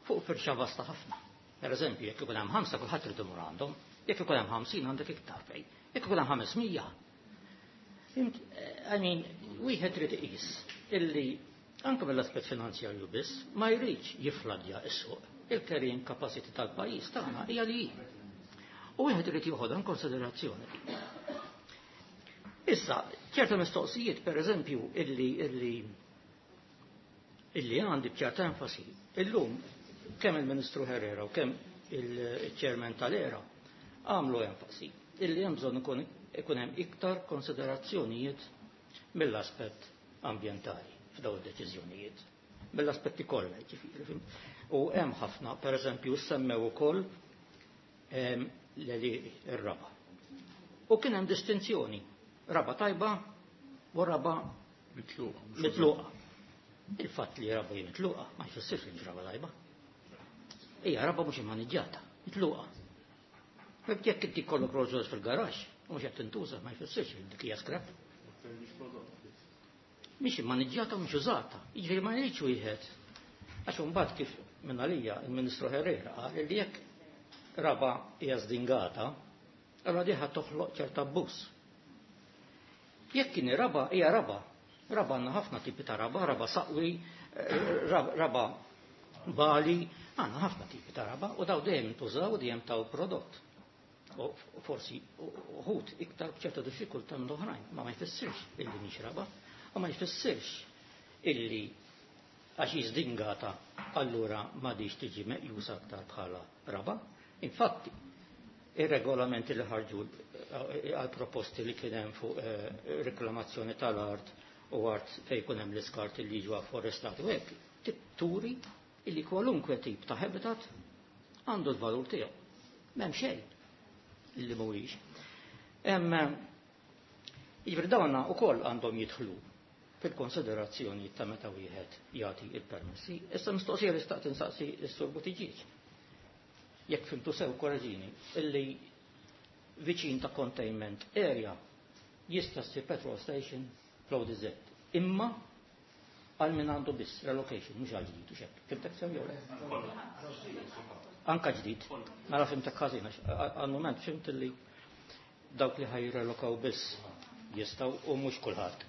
fuq firxa vasta ħafna. Per eżempju, jekk ikun hemm 5 kulħadd irid imur għandhom, jekk ikun hemm 50 għandek iktar fejn, jekk ikun hemm 500. Fhimt, I mean, wieħed irid iqis illi anke mill-aspett finanzjarju biss ma jridx jiffladja s-suq. Il-carrying capacity tal-pajjiż tagħna hija li hi. U wieħed irid joħodha in konsiderazzjoni. Issa, ċerta mistoqsijiet, per eżempju, illi għandi b'ċerta enfasi, illum kemm il-Ministru Herrera u kemm il-Chairman tal-ERA għamlu enfasi illi hemm bżonn ikun hemm iktar konsiderazzjonijiet mill-aspett ambjentali f'dawn id-deċiżjonijiet. Mill-aspetti kollha, jiġifieri, fhimt? U hemm ħafna, per eżempju, semmew ukoll l-għelieqi, ir-raba. U kien hemm distinzjoni, raba tajba u raba mitluqa. Mitluqa. Il-fatt li raba hi mitluqa ma jfissirx li mhix raba tajba. Hija raba mhux immaniġġjata, mitluqa. Jekk inti jkollok Rolls Royce fil-garaxx u mhux qed tintuża ma jfissirx li dik hija scrap. Mhix immaniġġjata u mhux użata. Jiġifieri ma jridx wieħed. Għax imbagħad kif minn għalija il-Ministru Herrera qal li jekk raba hija żdingata, allura diħa toħloq ċerta abbuż. Jekk kien raba hija raba. Raba għandna ħafna tipi ta' raba, raba saqwi, raba bali, għandna ħafna tipi ta' raba u daw dejjem intużaw u dejjem taw prodott. U forsi uħud iktar b'ċerta diffikultà minn oħrajn, ma ma jfissirx illi mhix raba, u ma jfissirx illi għax jiżdingata allura m'għadix tiġi meqjusa aktar bħala raba. Infatti, ir-regolamenti li ħarġu għal proposti li kien hemm fuq reklamazzjoni tal-art u art fejn jkun hemm l-iskart li jiġu afforestati u hekk, turi illi kwalunkwe tip ta' habitat għandu l-valur tiegħu. M'hemm xejn illi mhuwiex. Jiġifieri dawna wkoll għandhom jidħlu fil-konsiderazzjoni ta' meta wieħed jagħti il-permessi. Issa mistoqsija li staqt insaqsi s-Sur Buttigieg. Jekk fimtu sew korreġini, illi viċin ta' containment area jista' ssir petrol station fl-ODZ. Imma għal min għandu biss relocation, mhux għal ġdid u xekk. Fimtek sew jew le? Anka ġdid. Mela fimtek ħażin, għax għal mument fimt illi dawk li ħajrelokaw biss jistgħu u mhux kulħadd.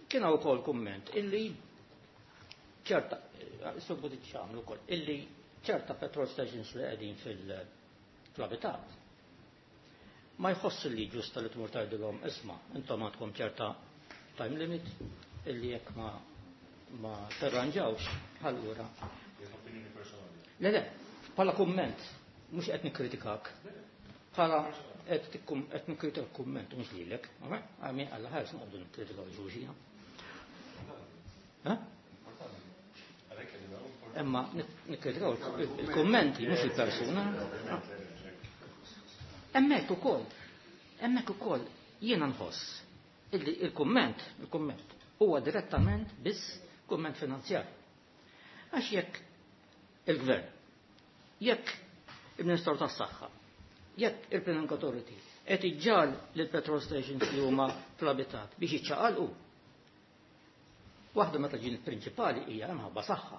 Kien hawn ukoll kumment illi ċerta, Sur Buttigieg għamlu wkoll, illi ċerta petrol stations li qegħdin fil-abitat ma jħoss li ġusta li tmur tgħidilhom isma' intom għandkom ċerta time limit illi jekk ma terranġawx allura. Le, le, bħala kumment, mhux qed nikkritikak. Bħala qed nikkritika kumment mhux lilek, għami għalla ħares noqogħdu nikkritikaw xulxin. Ha? Imma nikkritikaw il-kummenti mhux il-persuna. Hemmhekk ukoll, hemmhekk ukoll jiena nħoss illi il-kumment huwa direttament biss kumment finanzjarju. Għax jekk il-gvern, jekk il-Ministru tas-Saħħa, jekk il-Planning Authority qed iġġal lil petrol stations li huma fl-abitat biex jiċċaqalqu. Waħda meta ġin prinċipali hija imħabba saħħa.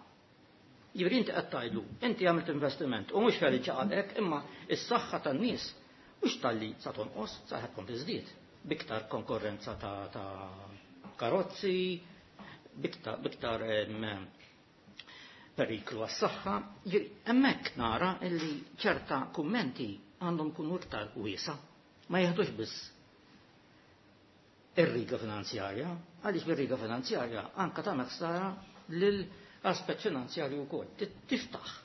Jiġifieri inti qed tgħidlu, inti għamilt investiment u mhux fejn iċċaqalqek, imma s-saħħa tan-nies mhux talli sa tonqos, sa ħed tkun tiżdied biktar konkurrenza ta' karozzi, biktar periklu għas-saħħa. Hemmhekk nara illi ċerta kummenti għandhom kunu iktar wiesa, ma jeħdux biss ir-riga finanzjarja, għaliex bir-riga finanzjarja anka tagħmel ħsara lil aspett finanzjarju wkoll. Tiftaħ.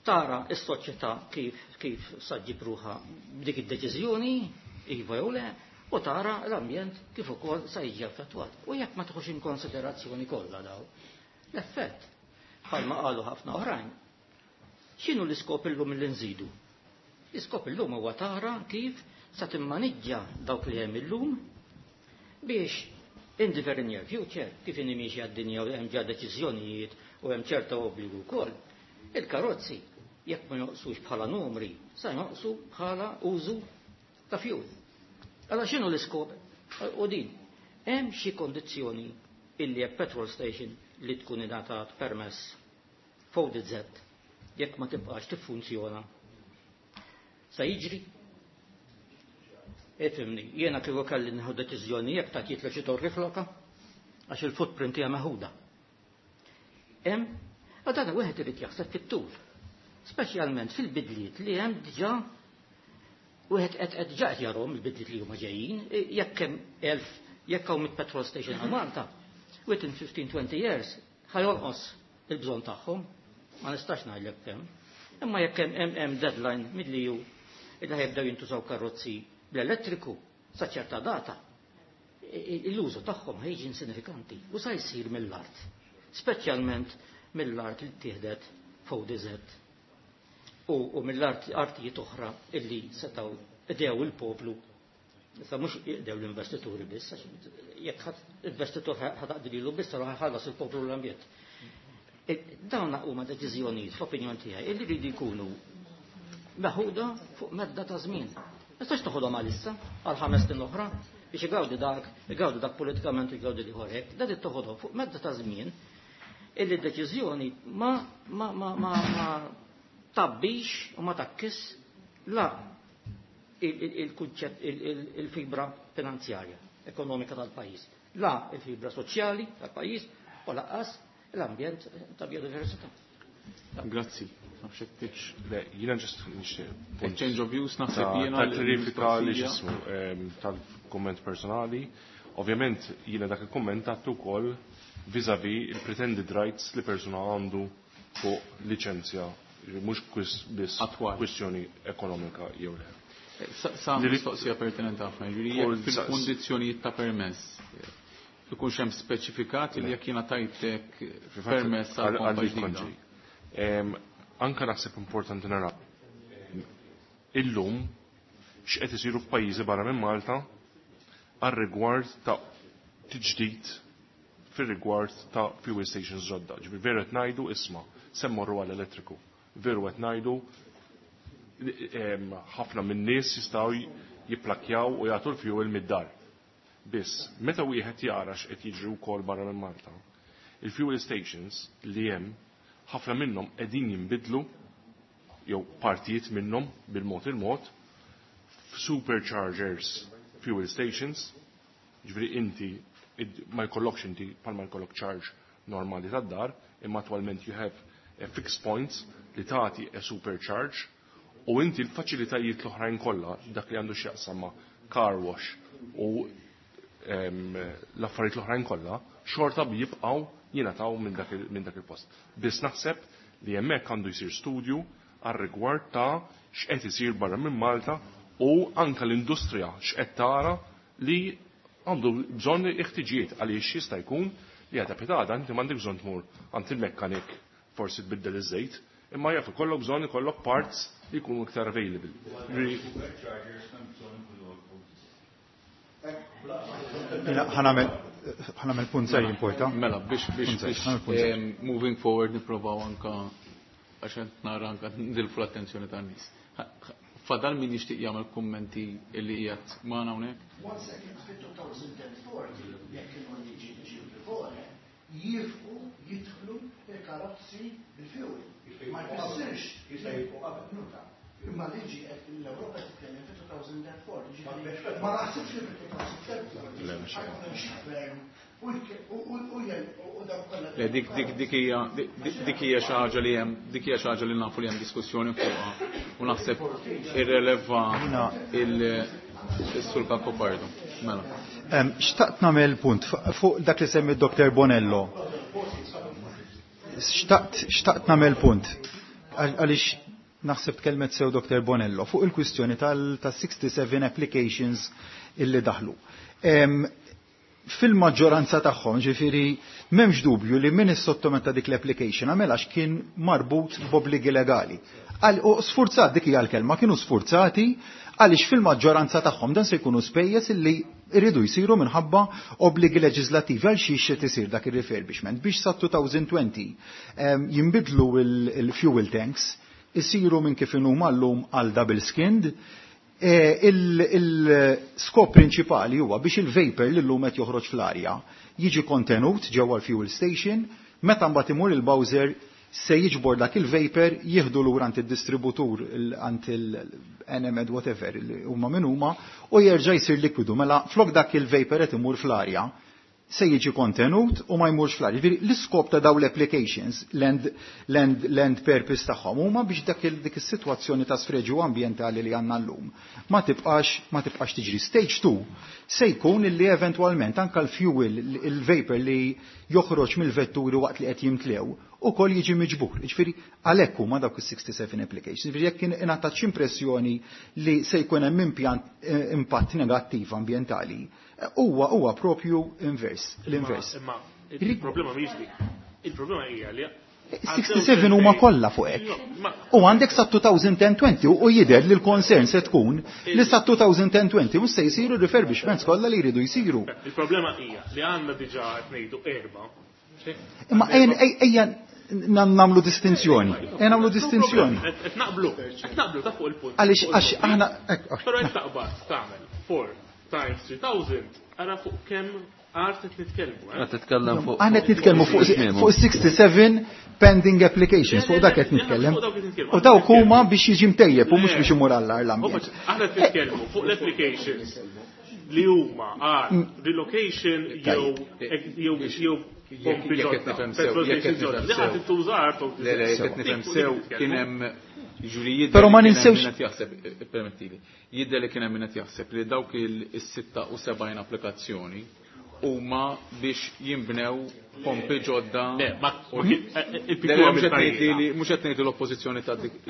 Tara s-soċjetà kif saġġib ruħha b'dik id-deċiżjoni, iva jew le, u tara l-ambjent kif ukoll sa jiġi affettwat. U jekk ma tħux in konsiderazzjoni kollha daw, l-effett bħalma qalu ħafna oħrajn. X'inhu l-iskop illum li nżidu? L-iskop illum huwa tara kif sa timmaniġġa dawk li hemm illum biex in the very near future, kif inhi miexja d-dinja u hemm ġa deċiżjonijiet u hemm ċerta obbligu wkoll, il-karozzi jekk ma joqsux bħala numri, sa joqsu bħala użu ta' fuel. Allora x'inhu l-iskop? U din, hemm xi kondizzjoni illi jekk petrol station li tkun ingħatat permess f'ODZ jekk ma tibqax tiffunzjona sa jiġri? Ifhimni, jiena kieku kelli nieħu deċiżjoni jekk ta' jitla xi torri floka għax il-footprint hija meħuda. Hemm, u dan wieħed irid jaħseb fit-tul. Speċjalment fil-bidliet li hemm diġà wieħed qed qed diġà qed jarhom il-bidliet li huma ġejjin, jekk hemm 1000 jekk hawn petrol station għal Malta, within 15-20 years ħa jonqos il-bżonn tagħhom, ma nistax ngħidlek kemm. Imma jekk hemm hemm deadline mill-EU illi ħa jibdew jintużaw karozzi bl-elettriku sa ċerta data, l-użu tagħhom ħa jiġi insinifikanti u sa jsir mill-art, speċjalment mill-art li ttieħdet f'ODZ u mill-art artijiet oħra illi setgħu idew il-poplu. Issa mhux idew l-investituri biss, għax jekk ħadd investitur ħa taqdi lilu biss, allura ħallas il-poplu l-ambjent. Dawn huma deċiżjonijiet fl-opinjoni tiegħi illi jridu jkunu meħuda fuq medda ta' żmien. Ma tistax toħodhom għalissa għal 5 snin oħra biex igawdi dak politikament u igawdi l-ieħor hekk. Dan toħodhom fuq medda ta' żmien illi d-deċiżjoni ma tabbix u ma takkis la il-kunċett il-fibra finanzjarja ekonomika tal-pajjiż, la il-fibra soċjali tal-pajjiż u lanqas l-ambjent ta' biodiversità. Grazzi. Le, jiena just nixtieq. Exchange of views naħseb jiena. Ta' klarifika li x'ismu tal-komment personali. Ovvjament jiena dak il-komment għattu wkoll vis-a-vis il-pretended rights li persuna għandu fuq liċenzja, mhux biss kwistjoni ekonomika jew le. Sa mistoqsija pertinenti ħafna, ġifieri jekk fil-kundizzjonijiet ta' permess ikunx hemm speċifikat li jekk jiena tajtek permess għal pompa ġdida. Anka naħseb importanti nara illum x'qed isiru f'pajjiżi barra minn Malta għal rigward ta' tiġdid fir-rigward ta' fuel stations ġodda. Ġifieri veru qed ngħidu isma' se mmorru għall elettriku. Veru qed ngħidu ħafna minn nies jistgħu jipplakjaw u jagħtu l-fuel mid-dar. Biss, meta wieħed jara x'qed jiġri wkoll barra minn Malta, il-fuel stations li hemm ħafna minnhom qegħdin jinbidlu jew partijiet minnhom bil-mod il-mod f'superchargers fuel stations, ġifieri inti ma jkollokx inti bħalma jkollok charge normali tad-dar, imma attwalment you have a fixed points li tagħti a supercharge u inti l-faċilitajiet l-oħrajn kollha dak li għandu x'jaqsam ma' car wash u l-affarijiet l-oħrajn kollha xorta jibqgħu jingħataw minn dak il-post. Biss naħseb li hemmhekk għandu jsir studju għal rigward ta' x'qed isir barra minn Malta u anka l-industrija x'qed tara li għandu bżonn iħtiġijiet għaliex jista' jkun li għada pitgħada inti m'għandek bżonn tmur għand il-mekkanik forsi tbiddel iż-żejt, imma jaf ikollok bżonn ikollok parts li jkunu iktar available. Ħa nagħmel punt żgħir importa. Mela, biex moving forward nipprovaw anka għax qed nara anka ndilfu l-attenzjoni tan-nies. Fadal min jixtieq jagħmel kummenti li qiegħed magħna hawnhekk? One second, fit-2040, jekk kienu liġi ġi before, jifqu jidħlu il-karozzi bil-fuel. Ma jfissirx. Jista' jifqu qabel. Nuta. Imma liġi qed l-Ewropa titkellem fit-2040. Ġifieri, ma naħsibx li fit-2030 Le, mhux ħa jkun hemm xi gvern u dak kollha. Le, dik hija xi ħaġa li hemm dik hija xi ħaġa li nafu li hemm diskussjoni fuqha u naħseb irreleva il-Sur Cacopardo. Mela. Xtaqt nagħmel punt fuq dak li semmi Dr. Bonello. Xtaqt nagħmel punt għaliex naħseb tkellmet sew Dr. Bonello fuq il-kwistjoni tal-67 applications illi daħlu. Fil-maġġoranza tagħhom, ġifieri m'hemmx dubju li min is-sottometta dik l-application għamel għax kien marbut b'obbligi legali. U sfurzat, dik hija l-kelma, kienu sfurzati għaliex fil-maġġoranza tagħhom dan se jkunu spejjeż illi jridu jsiru minħabba obbligi leġislattivi. Għal xiex qed isir dak ir-refurbishment biex sa 2020 jinbidlu il-fuel tanks, isiru minn kif inhuma llum għal double skinned. Il-skop prinċipali huwa biex il-vapor li llum qed joħroġ fl-arja jiġi kontenut ġewwa l-fuel station, meta mbagħad imur il-bowser se jiġbor dak il-vapor jieħdu lura għand id-distributur għand il-NMed whatever li huma min huma u jerġa' jsir likwidu. Mela flok dak il-vapor qed imur fl-arja se jiġi kontenut u ma jmurx fl-arja. Jiġifieri l-iskop ta' dawn l-applications, l-end purpose tagħhom huma biex dak dik is-sitwazzjoni ta' sfreġju ambjentali li għandna llum ma tibqax tiġri. Stage 2 se jkun illi eventwalment anka l-fuel, il-vapor li joħroġ mill-vetturi waqt li qed jimtlew ukoll jiġi miġbur. Jiġifieri għalhekk huma dawk is-67 applications. Jiġifieri jekk ingħatat xi impressjoni li se jkun hemm impjant impatt negattiv ambjentali, huwa propju invers, l-invers. Imma il-problema mhijiex dik. Il-problema hija li 67 huma kollha fuq hekk. U għandek sa 2020 u jidher li l-concern se tkun li sa 2020 mhux se jsiru refurbishments kollha li jridu jsiru. Il-problema hija li għandna diġà qed ngħidu erba'. Imma ejja nagħmlu distinzjoni. Ejja nagħmlu distinzjoni. Qed naqblu ta' fuq il-punt. Għaliex għax aħna Però qed taqbad tagħmel 4 times 3000, ara fuq kemm art qed nitkellmu. Qed titkellem fuq Aħna qed nitkellmu fuq 67 pending applications, fuq dak qed nitkellem. U dawk huma biex jiġi mtejjeb u mhux biex imur għall l-ambjent. Aħna qed nitkellmu fuq l-applications li huma għal relocation jew pompi ġodda, petrol station ġodda. Li ħadd intuża art. Le, le, jekk qed nifhem sew, kien hemm, ġuri, jidher Però ma li kien hemm ninsewx min qed jaħseb, permettili, jidher li kien hemm min qed jaħseb li dawk il-76 applikazzjoni huma biex jinbnew pompi ġodda. Le, ma Le, le, mhux qed ngħid l-oppożizzjoni ta' dik.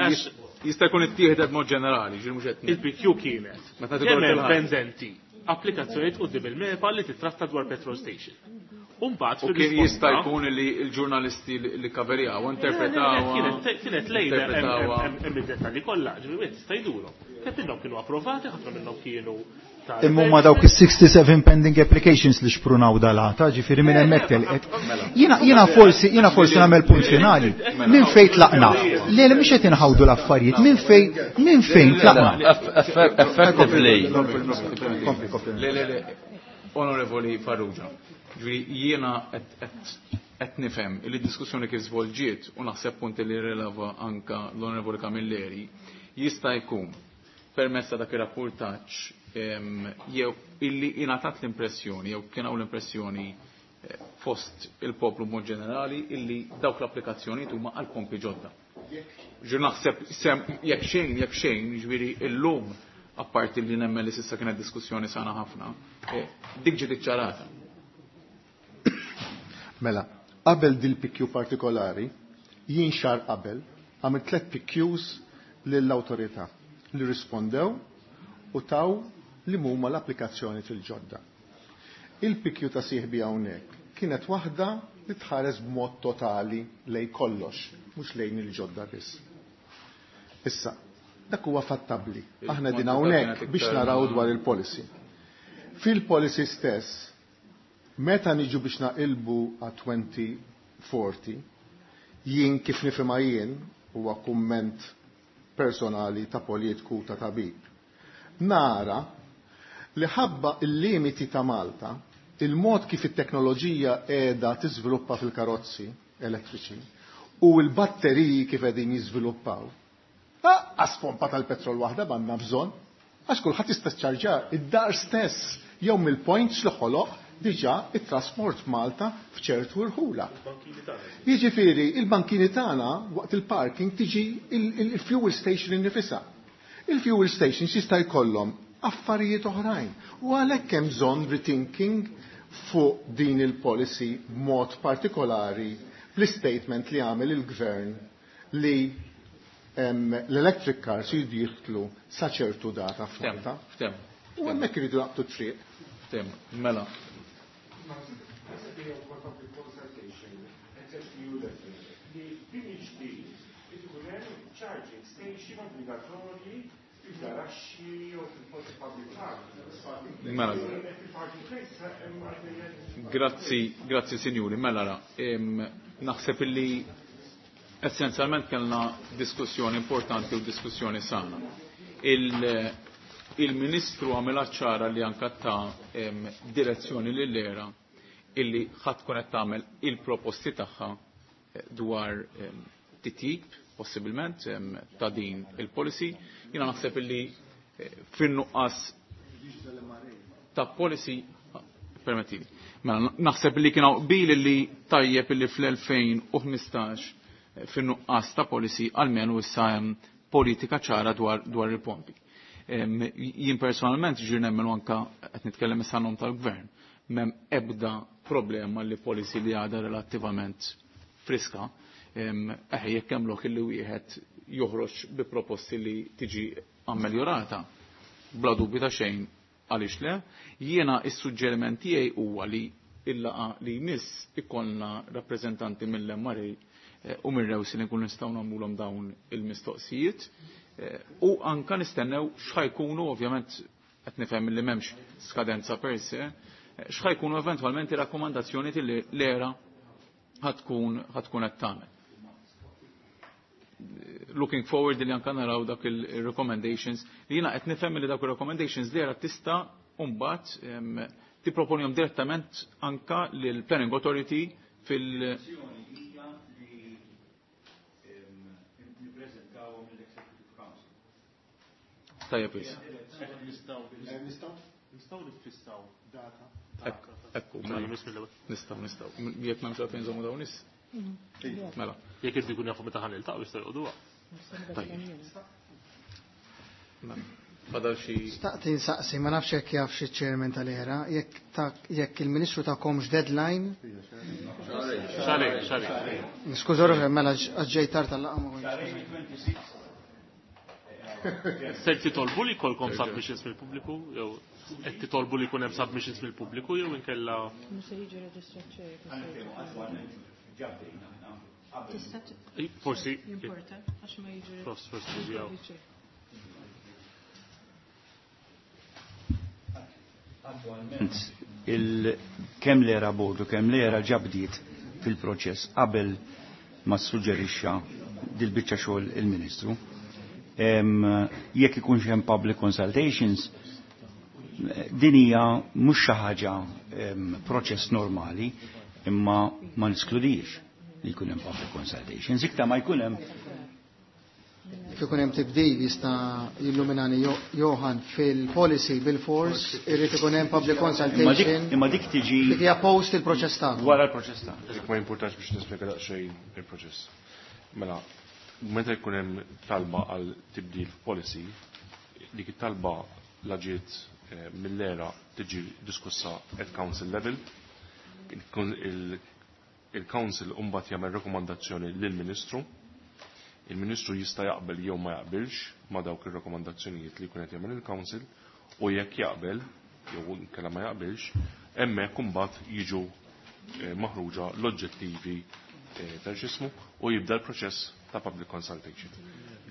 Jista' jkun ittieħdet mod ġenerali, ġifieri mhux qed ngħid. Il-PQ kienet Meta kemm tidħol hemm fil-ħajja. pendenti applikazzjonijiet quddiem il-MEPA li titratta dwar petrol station. Umbagħad U kien jista' jkun li l-ġurnalisti li kaverjaw interpretaw. Kienet lejla interpretawha. hemm id-dettalji kollha, ġifieri wieħed jista' jdurhom. Kemm minnhom kienu approvati, ħafna minnhom kienu ta' Imma huma dawk is-67 pending applications li xprunaw dal-għata, ġifieri minn hemmhekk telqet. Jiena forsi nagħmel punt finali. Minn fejn tlaqna? Le, le, mhux qed inħawdu l-affarijiet, minn fejn tlaqna? Effectively. Le, le, le, Onorevoli Farrugia, ġifieri jiena qed nifhem li d-diskussjoni kif żvolġiet u naħseb punti li rileva anka l-Onorevoli Camilleri jista' jkun permezz ta' dak ir-rapportaġġ jew illi ingħatat l-impressjoni jew kien hawn l-impressjoni fost il-poplu mod ġenerali illi dawk l-applikazzjonijiet huma għal pompi ġodda. Ġu naħseb sem jekk xejn, ġifieri illum apparti li nemmen li s'issa kienet diskussjoni sana ħafna, dik ġiet iċċarata. Mela, qabel dil-PQ partikolari, jien xahar qabel, għamilt tlet PQs lill-autorità li rispondew u taw li huma l-applikazzjoni fil-ġodda. Il-PQ ta' sieħbi hawnhekk kienet waħda li tħares b'mod totali lej kollox, mhux lejn il-ġodda biss. Issa, dak huwa fattabbli. Aħna din hawnhekk biex naraw dwar il-policy. Fil-policy stess, meta niġu biex naqilbu għat 2040, jien kif nifhimha jien, huwa kumment personali ta' politiku ta' tabib. Nara li ħabba il-limiti ta' Malta, il-mod kif it-teknoloġija qiegħda tiżviluppa fil-karozzi elettriċi u l-batteriji kif qegħdin jiżviluppaw. Għas pompa tal-petrol waħda m'għandna bżonn, għax kulħadd jista' ċarġa id-dar stess jew mill-points li ħoloq diġà it-trasport Malta f'ċertu rħula. Jiġifieri il-bankini tagħna waqt il-parking tiġi il-fuel station innifisha. Il-fuel stations jista' jkollhom affarijiet oħrajn. U għalhekk hemm bżonn rethinking fuq din il-policy b'mod partikolari bl-statement li għamel il-gvern li l-electric cars jridu jidħlu sa ċertu data f'Malta. Ftem. U hemmhekk iridu jaqbdu triq. Ftem, mela. Li charging station obbligatorji fil-garaxxi jew fil-posti public parking. Mela. Parking place hemm. Grazzi, grazzi sinjuri. Mela ra, naħseb illi essenzjalment kellna diskussjoni importanti u diskussjoni sana. Il-Ministru għamela ċara li anka ta' direzzjoni lill-era illi ħadd tkun qed tagħmel il-proposti tagħha dwar titjib possibilment ta' din il-policy. Jiena naħseb illi fin-nuqqas ta' policy permettili. Mela naħseb li kien hawn qbil li tajjeb illi fl-2015 fin-nuqqas ta' policy almenu issa hemm politika ċara dwar il-pompi. Jien personalment ġir nemmen anka qed nitkellem issa nom tal-gvern, m'hemm ebda problema li policy li għadha relattivament friska, jekk hemm lok illi wieħed joħroġ bi proposti li tiġi ammeljorata, bla dubju ta' xejn għaliex le. Jiena is-suġġeriment tiegħi huwa li il-laqa li jmiss ikollna rappreżentanti mill-MRA u mir-Rewsi li nkunu nistgħu nagħmluhom dawn il-mistoqsijiet u anka nistennew x'ħajkunu ovvjament qed nifhem li m'hemmx skadenza per se, x'ħajkunu eventwalment ir-rakkomandazzjoni li l-era ħatkun qed tagħmel. Looking forward li anka naraw dak il-recommendations li jiena qed nifhem li dak il-recommendations li era tista' mbagħad tipproponihom direttament anka lill Planning Authority fil- Tajjeb wis. Nistgħu niffissaw data. Ekku, nistgħu nistgħu. Jekk m'hemmx għalfejn żommu dawn is. Mela. Jekk irdu jkun jafu meta ħa niltaqgħu jistgħu joqogħduha. Tajjeb. Mela. Fadal xi. Staqti nsaqsi, ma nafx jekk jaf xi chairman tal-era, jekk il-Ministru tagħkomx deadline. Xarejn, xarejn. Niskuża ruħi mela ġej tard tal-laqgħa ma kontx. Se titolbu li jkollkom submissions mill-pubbliku jew qed titolbu li jkun hemm submissions mill-pubbliku jew inkella Mhux se jiġi reġistrat xejn. Forsi Jimporta għax ma jiġi. Forsi jew. Attualment kemm l-era board u kemm l-era ġabdiet fil-proċess qabel ma suġġerixxa dil-biċċa xogħol il-Ministru. Jekk ikunx hemm public consultations, din hija mhux xi ħaġa proċess normali, imma ma niskludix li jkun hemm public consultations. Iktar ma jkun hemm Jekk ikun hemm tibdil jista' jilluminani Johan fil-policy bil-fors irid ikun hemm public consultation. Imma dik tiġi Dik hija post il-proċess tagħna. Wara l-proċess tagħna. Dik ma jimpurtax biex nispjega daqsxejn il-proċess. Mela, meta jkun hemm talba għal tibdil f'policy, dik it-talba la ġiet mill-era tiġi diskussa at council level. Il-council mbagħad jagħmel rakkomandazzjoni lill-Ministru. Il-Ministru jista' jaqbel jew ma jaqbilx ma' dawk ir-rakkomandazzjonijiet li jkun qed jagħmel il-Council u jekk jaqbel jew inkella ma jaqbilx, hemmhekk imbagħad jiġu maħruġa l-oġġettivi ta' x'ismu u jibda l-proċess ta' public consultation.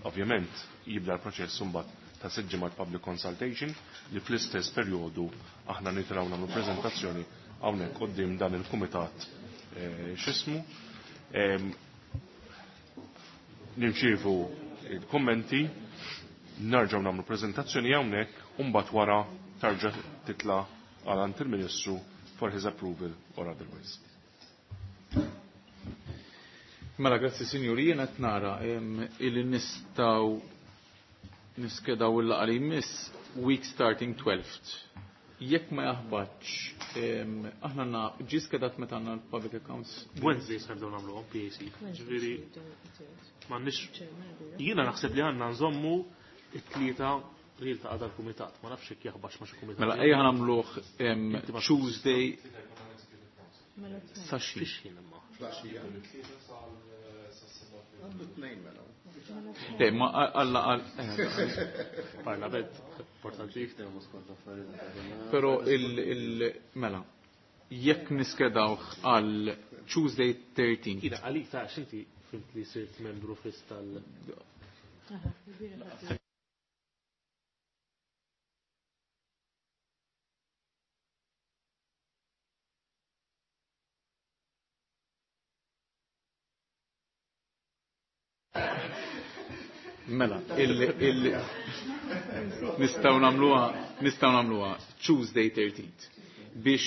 Ovvjament jibda l-proċess imbagħad ta' sitt ġimgħat public consultation li fl-istess perjodu aħna nitilgħu nagħmlu preżentazzjoni hawnhekk quddiem dan il-kumitat x'ismu. Nirċievu il-kommenti, nerġgħu nagħmlu preżentazzjoni hawnhekk u mbagħad wara tarġa' titla' għal għand il-Ministru for his approval or otherwise. Mela, grazzi sinjuri, jiena qed nara illi nistgħu niskedaw il-laqgħa li jmiss week starting 12th. Jekk ma jaħbatx, aħna għandna ġie skedat meta għandna l-public accounts. Wednesday se nibdew nagħmluhom PAC. Ġifieri m'għandniex jiena naħseb li għandna nżommu it-tlieta li jiltaqa' dal-kumitat. Ma nafx jekk jaħbatx ma' xi kumitat. Mela ejja nagħmluh Tuesday sa xi. Fix ħin imma. Għandu tnejn mela. Le, ma għalla għal. Parlament, importanti. Però mela, jekk niskedawh għal Tuesday 13. Ida, għalik ta' xinti fimt li sirt membru fis tal- Mela, il, il, nistgħu nagħmluha nistgħu nagħmluha Tuesday 13th biex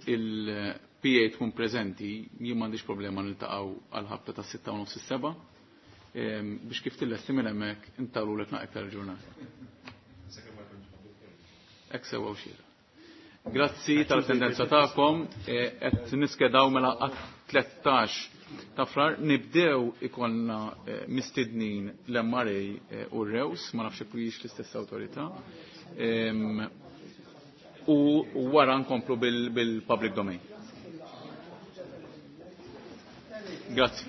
il-PA tkun preżenti jien m'għandix problema niltaqgħu għal ħabta ta' 6 u nofs is-seba' biex kif tillesti minn hemmhekk intawlulek naqra iktar il-ġurnata. Hekk sewwa u xieraq. Grazzi tal-attendenza tagħkom, qed niskedaw mela għat-13 ta' Frar nibdew ikollna mistednin l-MRA u r-Rews, ma nafx jekk hijiex l-istess awtorità. U wara nkomplu bil-public domain. Grazzi.